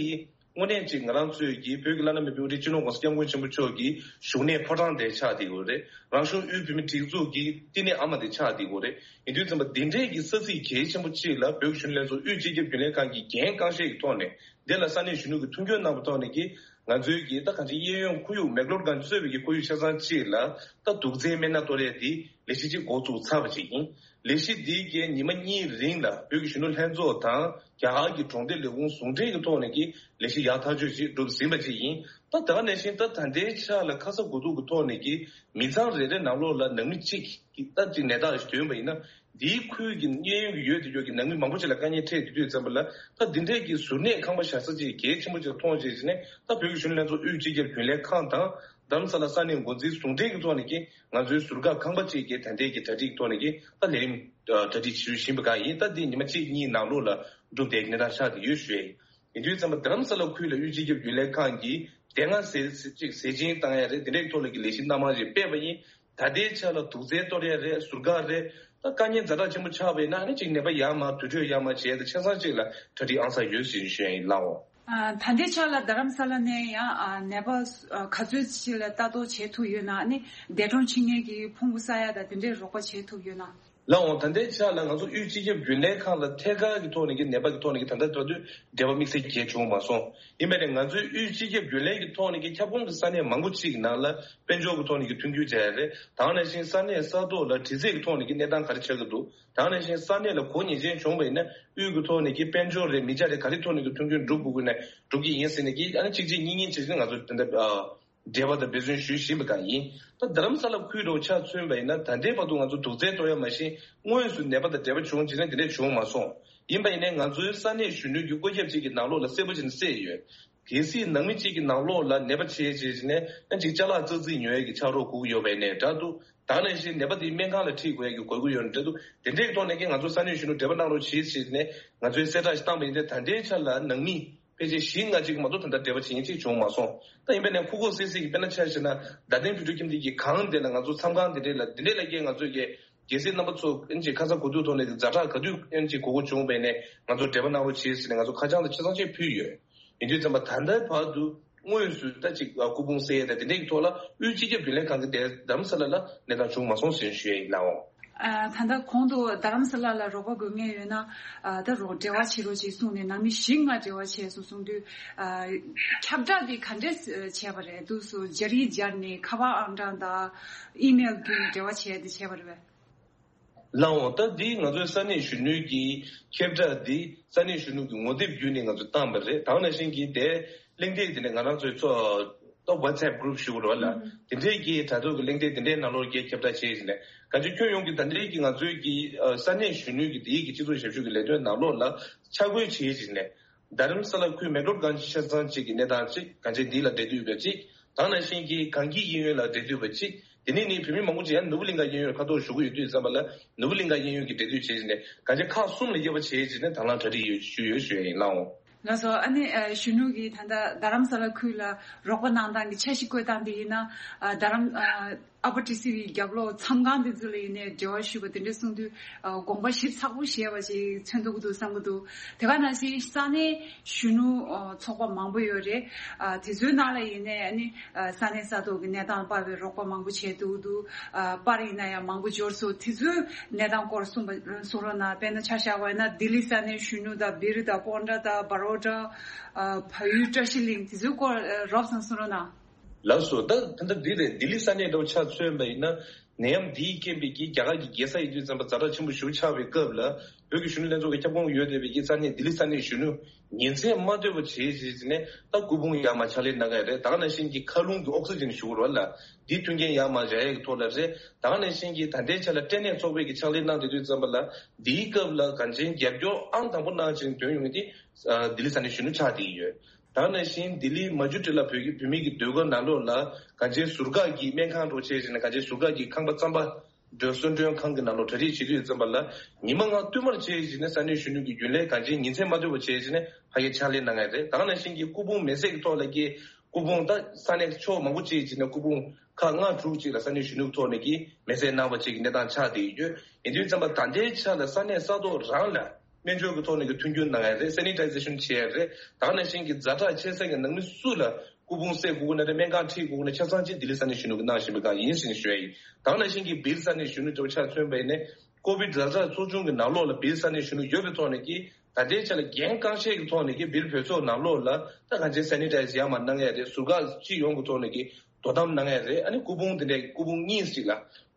དངོས་གནས་ཅིག་ང་རང་ཚོའི་གི་བོད་ཀྱི་བླ་ན་མེད་པའི་དབུ་ཁྲིད་སྤྱི་ནོར་༸གོང་ས་༸སྐྱབས་མགོན་ཆེན་པོ་མཆོག་གི་བཞུགས་གནས་ཕོ་བྲང་དེ་ཆགས་བསྡད་ཡོད་རེད། རང་གཞུང་དབུས་བོད་མིའི་སྒྲིག་འཛུགས་ཀྱི་བསྟི་གནས་ཨ་མ་དེ་ཆགས་བསྡད་ཡོད་རེད། ཡིན་དུས་ཙམ་པ་འདི་འདྲའི་གི་ས་ཚིགས་གལ་ཆེན་པོ་གཅིག་ལ་བོད་ཀྱི་གཞོན་ནུ་ལྷན་ཚོགས་དབུས་སྤྱི་ཁྱབ་རྒྱུན་ལས་ཁང་གིས་འགན་རྐང་བཞེས་ཀྱི་ཐོག་ནས་འདི་ལ་ས་གནས་གཞོན་ནུ་གིས་མཐུན་འགྱུར་གནང་བའི་ཐོག་ནས་ཀྱི་ང་ཚོའི་གི་ད་གང་ཅི་གཡས་གཡོན་ཁོར་ཡུག་མེག་ལོར་གང་གཙོས་པའི་གི་ཁོར་ཡུག་ཆ་ཚང་གཅིག་ལ་ད་དུག་རྫས་སྨན་སྣ་གཏོར་ཡས་འདི་ལས་གཞི་གཅིག་འགོ་བཙུགས་ཚར་བ་ཅིག་ཡིན། ལས་གཞི་འདིའི་གི་ཉི་མ་གཉིས་རིང་ལ་བོད་ཀྱི་གཞོན་ནུ་ལྷན་ཚོགས་དང་རྒྱ་གར་གྱི་གྲོང་སྡེ་ལས་ཁུངས་ཟུང་འབྲེལ་གྱི་ཐོག་ནས་ཀྱི་ལས་གཞི་ཡག་ཐག་ཆོད་ཅིག་སྒྲུབ་ཟིན་པ་ཅིག་ཡིན། ད་དེ་ག་ནང་བཞིན་ད་ད་ལྟའི་ཆ་ལ་ཁ་ས་དགུ་ཐུག་གི་ཐོག་ནས་ཀྱི་མི་ཚང་རེ་རེ་ནང་ལོགས་ལ་ནང་མི་གཅིག་གི་ད་ཅིག་ནད་རྟགས་ཤིག་ཐོན་པ་ཡིན་ན། འདིའི་ཁུལ་གྱི་གཡས་གཡོན་གྱི་ཡོད་དེ་ཡོད་ཀྱི་ནང་མི་མང་པོ་ཅིག་ལ་དཀའ་ངལ་འཕྲད་དེ་དུས་ཙམ་པ་ལ་ད་འདི་འདྲའི་གི་གཟུར་གནས་ཁང་པ་བཞག་ས་ཅིག་གལ་ཆེན་པོ་ཅིག་མཐོང་བྱས་ནས་ད་བོད་ཀྱི་གཞོན་ནུ་ལྷན་ཚོགས་དབུས་སྤྱི་ཁྱབ་རྒྱུན་ལས་ཁང་དང་རྡ་རམ་ས་ལ་ས་གནས་འགོ་འཛིན་ཟུང་འབྲེལ་གྱི་ཐོག་ནས་ཀྱི་ང་ཚོའི་ཟུར་བཀག་ཁང་པ་ཅིག་གི་ད་ལྟའི་གི་གྲ་སྒྲིག་གི་ཐོག་ནས་ཀྱི་ད་ལས་རིམ་གྲ་སྒྲིག་ཞུ་བཞིན་པ་གང་ཡིན། ད་འདི་ཉི་མ་གཅིག་གཉིས་ནང་ལོགས་ལ་འགྲུབ་བསྡད་ཀྱི་གནས་སྟངས་ཆགས་བསྡད་ཡོད་ཞུ་ཡ་ཡིན། ཡིན་དུས་ཙམ་པ་རྡ་རམ་ས་ལ་ཁུལ་ལ་དབུས་སྤྱི་ཁྱབ་རྒྱུན་ལས་ཁང་གིས་དེ་སྔ་ཟས་ཟས་ཅིག་ཟས་སྦྱིན་བཏང་ཡ་རེད། དེ་འདྲའི་ཐོག་ལ་གི་ལས་གཞི་སྣ་མང་ཞིག་སྤེལ་བ་ཡིན། ད་ལྟའི་ཆ་ལ་དུག་རྫས་གཏོར་ཡ་རེད། ཟུར་བཀག་རེད། ད་དཀའ་ངལ་ཛ་དྲག་ཆེན་པོ་ཆགས་པ་ཡིན་ན་ཨ་ནི་ཅིག་ནད་པ་ཡར་མར་དུར་ཁྲོད་ཡར་མར་བྱས་ཏེ་ཆ་ཚང་ཅིག་ལ་གྲ་སྒྲིག་ཨང་གསར་ཡོད་ཟེར་ཞུ་ཡ་ཡིན་ལགས་འོ། ཨ། ད་ལྟའི་ཆ་ལ་རྡ་རམ་ས་ལ་ནས་ཡང་ཨ་ནད་པ་ག་ཚོད་ཅིག་ལ་ལྟ་རྟོག་བྱེད་ཐུབ་ཡོད་ན། ཨ་ནི་འདས་གྲོངས་ཕྱིན་མཁན་གྱི་ཕུང་པོ་བསགས་ཡ་དང་དེ་འདྲའི་རོགས་པ་བྱེད་ཐུབ་ཡོད་ན། ལགས་འོང་། ད་ལྟའི་ཆ་ལ་ང་ཚོ་དབུས་སྤྱི་ཁྱབ་རྒྱུན་ལས་ཁང་ལ་ཐད་ཀར་གྱི་ཐོག་ནས་ཀྱི་ནད་པ་གི་ཐོག་ནས་ཀྱི་ད་ལྟ་བར་དུ་འབྲེལ་བ་དམིགས་བསལ་གྱི་བྱུང་མ་སོང་། ཡིན་པ་ནས་ང་ཚོའི་དབུས་སྤྱི་ཁྱབ་རྒྱུན་ལས་ཀྱི་ཐོག་ནས་ཀྱི་ཁྱབ་ཁོངས་ཀྱི་ས་གནས་མང་པོ་ཅིག་གི་ནང་ལ་དཔལ་འབྱོར་གྱི་ཐོག་ནས་ཀྱི་མཐུན་འགྱུར་བྱས་ཡ་རེད། ད་ག་ནང་བཞིན་ས་གནས་ས་ཐོག་ལ་དྲི་རྩད་ཀྱི་ཐོག་ནས་ཀྱི་གནས་སྟངས་ག་རེ་ཆགས་ཀྱི་འདུག་ད་ག་ནང་བཞིན་ས་གནས་ལ་གོ་ཉེས་ཅན་བྱུང་བ་ཡིན་ན་དབུས་ཀྱི་ཐོག་ནས་ཀྱི་དཔལ་འབྱོར་རེད། མི་ཆ་རེད། ག་རེ་ཐོག་ནས་ཀྱི་མཐུན་འགྱུར་འགྲུབ་དགོས་ཀྱི་ན་འགྲུབ་ཀྱི་ཡིན་ཟེར་ནས་ཀྱི་ཨ་ནི་གཅིག་གཅིག་གཉིས་གཉིས་བྱས་ནས་ང་ཚོ་དེ་འདྲ་ཨ། འབྲེལ་བ་དང་འབད་བརྩོན་ཞུས་བཞིན་པ་གང་ཡིན། ད་རྡ་རམ་ས་ལ་ཁུལ་འདྲ་བོ་ཆ་མཚོན་པ་ཡིན་ན་ད་ལྟའི་བར་དུ་ང་ཚོ་དུག་རྫས་གཏོར་ཡ་མ་གཞི་དངོས་སུ་ནད་པ་དང་འབྲེལ་བ་བྱུང་བྱས་ན་དེ་འདྲས་བྱུང་མ་སོང་། ཡིན་པ་ཡིན་ནའི་ང་ཚོའི་ས་གནས་གཞོན་ནུའི་བཀོད་ཁྱབ་ཅིག་གི་ནང་ལོགས་ལ་གསལ་པོ་བྱས་ནས་གསལ་ཡོད། གལ་སྲིད་ནང་མི་གཅིག་གི་ནང་ལོགས་ལ་ནད་པ་བྱས་བྱས་བྱས་ནས་ཡང་ཅིག་ཅ་ལག་ཙག་ཙིག་ཉོ་ཡ་གི་ཕྱག་རོགས་དགོས་ཀྱི་ཡོད་པ་ཡིན་ནའི་འདྲ་འདུག་ད་ག་ནང་བཞིན་ནད་པ་དེའི་སྨན་ཁང་ལ་ཁྲིད་དགོས་ཡ་གི་དགོས་ཀྱི་ཡོད་ནའི་འདྲ་འདུག་དེ་འདྲས་ཀྱི་ཐོག་ནས་ཀྱང་ང་ཚོ་ས་གནས་གཞོན་ནུ་འབྲེལ་བ་གནང་རོགས་བྱེད་ཟེར་ནས་ང་ཚོའི་གསལ་བསྒྲགས་ཤིག་བཏང་པ་ཡིན་ཏེ། ད་ལྟའི་ཆ་ལ་ནང་མི་ཕལ་ཆེར་བཞི་ལྔ་ཅིག་མ་གཏོགས་ད་ལྟ་འབྲེལ་བ་བྱེད་མཁན་ཅིག་བྱུང་མ་སོང་། ད་ཡིན་པ་ནས་ཁུག་ཁུག་སིག་སིག་གི་དཔེར་ན་ཆ་བཞག་ན་རྡ་སྟེང་བོད་ཕྲུག་ཁྱིམ་སྡེ་གི་གང་དེ་ལ་ང་ཚོ་མཚམས་ཁང་དེ་འདྲས་ལ་དེ་འདྲས་ལ་ཀྱང་ང་ཚོ་གི་རྒྱལ་སྲིད་རྣམ་པ་ཚོ་ཨེན་ཅིག་ཁ་ཚ་དགོས་གཏུགས་ཐོག་ནས་ཛ་དྲག་ག་དུས་ཨེན་ཅིག་དགོས་མཁོ་བྱུང་བས་ནས་ང་ཚོ་འབྲེལ་བ་གནང་རོགས་བྱེད་ཟེར་ནས་ང་ཚོ་ཁ་བྱང་དང་ཆ་ཚང་ཅིག་ཕུལ་ཡོད། ཡིན་དུས་ཙམ་པ་ད་ལྟའི་བར་དུ་དངོས་སུ་ད་ཅིག་སྐུ་ཕུང་བསལ་ཡས་དང་དེ་འདྲས་ཀྱི་ཐོག་ལ་དབུས་སྤྱི་ཁྱབ་རྒྱུན་ལས་ཁང་གི་དེ་རྡ་རམ་ས་ལ་ལ་གནས་སྟངས་བྱུང་མ་སོང་ཟེར་ཞུ་ཡས་ཡིན་ལགས་འོང་། ཨ། ད་ལྟ་གོང་དུ་རྡ་རམ་ས་ལ་ལ་རོགས་པ་དགོས་མཁན་ཡོད་ན། ཨ། ད་རོགས་འབྲེལ་བ་བྱེད་རོགས་ཅེས་གསུངས་ནས་ནང་མི་བཞི་ལྔ་འབྲེལ་བ་བྱས་སོང་གསུངས་དུས། ཨ། ཁྱབ་བསྒྲགས་འདི་ག་འདྲས་བྱས་པ་རེད། དུས་སུ་སྦྱར་ཡིག་སྦྱར་ནས་ཁ་པར་ཨང་གྲངས་དང་ཨི་མེལ་བརྒྱུད་ནས་འབྲེལ་བ་བྱས་ཏེ་བྱས་པ་རེད་པས། ལགས་འོང་། ད་འདི་ང་ཚོའི་ས་གནས་གཞོན་ནུའི་གི་ཁྱབ་བསྒྲགས་འདི་ས་གནས་གཞོན་ནུ་གི་ངོ་དེབ་བརྒྱུད་ནས་ང་ཚོས་བཏང་བ་རེད། ད་ག་ནང་བཞིན་གྱི་དེ་གླེང་སྟེགས་དེ་ནས་ང་རང་ཚོའི་ཚོ་ད་WhatsApp group ཞུ་རོགས་ལ་དེ་འདྲས་ཀྱི་དྲ་ཐོག་གི་གླེང་སྟེགས་དེ་འདྲའི་ནང་ལོགས་ཀྱི་ཁྱབ་བསྒྲགས་བྱེད་བཞིན་ནས་གང་ཅི་ཁྱོན་ཡོངས་ཀྱི་ད་འདྲའི་གི་ང་ཚོའི་གི་ས་གནས་གཞོན་ནུའི་གི་དེའི་གི་སྤྱི་ཚོགས་ཞབས་ཞུ་གི་ལས་དོན་ནང་ལོགས་ལ་ཆ་བགོས་བྱེད་བཞིན་ནས། རྡ་རམ་ས་ལ་ཁུལ་མེག་ལོར་གང་ཅི་ཆ་ཚང་གཅིག་གི་གནས་སྟངས་གཅིག་གང་ཅི་འདི་ལ་འབྲེལ་མཐུད་པ་གཅིག་ད་ག་ནང་བཞིན་གྱི་གངས་སྐྱིད་གཡས་གཡོན་ལ་འབྲེལ་མཐུད་པ་གཅིག་དེ་ནས་ནི་བོད་མི་མང་པོ་ཅིག་ཡང་ནོར་བུ་གླིང་ག་གཡས་གཡོན་ལ་ཁ་ཐོག་ཞུ་གི་ཡོད་དུས་ཙམ་པ་ལ་ནོར་བུ་གླིང་ག་གཡས་གཡོན་གྱི་འབྲེལ་མཐུད་བྱས་ནས་གང་ཅི་ཁག་གསུམ་ལ་དབྱེ་བ་བྱས་བྱས་ནས་དང་བླངས་གྲ་སྒྲིག་ཡོད་ཞུ་ཡོད་ཞུ་ཡ་ཡིན་ལགས་འོང་། ལགས་སོ། ཨ་ནི་ཨ་གཞོན་ནུ་གིས་ད་ལྟ་རྡ་རམ་ས་ལ་ཁུལ་ལ་རོགས་པ་གནང་སྟངས་ཀྱི་འཆར་གཞི་བཀོད་སྟངས་དེ་ཡིན་ན། ཨ་རྡ་རམ་ཨ་ཨ་པ་ཊི་སི་བི་རྒྱབ་ལོགས་མཚམས་ཁང་དེ་ཚོ་ལ་ཡིན་ནའི་འབྲེལ་བ་ཞུས་པ་དེ་འདྲ་གསུངས་དུས། ཨ་དགོངས་པ་ཞིབ་ཚགས་པོ་བཞེས་པ་ཞིག་མཚོན་ཐུབ་ཀྱི་འདུག་བསམ་གྱི་འདུག་དེ་ག་ནང་བཞིན་ས་གནས་གཞོན་ནུ་ཨ་ཚོགས་པ་མང་པོ་ཡོད་རེད། ཨ་དེ་ཚོའི་ནང་ལ་ཡིན་ནའི་ཨ་ནི་ཨ་ས་གནས་ས་ཐོག་གི་གནས་སྟངས་སྤར་བའི་རོགས་པ་མང་པོ་བྱས་འདུག་འདུག་ཨ་པར་ཡིན་ན་ཡང་མང་པོ་འབྱོར་སོང་། དེ་ཚོའི་གནས་སྟངས་སྐོར་གསུངས་པ་གསུང་རོགས་གནང་། དཔེར་ན་ཆ་བཞག་པ་ཡིན་ན་ལྡི་ལི་ས་གནས་གཞོན་ནུ་དང་སྦིར་དང་པོན་ཌ་དང་བ་རོ་ཌ། ཨ་བལ་ཡུལ་བཀྲ་ཤིས་གླིང་དེ་ཚོའི་སྐོར་ཨ་རོབ་ཙམ་གསུང་རོགས་གནང་། ལགས་སོ། ད་ད་ལྟ་འདི་རེད། ལྡི་ལི་ས་གནས་འདྲ་བོ་ཆ་མཚོན་པ་ཡིན་ན་ནད་ཡམས་འདིའི་རྐྱེན་པས་ཀྱི་རྒྱ་གར་གྱི་རྒྱལ་ས་ཡིན་དུས་ཙམ་པ་ཛ་དྲག་ཆེན་པོ་ཞིག་ཆགས་པའི་སྐབས་ལ་བོད་ཀྱི་གཞོན་ནུ་ལྷན་ཚོགས་ཀྱི་ཁྱབ་ཁོངས་ཡོད་བསྡད་པའི་ཀྱི་ས་གནས་ལྡི་ལི་ས་གནས་གཞོན་ནུ་ཉིན་མཚན་མ་སྡོད་པ་བྱས་བྱས་བྱས་ནས་ད་སྐུ་ཕུང་ཡར་མར་ཕྱག་ལས་གནང་གི་རེད། ད་ག་ནང་བཞིན་གྱི་མཁའ་རླུང་གི་ཨོག་སི་ཇན་ཞུ་དགོས་རེད་ལ་འདིའི་མཐུན་རྐྱེན་ཡར་མར་བཞག་ཡས་ཀྱི་ཐོག་ལ་རེད། ད་ག་ནང་བཞིན་གྱི་ད་ལྟའི་ཆ་ལ་སྐྲན་ནད་ཚོགས་པས་ཀྱི་ཕྱག་ལས་གནང་བསྡད་དུས་ཙམ་པ་ལ་འདིའི་སྐབས་ལ་གངས་ཅན་རྒྱབ་སྐྱོར་ཨང་དང་པོ་གནང་བྱས་ནས་ཐོན་ཡོང་མཁན་དེ་ལྡི་ལི་ས་གནས་གཞོན་ནུ་ཆགས་བསྡད་ཀྱི་ཡོད། ད་ག་ནང་བཞིན་ལྡི་ལི་མ་ཇུ་ཊི་ལ་བོད་ཀྱི་བོད་མི་གི་ཟློས་གར་ནང་ལོགས་ལ་གངས་ཅན་ཟུར་བཀག་གི་སྨན་ཁང་འདྲ་བོ་བྱས་བྱས་ནས་གངས་ཅན་ཟུར་བཀག་གི་ཁང་པ་རྩམ་པ་སྒྲོལ་གསོལ་མགྲོན་ཁང་གི་ནང་ལོགས་གྲ་སྒྲིག་བྱེད་དུས་ཙམ་པ་ལ་ཉི་མ་ལྔ་བསྟུད་མར་བྱས་བྱས་ནས་ས་གནས་གཞོན་ནུ་གི་རྒྱུན་ལས་གངས་ཅན་ཉིན་མཚན་མ་སྡོད་པ་བྱས་བྱས་ནས་ཕ་གིར་ཕྱག་ལས་གནང་ཡ་རེད། ད་ག་ནང་བཞིན་གྱི་སྐུ་ཕུང་མེ་བསྲེགས་ཀྱི་ཐོག་ལ་ཀྱི་སྐུ་ཕུང་ད་ས་གནས་ཕྱོགས་མང་པོ་ཅིག་བྱས་ནས་སྐུ་ཕུང་ཁག་ལྔ་དྲུག་ཅིག་ལ་ས་གནས་གཞོན་ནུ་གི་ཐོག་ནས་ཀྱི་མེ་བསྲེགས་གནང་བ་ཅིག་གི་གནས་སྟངས་ཆགས་བསྡད་ཡོད། ཡིན་དུས་ཙམ་པ་ད་ལྟའི་ཆ་ལ་ས་གནས་ས་ཐོག་རང་ལ། སྨན་བཅོས་ཀྱི་ཐོག་ནས་ཀྱི་མཐུན་འགྱུར་གནང་ཡ་རེད། སེ་ནི་ཊའི་ཛེ་ཤན་བྱེད་ཡ་རེད། ད་ག་ནང་བཞིན་གྱི་ཛ་དྲག་ཆེ་ས་ཀྱི་ནང་མི་སུ་ལ་སྐུ་ཕུང་བསྲེག་དགོས་ཀྱི་ན་རེད། སྨན་ཁང་ཁྲིད་དགོས་ཀྱི་ན་ཆ་ཚང་ཅིག་ལྡི་ལི་ས་གནས་གཞོན་ནུ་གིས་གནང་བཞིན་པའི་སྒང་ཡིན་ཟེར་ནས་ཞུ་ཡ་ཡིན། ད་ག་ནང་བཞིན་གྱི་སྦིར་ས་གནས་གཞོན་ནུ་འདྲ་བོ་ཆ་མཚོན་པ་ཡིན་ན་ཀོ་བིཌ་ཛ་དྲག་ཚོགས་ཆུང་གི་ནང་ལོགས་ལ་སྦིར་ས་གནས་གཞོན་ནུ་ཡོད་པའི་ཐོག་ནས་ཀྱི་ད་ལྟའི་ཆ་ལ་འགན་རྐང་བཞེས་ཀྱི་ཐོག་ནས་ཀྱི་སྦིར་བོད་ཚོགས་ནང་ལོགས་ལ་ད་གང་ཅི་སེ་ནི་ཊའི་ཛི་ཡར་མར་གནང་ཡ་རེད། ཟུར་བཀག་སྤྱི་ཡོངས་ཀྱི་ཐོག་ནས་ཀྱི་དོ་དམ་གནང་ཡ་རེད། ཨ་ནི་སྐུ་ཕུང་དེ་འདྲའི་སྐུ་ཕུང་གཉིས་ཤིག་ལ་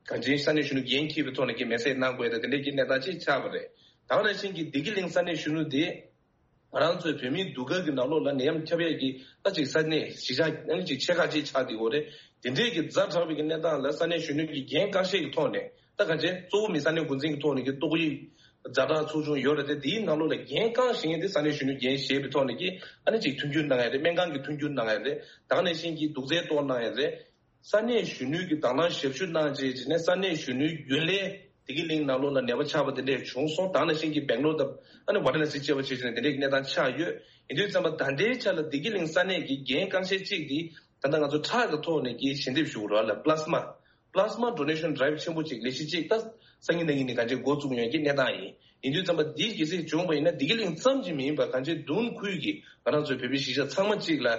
གང་ཅི་ས་གནས་གཞོན་ནུ་འགན་འཁྱེར་བའི་ཐོག་ནས་ཀྱི་མེ་བསྲེགས་གནང་དགོས་ཡ་དང་དེ་འདྲའི་ཀྱི་གནས་སྟངས་ཅིག་ཆགས་པ་རེད། ད་ག་ནང་བཞིན་གྱི་བདེ་སྐྱིད་གླིང་ས་གནས་གཞོན་ནུ་དེ། ང་རང་ཚོའི་བོད་མིའི་སྡུག་སྐལ་གྱི་ནང་ལོགས་ལ་ནད་ཡམས་ཁྱབ་ཡས་ཀྱི་ད་ཅིག་ས་གནས་གཞིས་ཆགས་ཨ་ནི་ཅིག་ཆེ་ཁག་ཅིག་ཆགས་བསྡད་ཡོད་རེད། དེ་འདྲའི་གི་ཛ་དྲག་པའི་གི་གནས་སྟངས་ལ་ས་གནས་གཞོན་ནུ་གི་འགན་རྐང་བཞེས་ཀྱི་ཐོག་ནས་ད་ག་ཅན་གཙོ་བོ་མི་ས་གནས་འགོ་འཛིན་གྱི་ཐོག་ནས་ཀྱི་ཏོག་དབྱིབས་ཛ་དྲག་ཚོགས་ཆུང་ཡོད་རེད་དེ། དེའི་ནང་ལོགས་ལ་འགན་རྐང་བཞེས་མཁན་དེ་ས་གནས་གཞོན་ནུ་འགན་བཞེས་པའི་ཐོག་ནས་ཀྱི་ཨ་ནི་ཅིག་མཐུན་འགྱུར་གནང་ཡ་རེད། སྨན་ཁང་གི་མཐུན་འགྱུར་གནང་ཡ་རེད། ད་ག་ནང་བཞིན་གྱི་དུག་རྫས་གཏོར་གནང་ཡ་རེད། ས་གནས་གཞོན་ནུའི་གི་དང་བླངས་ཞབས་ཞུ་གནང་བྱས་བྱས་ནས་ས་གནས་གཞོན་ནུའི་རྒྱུན་ལས་བདེ་སྐྱིད་གླིང་ནང་ལོགས་ལ་ནད་པ་ཆགས་པ་དེ་འདྲས་བྱུང་སོང་། ད་ག་ནང་བཞིན་གྱི་སྦེང་ལོར་དང་ཨ་ནི་ཝ་ར་ཎ་སི་བཅས་པ་བྱས་བྱས་ནས་དེ་འདྲས་ཀྱི་གནས་སྟངས་ཆགས་ཡོད། ཡིན་དུས་ཙམ་པ་ད་ལྟའི་ཆ་ལ་བདེ་སྐྱིད་གླིང་ས་གནས་ཀྱི་འགན་རྐང་བཞེས་གཅིག་འདི་ད་ལྟ་ང་ཚོ་ཁྲག་གི་ཐོག་ནས་ཀྱི་ཞལ་འདེབས་ཞུ་དགོས་རེད་ལ། པི་ལ་སི་མ་པི་ལ་སི་མ་ཌོ་ནེ་ཤན་ཌ་རའི་བི་ཆེན་པོ་གཅིག་ལས་གཞི་གཅིག་ད་སང་ཉིན་གནངས་ཉིན་ནས་གང་ཅི་འགོ་བཙུགས་ཡོང་གི་གནས་སྟངས་ཡིན། ཡིན་དུས་ཙམ་པ་འདི་གལ་སྲིད་བྱུང་བ་ཡིན་ན་བདེ་སྐྱིད་གླིང་ཙམ་གྱིས་མིན་པར་གང་ཅི་མདུན་ཁུལ་གྱི་ང་རང་ཚོའི་བོད་པའི་གཞིས་ཆགས་ཚང་མ་གཅིག་ལ།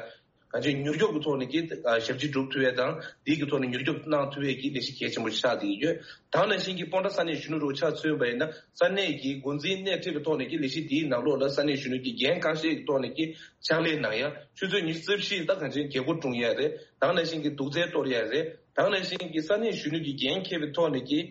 གང་ཅི་མྱུར་སྐྱོབ་ཀྱི་ཐོག་ནས་ཀྱི་ཞབས་ཕྱི་སྒྲུབ་ཐུབ་ཡས་དང་དེའི་གི་ཐོག་ནས་མྱུར་སྐྱོབ་གནང་ཐུབ་ཡས་ཀྱི་ལས་གཞི་གལ་ཆེན་པོ་ཆགས་བསྡད་ཡོད། ད་ག་ནང་བཞིན་གྱི་སྤོན་ཊ་ས་གནས་གཞོན་ནུ་རུ་ཆ་མཚོན་པ་ཡིན་ན་ས་གནས་ཀྱི་འགོ་འཛིན་སྣེ་ཁྲིད་པའི་ཐོག་ནས་ཀྱི་ལས་གཞི་དེའི་ནང་ལོགས་ལ་ས་གནས་གཞོན་ནུ་གི་འགན་གང་ཤེས་ཀྱི་ཐོག་ནས་ཀྱི་ཕྱག་ལས་གནང་ཡ། ཆུ་ཚོད་ཉི་ཤུ་རྩ་བཞི་ད་གང་ཅི་རྒྱལ་སྒོ་སྲུང་ཡས་རེད། ད་ག་ནང་བཞིན་གྱི་དུག་རྫས་གཏོར་ཡས་རེད། ད་ག་ནང་བཞིན་གྱི་ས་གནས་གཞོན་ནུ་གི་འགན་འཁྱེར་བའི་ཐོག་ནས་ཀྱི་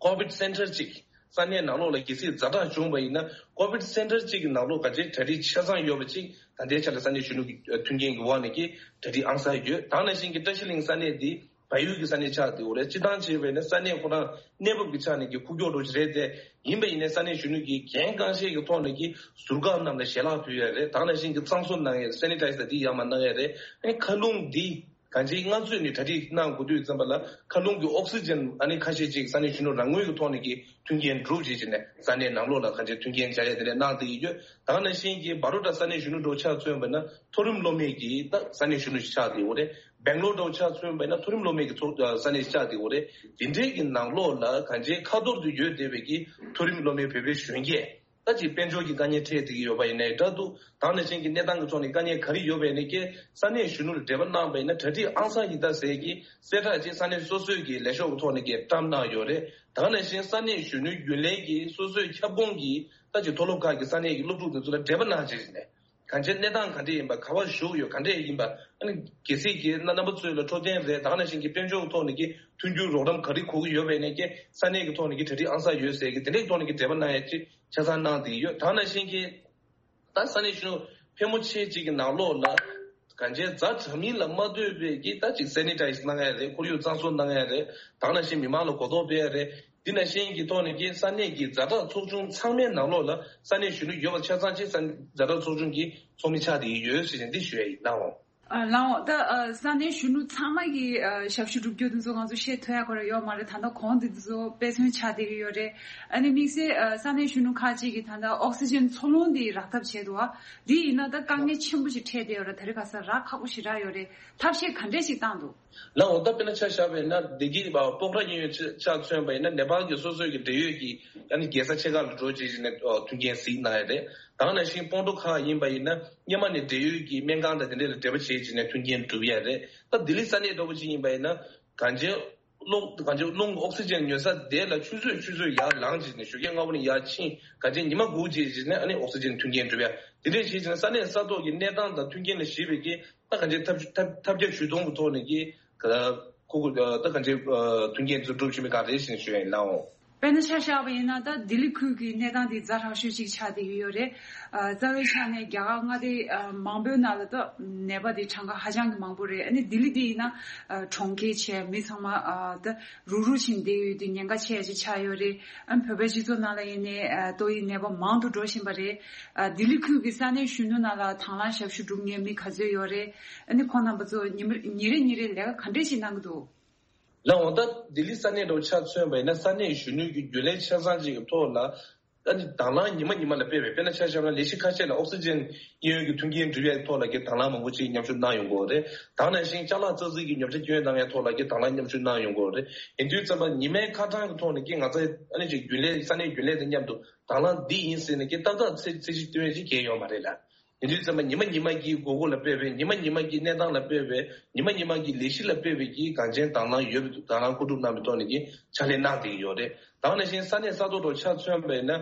ཀོ་བིད་སེན་ཊར་གཅིག་ས་གནས་ནང་ལོགས་ལ་གལ་སྲིད་ཛ་དྲག་བྱུང་བ་ཡིན་ན་ཀོ་བིད་སེན་ཊར་གཅིག་གི་ནང་ལོགས་ག་ཅི་གྲ་སྒྲིག་ཆ་ཚང་ཡོད་པ་གཅིག་ད་ལྟའི་ཆ་ལ་ས་གནས་གཞོན་ནུ་གི་མཐུན་རྐྱེན་གྱི་འོག་ནས་ཀྱི་གྲ་སྒྲིག་ཨང་གསར་ཡོད། ད་ག་ནང་བཞིན་གྱི་བཀྲ་ཤིས་གླིང་ས་གནས་འདི་བལ་ཡུལ་གྱི་ས་གནས་ཆགས་བསྡད་ཡོད་རེད། སྤྱིར་བཏང་བྱས་པ་ཡིན་ན་ས་གནས་ཁོ་རང་གནས་བབ་ཀྱི་ཆ་ནས་ཀྱི་ཁུག་ཀྱོག་འགྲོ་གི་རེད་དེ། ཡིན་པ་ཡིན་ནའི་ས་གནས་གཞོན་ནུ་གི་འགན་གང་ཤེས་ཀྱི་ཐོག་ནས་ཀྱི་ཟུར་བཀག་རྣམས་ལ་ཞལ་ལག་ཕུལ་ཡས་རེད། ད་ག་ནང་བཞིན་གྱི་གཙང་བཟོ་གནང་ཡས་རེད། སེ་ནི་ཊའི་ཛར་འདི་ཡར་མར་གནང་ཡས་རེད། ཨ་ནི་མཁའ་རླུང་འདི་གང་ཅིའི་སྔ་ཚོད་ནས་གྲ་སྒྲིག་གནང་དགོས་དུས་ཙམ་པ་ལ་མཁའ་རླུང་གི་ཨོག་སི་ཇན་ཨ་ནི་ཁ་ཤས་ཅིག་ས་གནས་གཞོན་ནུ་རང་ངོས་ཀྱི་ཐོག་ནས་ཀྱི་མཐུན་རྐྱེན་སྒྲུབ་བྱེད་ཀྱི་ནས་ས་གནས་ནང་ལོགས་ལ་གང་ཅི་མཐུན་རྐྱེན་སྦྱར་ཡས་དེ་འདྲ་གནང་བསྡད་ཀྱི་ཡོད། ད་ག་ནང་བཞིན་གྱི་བྷ་རོ་ཌ་ས་གནས་གཞོན་ནུ་འགྲོ་ཆ་མཚོན་པ་ན་མཐོ་རིམ་སློབ་མའི་གི་ད་ས་གནས་གཞོན་ནུ་ཞིག་ཆགས་བསྡད་ཡོད་རེད། སྦེང་ལོར་འགྲོ་ཆ་མཚོན་པ་ན་མཐོ་རིམ་སློབ་མའི་གི་ཚོགས་ས་གནས་ཞིག་ཆགས་བསྡད་ཡོད་རེད། དེ་འདྲའི་གི་ནང་ལོགས་ལ་གང་ཅི་ཁ་ཐོར་དུ་ཡོད་བསྡད་པའི་གི་མཐོ་རིམ་སློབ་མའི་བོད་པའི་གཞོན་སྐྱེས། ད་ཅིག་དཔལ་འབྱོར་གྱི་དཀའ་ངལ་འཕྲད་བསྡད་ཀྱི་ཡོད་པ་ཡིན་ནའི་འདྲ་འདུག་ད་ག་ནང་བཞིན་གྱི་གནས་སྟངས་ཀྱི་ཐོག་ནས་དཀའ་ངལ་ག་རེ་ཡོད་པ་ཡིན་ནའི་ཀྱེ་ས་གནས་གཞོན་ནུ་ལ་འབྲེལ་བ་གནང་བ་ཡིན་ན་གྲ་སྒྲིག་ཨང་གསར་ཡིན་ད་ཟེར་གྱི་གསལ་བསྒྲགས་ཅིག་ས་གནས་སོ་སོའི་གི་ལས་ཤོག་གི་ཐོག་ནས་ཀྱི་བཀྲམ་གནང་ཡོད་རེད། ད་ག་ནང་བཞིན་ས་གནས་གཞོན་ནུའི་རྒྱུན་ལས་ཀྱི་སོ་སོའི་ཁྱབ་ཁོངས་ཀྱི་ད་ཅིག་མཐོ་སློབ་ཁག་གི་ས་གནས་ཀྱི་སློབ་ཕྲུག་དེ་ཚོ་ལ་འབྲེལ་བ་གནང་བྱས་ནས་གང་ཅི་གནས་སྟངས་ག་འདྲ་ཡིན་པ་ག་པར་བཞུགས་ཡོད་ག་འདྲ་ཡིན་པ་ཨ་ནི་གལ་སྲིད་ཀྱི་རྣམ་པ་ཚོ་ལ་འཕྲོད་བསྟེན་རེད། ད་ག་ནང་བཞིན་གྱི་དཔལ་འབྱོར་གྱི་ཐོག་ནས་ཀྱི་མཐུན་འགྱུར་རོགས་རམ་ག་རེ་དགོས་ཀྱི་ཡོད་པ་ཡིན་ནའི་ཀྱེ་ས་གནས་ཀྱི་ཐོག་ནས་ཀྱི་གྲ་སྒྲིག་ཨང་གསར་ཡོད་ཟེར་གྱི་དེ་འདྲའི་ཐོག་ནས་ཀྱི་འབྲེལ་བ་གནང་ཡ་ཅིག་ཆ་ཚང་གནང་བསྡད་ཡོད། ད་ག་ནང་བཞིན་གྱི་ད་ས་གནས་གཞོན་ནུ་ཕལ་མོ་ཆེ་ཅིག་གི་ནང་ལོགས་ལ་གང་ཅི་ཛ་དྲག་མིན་ལ་མ་ལྟོས་པའི་གི་ད་ཅིག་སེ་ནི་ཊའི་ཛར་གནང་ཡ་རེད། ཁོར་ཡུག་གཙང་བཟོ་གནང་ཡ་རེད། ད་ག་ནང་བཞིན་མི་མང་ལ་གོ་རྟོགས་སྤེལ་ཡ་རེད། འདི་ནང་བཞིན་གྱི་ཐོག་ནས་ཀྱི་ས་གནས་ཀྱི་ཛ་དྲག་ཚོགས་ཆུང་ཚང་མའི་ནང་ལོགས་ལ་ས་གནས་གཞོན་ནུ་ཡོད་པ་ཆ་ཚང་ཅིག་ས་ཛ་དྲག་ཚོགས་ཆུང་གི་ཚོགས་མི་ཆགས་བསྡད་ཡོད་ཟེར་ནས་འདི་ཞུ་ཡ་ཡིན་ནའོ། ཨ་ལའོ། ད་ཨ་ས་གནས་གཞོན་ནུ་ཚང་མ་གི་ཨ་ཞབས་ཞུ་སྒྲུབ་རྒྱུ་འདི་ཚོ་ང་ཚོ་བཤད་ཐུབ་ཡ་ཁོ་ར་ཡོད་མ་རེད། ད་ལྟ་གོང་འདི་ཚོ་དཔེ་མཚོན་ཆགས་བསྡད་ཀྱི་ཡོད་རེད། ཨ་ནི་དམིགས་བསལ་ཨ་ས་གནས་གཞོན་ནུ་ཁག་ཅིག་གིས་ད་ལྟ་ཨོག་སི་ཇན་འཚོ་རླུང་འདི་རག་ཐབས་བྱས་འདུག་ཨ། འདི་ཡིན་ན་ད་དཀའ་ངལ་ཆེན་པོ་ཞིག་འཕྲད་བསྡད་ཡོད་རེད། ད་རེས་ཁ་སང་རག་ཁག་པོ་ཞིག་རག་ཡོད་རེད། ཐབས་ཤེས་ག་འདྲས་ཞིག་བཏང་འདུག་ལའོ། ད་དཔེར་ན་ཆ་བཞག་པ་ཡིན་ན་བདེ་སྐྱིད་སྤོག་ར་གཡས་གཡོན་ཆ་མཚོན་པ་ཡིན་ན་ནེ་པཱལ་གྱི་སོ་སོའི་གི་འབྲེལ་ཡོད་ཀྱི་ཨ་ནི་རྒྱལ་ས་ཆེ་ཁག་ལ་འགྲོ་བྱས་བྱས་ནས་མཐུན་རྐྱེན་གཟིགས་གནང་ཡ་རེད། ད་ག་ནང་བཞིན་སྤོན་ཊ་ཁག་ཡིན་པ་ཡིན་ན་སྔོན་མ་ནས་འབྲེལ་ཡོད་ཀྱི་སྨན་ཁང་དང་དེ་འདྲས་ལ་འབྲེལ་བ་བྱས་བྱས་ནས་མཐུན་རྐྱེན་སྒྲུབ་ཡ་རེད། ད་ལྡི་ལི་ས་གནས་འདྲ་པོ་ཅིག་ཡིན་པ་ཡིན་ན་གང་ཅི་རླུང་གང་ཅི་རླུང་གི་ཨོག་སི་ཇན་ཉོ་ས་དེ་ལ་ཆུ་ཚོད་ཆུ་ཚོད་ཡར་ལངས་བྱས་ནས་ཞོགས་ཀས་སྔ་པོ་ནས་ཡར་ཕྱིན་གང་ཅི་ཉི་མ་དགུ་བྱས་བྱས་ནས་ཨ་ནི་ཨོག་སི་ཇན་མཐུན་རྐྱེན་སྒྲུབ་ཡ་དེ་འདྲས་བྱས་བྱས་ནས་ས་གནས་ས་ཐོག་གི་གནས་སྟངས་དང་མཐུན་རྐྱེན་ལ་གཞིགས་པའི་གི་ད་གང་ཅི་ཐབས་ཐབས་ཐབས་བརྒྱ་ཇུས་སྟོང་གི་ཐོག་ནས་ཀྱི་ཁོ་ཁོ་ད་གང་ཅི་མཐུན་རྐྱེན་ཚོ་སྒྲུབ་བཞིན་པའི་སྒང་རེད་ཟེར་ནས་ཞུ་ཡ་ཡིན་ལའོ། དཔེར་ན་ཆ་བཞག་པ་ཡིན་ན་ད་ལྡི་ལི་ཁུལ་གྱི་གནས་སྟངས་དེ་ཛ་དྲག་ཤོས་ཅིག་ཆགས་བསྡད་ཀྱི་ཡོད་རེད། ཨ་རྩ་བའི་ཆ་ནས་རྒྱ་གར་མངའ་སྡེ་ཨ་མང་པོའི་ནང་ལ་ད་ནད་པ་དེ་གྲངས་ཀ་ཧ་ཅང་གི་མང་པོ་རེད། ཨ་ནི་ལྡི་ལི་དེ་ཡིན་ན་ཨ་གྲོང་ཁྱེར་བྱས་མི་ཚང་མ་ཨ་ད་རུག་རུག་བྱས་བསྡད་ཡོད་དུས་ཉེན་ཁ་ཆེ་ཅིག་ཆགས་ཡོད་རེད། ཨ་བོད་པའི་སྤྱི་ཚོགས་ནང་ལ་ཡིན་ནའི་ཨ་ཏོག་དབྱིབས་ནད་པ་མང་དུ་འགྲོ་བཞིན་པ་རེད། ཨ་ལྡི་ལི་ཁུལ་གྱི་ས་གནས་གཞོན་ནུ་ནང་ལ་དང་བླངས་ཞབས་ཞུ་སྒྲུབ་མཁན་མི་ག་ཚོད་ཡོད་རེད། ཨ་ནི་ཁོང་རྣམ་པ་ཚོ་ཉི་མ་ཉིན་རེ་ཉིན་རེ་ལས་ཀ་ག་འདྲས་ཞིག་གནང་གི་འདུག་ལའོ། ད་ལྡི་ལི་ས་གནས་འདྲ་བོ་ཆ་མཚོན་པ་ཡིན་ན་ས་གནས་གཞོན་ནུ་གི་རྒྱུན་ལས་ཆ་ཚང་ཅིག་གི་ཐོག་ལ་ཨ་ནི་དང་བླངས་ཉི་མ་ཉི་མ་ལ་སྤེལ་བའི་དཔེར་ན་ཆ་བཞག་ན་ལས་གཞི་ཁ་ཤས་ལ་ཨོག་སི་ཇན་གཡས་གཡོན་གྱི་མཐུན་རྐྱེན་སྒྲུབ་ཡའི་ཐོག་ལ་གི་དང་བླངས་མང་པོ་ཅིག་མཉམ་ཞུགས་གནང་ཡོང་གི་ཡོད་རེད། ད་ག་ནང་བཞིན་ཅ་ལག་ཙག་ཙིག་གི་ཉོ་ཆ་སྐྱོན་གཏོང་ཡའི་ཐོག་ལ་གི་དང་བླངས་མཉམ་ཞུགས་གནང་ཡོང་གི་ཡོད་རེད། ཡིན་དུས་ཙམ་པ་ཉི་མའི་ཁ་གྲངས་ཀྱི་ཐོག་ནས་ཀྱི་ང་ཚོ་ཨ་ནི་ཅིག་རྒྱུན་ལས་ས་གནས་རྒྱུན་ལས་དང་མཉམ་དུ་དང་བླངས་འདི་ཡིན་ཟེར་ནས་ཀྱི་ཏག་ཏག་ཚད་ཚད་གཞི་སྟོན་ཡས་ཅིག་གང་ཡང་ཡོད་མ་རེད་ལ། ཡིན་དུས་ཙམ་པ་ཉི་མ་ཉི་མ་གི་དགོས་མཁོ་ལ་དཔག་པའི་ཉི་མ་ཉི་མ་གི་གནས་སྟངས་ལ་དཔག་པའི་ཉི་མ་ཉི་མ་གི་ལས་གཞི་ལ་དཔག་པའི་གི་གངས་ཅན་དང་བླངས་ཡོད་པའི་འདུག་དང་བླངས་མཁོ་སྒྲུབ་གནང་བའི་ཐོག་ནས་ཀྱི་ཕྱག་ལས་གནང་བསྡད་ཀྱི་ཡོད་རེད། ད་ག་ནང་བཞིན་ས་གནས་ས་ཐོག་ཏུ་ཆ་མཚོན་པ་ཡིན་ན་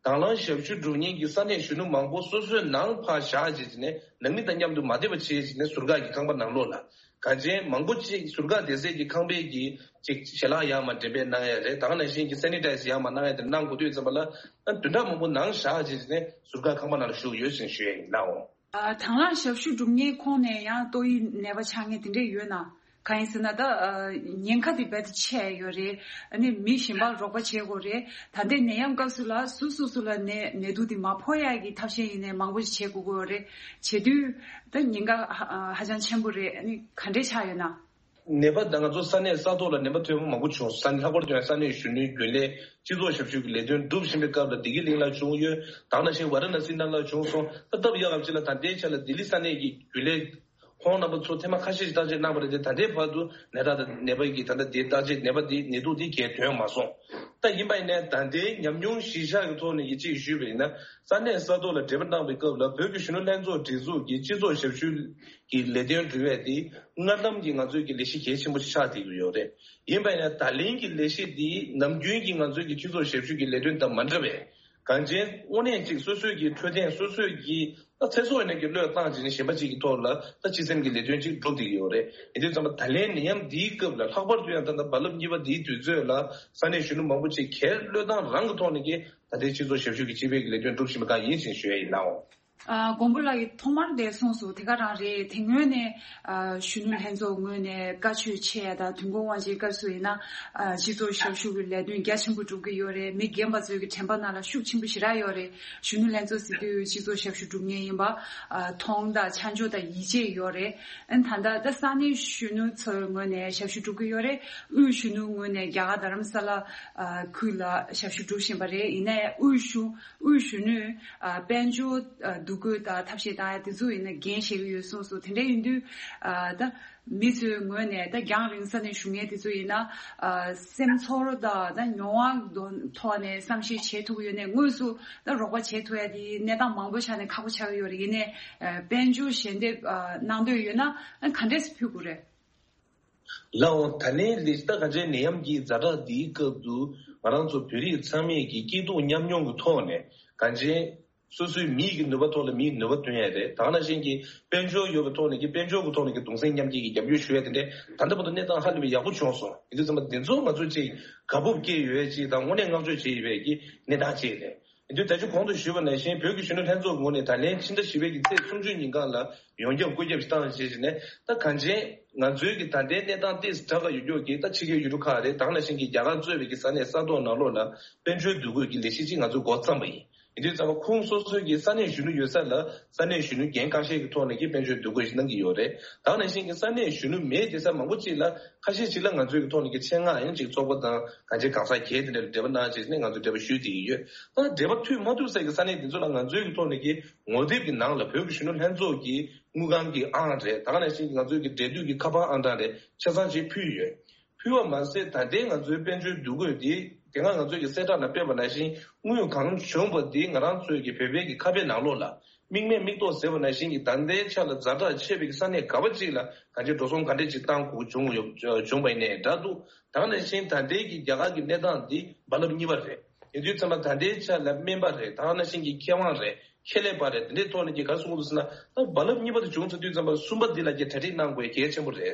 དང་བླངས་ཞབས་ཞུ་སྒྲུབ་མཁན་གྱི་ས་གནས་གཞོན་ནུ་མང་པོ་སོ་སོའི་ནང་ཕར་བཞག་བྱས་བྱས་ནས་ནང་མི་དང་མཉམ་དུ་མ་བསྡད་པ་བྱས་བྱས་ནས་ཟུར་བཀག་གི་ཁང་པ་ནང་ལོགས་ལ་གངས་ཅན་མང་པོ་ཅིག་ཟུར་བཀག་བསྡད་སའི་གི་ཁང་པའི་གི་ཅིག་ཞལ་ལག་ཡར་མར་འགྲེམས་སྤེལ་གནང་ཡ་རེད། ད་ག་ནང་བཞིན་གྱི་སེ་ནི་ཊའི་ཛར་ཡར་མར་གནང་ཡ་དེ་གནང་དགོས་དུས་ཙམ་པ་ལ་ཨ་བདུན་ཕྲག་མང་པོ་ནང་བཞག་བྱས་ནས་ཟུར་བཀག་ཁང་པ་ནང་ལ་བཞུགས་ཡོད་ཅེས་ཞུ་ཡ་ཡིན་ལགས། ཨ་དང་བླངས་ཞབས་ཞུ་སྒྲུབ་མཁན་ཁོངས་ནས་ཡང་ཏོག་དབྱིབས་ནད་པ་ཆགས་མཁན་དེ་འདྲས་ཡོད་ན། གང་ཡིན་ཟེར་ན་ད་ཨ་ཉེན་ཁ་དེ་རྦད་དེ་ཆེ་ཡོད་རེད། ཨ་ནི་མི་གཞན་པར་རོགས་པ་བྱེད་དགོས་རེད། ད་ལྟའི་ནད་ཡམས་སྐབས་སུ་ལ་སུ་སོ་སོ་ལ་ནད་ནད་དུག་དེ་མ་ཕོག་ཡ་གི་ཐབས་ཤེས་ཡིན་ནའི་མང་པོ་ཞིག་བྱེད་དགོས་ཀྱི་ཡོད་རེད། བྱེད་དུས་ད་ཉེན་ཁ་ཧ་ཧ་ཅང་ཆེན་པོ་རེད། ཨ་ནི་ག་འདྲས་ཆགས་ཡོད་ན། ནད་པ་དང་ང་ཚོ་ས་གནས་ས་ཐོག་ལ་ནད་པ་ཐོན་པ་མང་པོ་བྱུང་། ས་གནས་ལྷག་པར་དུ་ཡང་ས་གནས་གཞོན་ནུའི་རྒྱུན་ལས་སྤྱི་ཚོགས་ཞབས་ཞུ་གི་ལས་དོན་སྒྲུབ་བཞིན་པའི་སྐབས་ལ་བདེ་སྐྱིད་གླིང་ལ་བྱུང་ཡོད། ད་ག་ནང་བཞིན་ཝཱ་ར་ཎ་སི་ནང་ལ་བྱུང་སོང་། ད་སྟབས་ཡག་གམ་ཅིག་ལ་ད་ལྟའི་ཆ་ལ་ལྡི་ལི་ས་གནས་ཀྱི་རྒྱུན་ལས་ཁོང་རྣམ་པ་ཚོ་ཐེངས་མ་ཁ་ཤས་ཤིག་བརྟག་དཔྱད་གནང་བ་རེད་དེ། ད་ལྟའི་བར་དུ་ནད་རྟགས་དང་ནད་པ་གི་ད་ལྟ་དེ་བརྟག་དཔྱད་ནད་པ་དེ་ནད་དུག་དེ་གས་ཐོན་མ་སོང་། ད་ཡིན་པ་ཡིན་ནའི་ད་ལྟའི་ཉམས་མྱོང་གཞིར་བཞག་གི་ཐོག་ནས་ཀྱི་གཅིག་ཞུས་པ་ཡིན་ན། ས་གནས་ས་ཐོག་ལ་འབྲེལ་བ་གནང་བའི་སྐབས་ལ་བོད་ཀྱི་གཞོན་ནུ་ལྷན་ཚོགས་སྒྲིག་འཛུགས་ཀྱི་སྤྱི་ཚོགས་ཞབས་ཞུ་གི་ལས་དོན་སྒྲུབ་ཡས་དེ་སྔར་ལམ་གྱི་ང་ཚོའི་གི་ལས་གཞི་གལ་ཆེན་པོ་ཞིག་ཆགས་བསྡད་ཀྱི་ཡོད་རེད། ཡིན་པ་ཡིན་ན་ད་ལན་གྱི་ལས་གཞི་འདི་ནམ་རྒྱུན་གྱི་ང་ཚོའི་གི་སྤྱི་ཚོགས་ཞབས་ཞུ་གི་ལས་དོན་དང་མ་འདྲ་བས། གང་ཅན་དངོས་གནས་ཅིག་སོ་སོའི་གི་འཕྲོད་བསྟེན་སོ་སོའི་གི་ད་ཚེ་སྲོག་ཡིན་ན་གི་བློས་བཏང་བྱས་ནས་གཞན་པ་ཅིག་གི་ཐོག་ལ་ད་སྤྱི་སེམས་ཀྱི་ལས་དོན་ཅིག་སྒྲུབ་བསྡད་ཀྱི་ཡོད་རེད། ཡིན་དུས་ཙམ་པ་ད་ལན་ནད་ཡམས་འདིའི་སྐབས་ལ་ལྷག་པར་དུ་ཡང་ད་ལྟ་རྦ་རླབས་གཉིས་པ་འདིའི་དུས་ཚོད་ལ་ས་གནས་གཞོན་ནུ་མང་པོ་ཅིག་སྒེར་བློས་བཏང་རང་གི་ཐོག་ནས་ཀྱི་ད་ལྟའི་སྤྱི་ཚོགས་ཞབས་ཞུ་གི་སྤྱི་པའི་གི་ལས་དོན་སྒྲུབ་བཞིན་པ་གང་ཡིན་ཞེས་ཞུ་ཡ་ཡིན་ནའོ། ཨ། མགོན་པོ་ལགས་ཀྱིས་ཐོག་མར་དེ་གསུངས་སོང་། དེ་ག་རང་རེད། དེ་སྔོན་ནས་ཨ་གཞོན་ནུ་ལྷན་ཚོགས་ངོས་ནས་བཀའ་ཆོས་ཆེ་ཡ་དང་དུས་འཁོར་དབང་ཆེན་སྐབས་སུ་ཡིན་ན་ཨ་སྤྱི་ཚོགས་ཞབས་ཞུ་གི་ལས་དོན་རྒྱ་ཆེན་པོ་སྒྲུབ་ཀྱི་ཡོད་རེད། མི་རྒན་པ་ཚོའི་གི་དྲན་པ་ནང་ལ་ཤུགས་ཆེན་པོ་ཞེ་དྲག་ཡོད་རེད། གཞོན་ནུ་ལྷན་ཚོགས་ཟེར་དུས་སྤྱི་ཚོགས་ཞབས་ཞུ་སྒྲུབ་མཁན་ཡིན་པ་ཨ་མཐོང་དང་ཆ་འཇོག་དང་ཡིད་ཆེས་ཡོད་རེད། ཨ་ནི་ད་ལྟ་ད་ས་གནས་གཞོན་ནུ་ཚོའི་ངོས་ནས་ཞབས་ཞུ་སྒྲུབ་ཀྱི་ཡོད་རེད། དབུས་གཞོན་ནུ་ངོས་ནས་རྒྱ་གར་རྡ་རམ་ས་ལ་ཨ་ཁུལ་ལ་ཞབས་ཞུ་སྒྲུབ་བཞིན་པ་རེད། ཡིན་ནའི་དབུས་གཞུང་དབུས་གཞོན་ནུས་ཨ་དཔལ་འབྱོར་ཨ་འདུ་འགོད་དང་ཐབས་ཤེས་བཏང་ཡ་དེ་ཚོ་ཡིན་ན་འགན་བཞེས་ཀྱི་ཡོད་གསུངས་སོང་། དེ་འདྲ་ཡིན་དུས་ཨ་ད་མི་ཚོའི་ངོས་ནས་ད་རྒྱང་རིང་ས་ནས་བཞུགས་མཁན་དེ་ཚོ་ཡིན་ན་ཨ་སེམས་ཚོར་དང་ད་མྱོང་བ་དོན་ཐོག་ནས་བསམ་ཤེས་བྱེད་ཐུབ་ཀྱི་ཡོད་ནའི་དངོས་སུ་ད་རོགས་པ་བྱེད་ཐུབ་ཡ་དེ་གནས་སྟངས་མང་པོ་ཆ་ནས་ཁག་པོ་ཆགས་ཀྱི་ཡོད་རེད། ཡིན་ནའི་ཨ་དཔལ་འབྱོར་ཞལ་འདེབས་ཨ་གནང་འདོད་ཡོད་ན་ཨ་ག་འདྲས་སེ་ཕུལ་དགོས་རེད། ལའོ། ད་ལན་ལས་ད་ག་འདྲའི་ནད་ཡམས་ཀྱི་ཛ་དྲག་འདིའི་སྐབས་སུ་ང་རང་ཚོ་བོད་རིགས་ཚང་མས་ཀྱི་སྐྱིད་སྡུག་མཉམ་མྱོང་གི་ཐོག་ནས་གང་ཅན་སོ་སོའི་མིའི་གི་ནུས་པ་ཐོག་ལ་མིའི་ནུས་པ་བཏོན་ཡ་རེད། ད་ག་ནང་བཞིན་གྱི་དཔལ་འབྱོར་ཡོད་པའི་ཐོག་ནས་ཀྱི་དཔལ་འབྱོར་གྱི་ཐོག་ནས་ཀྱི་གདུང་སེམས་མཉམ་སྐྱེད་ཀྱི་རྒྱབ་སྐྱོར་ཞུ་ཡ་དེ་འདྲའི་ད་ལྟ་བར་དུ་གནས་སྟངས་ཧ་ལས་པའི་ཡག་པོ་བྱུང་སོང་། ཡིན་དུས་ཙམ་པ་འདི་ཚོ་ང་ཚོ་ཅིག་དགའ་སྤོབས་སྐྱེ་ཡོད་ཅིག་དང་དངོས་གནས་བསྔགས་བརྗོད་བྱེད་ཡོད་པའི་གི་གནས་སྟངས་ཅིག་རེད། ཡིན་དུས་ད་ཅི་གོང་དུ་ཞུས་པ་ནང་བཞིན་བོད་ཀྱི་གཞོན་ནུ་ལྷན་ཚོགས་ངོས་ནས་ད་ལན་ཕྱི་ཟླ་བཞི་པའི་གི་ཚེས་སུམ་ཅུ་ཉིན་གང་ལ་ཡོངས་ཁྱབ་བཀོད་ཁྱབ་བཏང་བྱས་ནས་ད་གང་ཅན་ང་ཚོའི་གི་ད་ལྟའི་གནས་སྟངས་ཏོག་ཙམ་དྲག་ག་ཡོད་རྒྱུ་གི་ད་ཕྱི་རྒྱལ་ཡུལ་གྲུ་ཁག་རེད། ད་ག་ནང་བཞིན་གྱི་རྒྱ་གར་གཙོས་པའི་གི་ས་གནས་ས་ཐོག་ནང་ལོགས་ལ་དཔལ་འབྱོར་འདུ་འགོད་ཀྱི་ལས་གཞི་ཅིག་ང་ཚོས་འགོ་བརྩམས་པ་ཡིན། ཡིན་དུས་ཙམ་པ་ཁོང་སོ་སོའི་གི་ས་གནས་གཞོན་ནུ་ཡོད་ས་ལ་ས་གནས་གཞོན་ནུ་འགན་ཁག་ཤས་ཀྱི་ཐོག་ནས་ཀྱི་དཔལ་འབྱོར་འདུ་འགོད་ཞིག་གནང་གི་ཡོད་རེད། ད་ག་ནང་བཞིན་གྱི་ས་གནས་གཞོན་ནུ་མེད་བསྡད་ས་མང་པོ་ཅིག་ལ་ཁ་ཤས་ཅིག་ལ་ང་ཚོའི་གི་ཐོག་ནས་ཀྱི་ཆེད་མངགས་ཡང་ཅིག་ཚོགས་པ་དང་གང་ཅི་གང་ཟག་སྒེར་དེ་འདྲ་ལ་འབྲེལ་བ་གནང་བྱས་ནས་ང་ཚོས་འབྲེལ་བ་ཞུས་བསྡད་ཀྱི་ཡོད། ད་འབྲེལ་བ་མཐུད་མ་ཐུབ་ས་གི་ས་གནས་དེ་ཚོ་ལ་ང་ཚོའི་གི་ཐོག་ནས་ཀྱི་ངོ་དེབ་ཀྱི་ནང་ལ་བོད་ཀྱི་གཞོན་ནུ་ལྷན་ཚོགས་ཀྱི་དངུལ་ཁང་གི་ཨང་རེད། ད་ག་ནང་བཞིན་གྱི་ང་ཚོའི་གི་འབྲེལ་མཐུད་ཀྱི་ཁ་པར་ཨང་གྲངས་རེད། ཆ་ཚང་ཅིག་ཕུལ་ཡོད། ཕུལ་བ་མ་ཟད་ད་ལྟའི་ང་ཚོའི་དཔལ་འབྱོར་འདུ་འགོད་འདི་དེ་སྔ་ང་ཚོའི་གི་གསལ་བསྒྲགས་ནང་སྤེལ་བ་ནང་བཞིན་དངུལ་གང་བྱུང་བ་འདི་ང་རང་ཚོའི་གི་བོད་པའི་གི་ཁ་པའི་ནང་ལོགས་ལ་མིག་མེད་མིག་ཏོ་ཟེར་བ་ནང་བཞིན་གྱི་ད་ལྟའི་ཆ་ལ་ཛ་དྲག་ཆེ་བའི་གི་ས་གནས་ག་བ་ཅིག་ལ་གང་ཅི་འགྲོ་སོང་ག་འདྲས་ཅིག་བཏང་དགོས་བྱུང་ཡོད་བྱུང་བ་ཡིན་ནའི་འདྲ་འདུག་ད་ག་ནང་བཞིན་ད་ལྟའི་གི་རྒྱ་གར་གི་གནས་སྟངས་འདི་རྦ་རླབས་གཉིས་པ་རེད། ཡིན་དུས་ཙམ་པ་ད་ལྟའི་ཆ་ལ་སྨན་པ་རེད། ད་ག་ནང་བཞིན་གྱི་མཁས་དབང་རེད། ཁེ་ལས་པ་རེད། འདི་འདྲའི་ཐོག་ནས་ཀྱི་ག་རེ་གསུང་གི་འདུག་ཟེར་ན་ད་རྦ་རླབས་གཉིས་པ་དེ་བྱུང་ཚར་དུས་ཙམ་པ་གསུམ་པ་འདི་ལ་ཀྱི་གྲ་སྒྲིག་གནང་དགོས་གལ་ཆེན་པོ་རེད།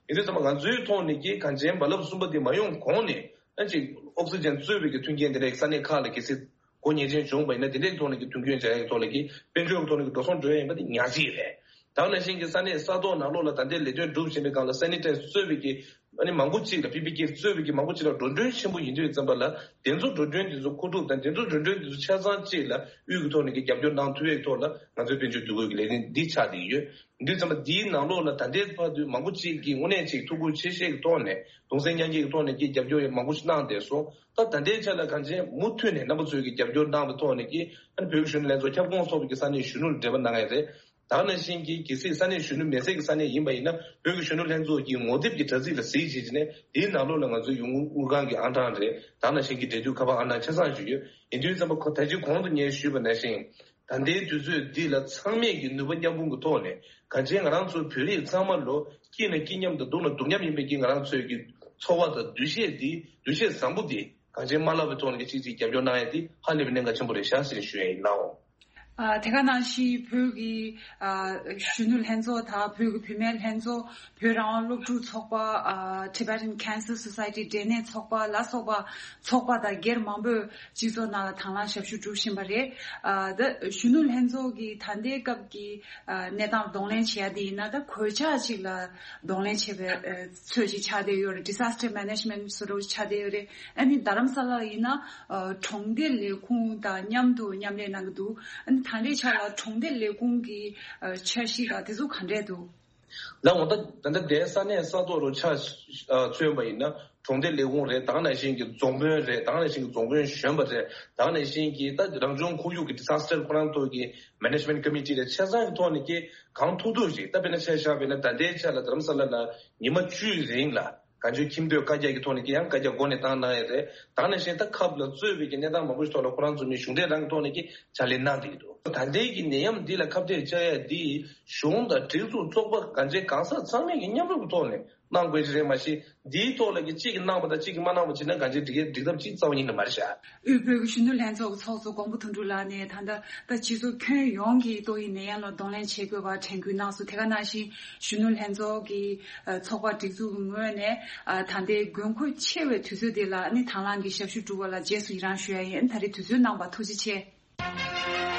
ཡིན་དུས་ཙམ་པ་ང་ཚོའི་ཐོག་ནས་ཀྱི་གང་ཅན་རྦ་རླབས་གསུམ་པ་འདི་མ་ཡོང་གོང་ནས་ཨ་ཅིག་ཨོག་སི་ཇན་གཙོས་པའི་ཀྱི་མཐུན་རྐྱེན་འདི་འདྲའི་ས་གནས་ཁག་ལ་གལ་སྲིད་སྒོ་ཉེས་ཅན་བྱུང་བ་ཡིན་ན་འདི་འདྲའི་ཐོག་ནས་ཀྱི་མཐུན་རྐྱེན་སྦྱར་ཡག་ཐོག་ལ་ཀྱི་དཔལ་འབྱོར་གྱི་ཐོག་ནས་ཀྱི་འགྲོ་སོང་འགྲོ་ཡ་ཡིན་པ་འདི་ཉག་གཅིག་རེད། ད་ག་ནང་བཞིན་གྱི་ས་གནས་ས་ཐོག་ནང་ལོགས་ལ་ད་ལྟའི་ལས་དོན་སྒྲུབ་བཞིན་པའི་སྒང་ལ་སེ་ནི་ཊའི་ཛི་གཙོས་པའི་ཀྱི་ཨ་ནི་མང་པོ་གཅིག་ལ་པི་པི་ཀེ་གཙོས་པའི་ཀྱི་མང་པོ་གཅིག་ལ་འགྲོ་གྲོན་ཆེན་པོ་ཡིན་དུས་ཙམ་པ་ལ་དེ་ཚོ་འགྲོ་གྲོན་དེ་ཚོ་མཁོ་སྒྲུབ་དང་དེ་ཚོ་འགྲོ་གྲོན་དེ་ཚོ་ཆ་ཚང་གཅིག་ལ་དབུས་ཀྱི་ཐོག་ནས་ཀྱི་རྒྱབ་སྐྱོར་གནང་ཐུབ་ཡག་ཐོག་ལ་ང་ཚོའི་དཔལ་འབྱོར་འདུ་འགོད་ཀྱི་ལས་རིམ་འདི་ཆགས་བསྡད་ཀྱི་ཡོད། དུས་ཙམ་པ་འདིའི་ནང་ལོགས་ལ་ད་ལྟའི་བར་དུ་མང་པོ་གཅིག་གིས་དངོས་གནས་གཅིག་ཐུགས་ཁུར་ཆེ་བཞེས་ཀྱི་ཐོག་ནས་གདུང་སེམས་མཉམ་སྐྱེད་ཀྱི་ཐོག་ནས་ཀྱི་རྒྱབ་སྐྱོར་ཡང་མང་པོ་ཞིག་གནང་བསྡད་སོང་། ད་ད་ལྟའི་ཆ་ལ་གང་ཅི་མུ་མཐུད་ནས་རྣམ་པ་ཚོས་ཀྱི་རྒྱབ་སྐྱོར་གནང་བའི་ཐོག་ནས་ཀྱི་ཨ་ནི་བོད་ཀྱི་གཞོན་ནུ་ལྷན་ཚོགས་ཁྱབ་ཁོངས་ཚོགས་པའི་ཀྱི་ས་གནས་གཞོན་ནུ་ལ་འབྲེལ་བ་གནང་ཡ་རེད། ད་ག་ནང་བཞིན་གྱི་གལ་སྲིད་ས་གནས་གཞོན་ནུ་མེད་སའི་གི་ས་གནས་ཡིན་པ་ཡིན་ན་བོད་ཀྱི་གཞོན་ནུ་ལྷན་ཚོགས་ཀྱི་ངོ་དེབ་ཀྱི་དྲ་ཚིགས་ལ་གཟིགས་བྱས་ནས་དེའི་ནང་ལོགས་ལ་ང་ཚོའི་ཡོང་སྒོ་དངུལ་ཁང་གི་ཨང་གྲངས་རེད། ད་ག་ནང་བཞིན་གྱི་འབྲེལ་མཐུད་ཁ་པར་ཨང་གྲངས་ཆ་ཚང་ཞིག་ཡོད། ཡིན་དུས་ཙམ་པ་ཁོ་ད་ཅི་གོང་དུ་ངས་ཞུས་པ་ནང་བཞིན། ད་ལྟའི་དུས་ཚོད་འདི་ལ་ཚང་མས་ཀྱི་ནུས་པ་མཉམ་སྤུངས་ཀྱི་ཐོག་ནས་གང་ཅི་ང་རང་ཚོ་བོད་རིགས་ཚང་མ་ལོ་སྐྱིད་ན་སྐྱིད་མཉམ་དང་སྡུག་ན་སྡུག་མཉམ་ཡིན་པའི་ཀྱི་ང་རང་ཚོའི་ཀྱི་འཚོ་བ་དང་འདུ་ཤེས་འདི་འདུ་ཤེས་བཟང་པོ་འདི་གང་ཅི་མ་བརླག་པའི་ཐོག་ནས་ཀྱི་གཅིག་གཅིག་རྒྱབ་སྐྱོར་གནང་ཡ་འདི་ཧ་ལས་པའི་གནད་འགག་ཆེན་པོ་རེད་ཤག་ཟེར་ཞུ་ཡ་ཡིན་ལགས། ཨ་དེ་ག་ནང་བཞིན་བོད་ཀྱི་ཨ་གཞོན་ནུ་ལྷན་ཚོགས་དང་བོད་ཀྱི་བུད་མེད་ལྷན་ཚོགས། བོད་རང་དབང་སློབ་ཕྲུག་ཚོགས་པ། ཨ་Tibetan Cancer Society འབྲས་ནད་ཚོགས་པ་ལ་སོགས་པ་ཚོགས་པ་དང་སྒེར་མང་པོས་སྤྱི་ཚོགས་ནང་ལ་དང་བླངས་ཞབས་ཞུ་སྒྲུབ་བཞིན་པ་རེད། ཨ་ད་གཞོན་ནུ་ལྷན་ཚོགས་ཀྱི་ད་ལྟའི་སྐབས་ཀྱི་ཨ་གནས་སྟངས་གདོང་ལེན་བྱེད་ཡ་དེ་ཡིན་ན་ད་གོད་ཆག་ཅིག་ལ་གདོང་ལེན་བྱེད་པའི་ཨ་ཚོད་ཅིག་ཆགས་བསྡད་ཡོད་རེད། Disaster Management བཟོ་འདྲ་ཅིག་ཆགས་བསྡད་ཡོད་རེད། ཨ་ནི་རྡ་རམ་ས་ལ་ཡིན་ན་ཨ་གྲོང་སྡེ་ལས་ཁུངས་དང་མཉམ་དུ་མཉམ་ལས་གནང་གི་འདུག་ཨ་ནི་ད་ལྟའི་ཆ་ལ་གྲོང་སྡེ་ལས་ཁུངས་ཀྱི་ཨ་འཆར་གཞི་དང་དེ་ཚོ་ག་འདྲས་འདུག་ལགས་འོ། ད་ད་ལྟ་དེ་ས་གནས་ས་ཐོག་རུ་ཆ་ཨ་མཚོན་པ་ཡིན་ན་གྲོང་སྡེ་ལས་ཁུངས་རེད། ད་ག་ནང་བཞིན་གྱི་རྫོང་དཔོན་རེད། ད་ག་ནང་བཞིན་གྱི་རྫོང་དཔོན་གཞོན་པ་རེད། ད་ག་ནང་བཞིན་གྱི་ད་རང་བྱུང་ཁོར་ཡུག་གི་disaster ཁོ་རང་ཐོག་གི་management committee རེད། ཆ་ཚང་གི་ཐོག་ནས་ཀྱི་གང་ཐུབ་ཐུབ་ཞིག་ད་དཔེར་ན་ཆ་བཞག་པ་ཡིན་ན་ད་ལྟའི་ཆ་ལ་རྡ་རམ་ས་ལ་ལ་ཉི་མ་བཅུའི་རིང་ལ་ གང་བྱུང་ཁྱིམ་སྡོད་བཀའ་རྒྱ་གི་ཐོག་ནས་ཀྱི་ཡང་བཀའ་རྒྱ་མགོ་ནས་བཏང་གནང་ཡས་རེད། ད་ནང་བཞིན་ད་ཁབ་ལ་གཙོས་པའི་ཀྱི་གནས་སྟངས་མང་པོ་ཞིག་ཐོག་ལ་ཁོ་རང་ཚོ་ནས་གཞུང་འབྲེལ་རང་གི་ཐོག་ནས་ཀྱི་ཕྱག་ལས་གནང་བསྡད་ཀྱི་འདུག་ད་ལྟའི་གི་ནད་ཡམས་འདི་ལ་ཁ་གཏད་གཅོག་ཡ་འདི་གཞུང་དང་སྒྲིག་འཛུགས་ཚོགས་པ་གང་ཅི་གང་ཟག་ཚང་མས་ཀྱི་མཉམ་རུབ་ཀྱི་ཐོག་ནས་གནང་དགོས་ཀྱི་རེད། མ་གཞི་འདིའི་ཐོག་ལ་ཀྱི་གཅིག་གིས་གནང་བ་དང་གཅིག་གིས་མ་གནང་བ་བྱས་ན་གང་ཅི་འགྲིག་གི་འགྲིག་ཐབས་ཅིག་རྩ་བ་ཉིད་ནས་མ་རེད་ཤག་དབུས་བོད་ཀྱི་གཞོན་ནུ་ལྷན་ཚོགས་ཀྱི་ཚོགས་གཙོ་མགོན་པོ་དོན་གྲུབ་ལགས་ནས་ད་ལྟ་ད་སྤྱི་ཚོགས་ཁྱོན་ཡོངས་ཀྱི་ཏོག་དབྱིབས་ནད་ཡམས་ལ་གདོང་ལེན་བྱེད་དགོས་པར་དྲན་སྐུལ་གནང་སོང་། དེ་ག་ནང་བཞིན་གཞོན་ནུ་ལྷན་ཚོགས་ཀྱི་ཚོགས་པ་སྒྲིག་འཛུགས་ཀྱི་ངོས་ནས་ད་ལྟའི་དགོས་མཁོ་ཆེ་བའི་དུས་ཚོད་འདི་ལ་ནི་དང་བླངས་ཀྱི་ཞབས་ཞུ་སྒྲུབ་པ་ལ་རྗེས་སུ་ཡི་རང་ཞུ་ཡ་ཡིན། ད་རེས་དུས་ཚོད་གནང་བར་ཐུགས་རྗེ་ཆེ།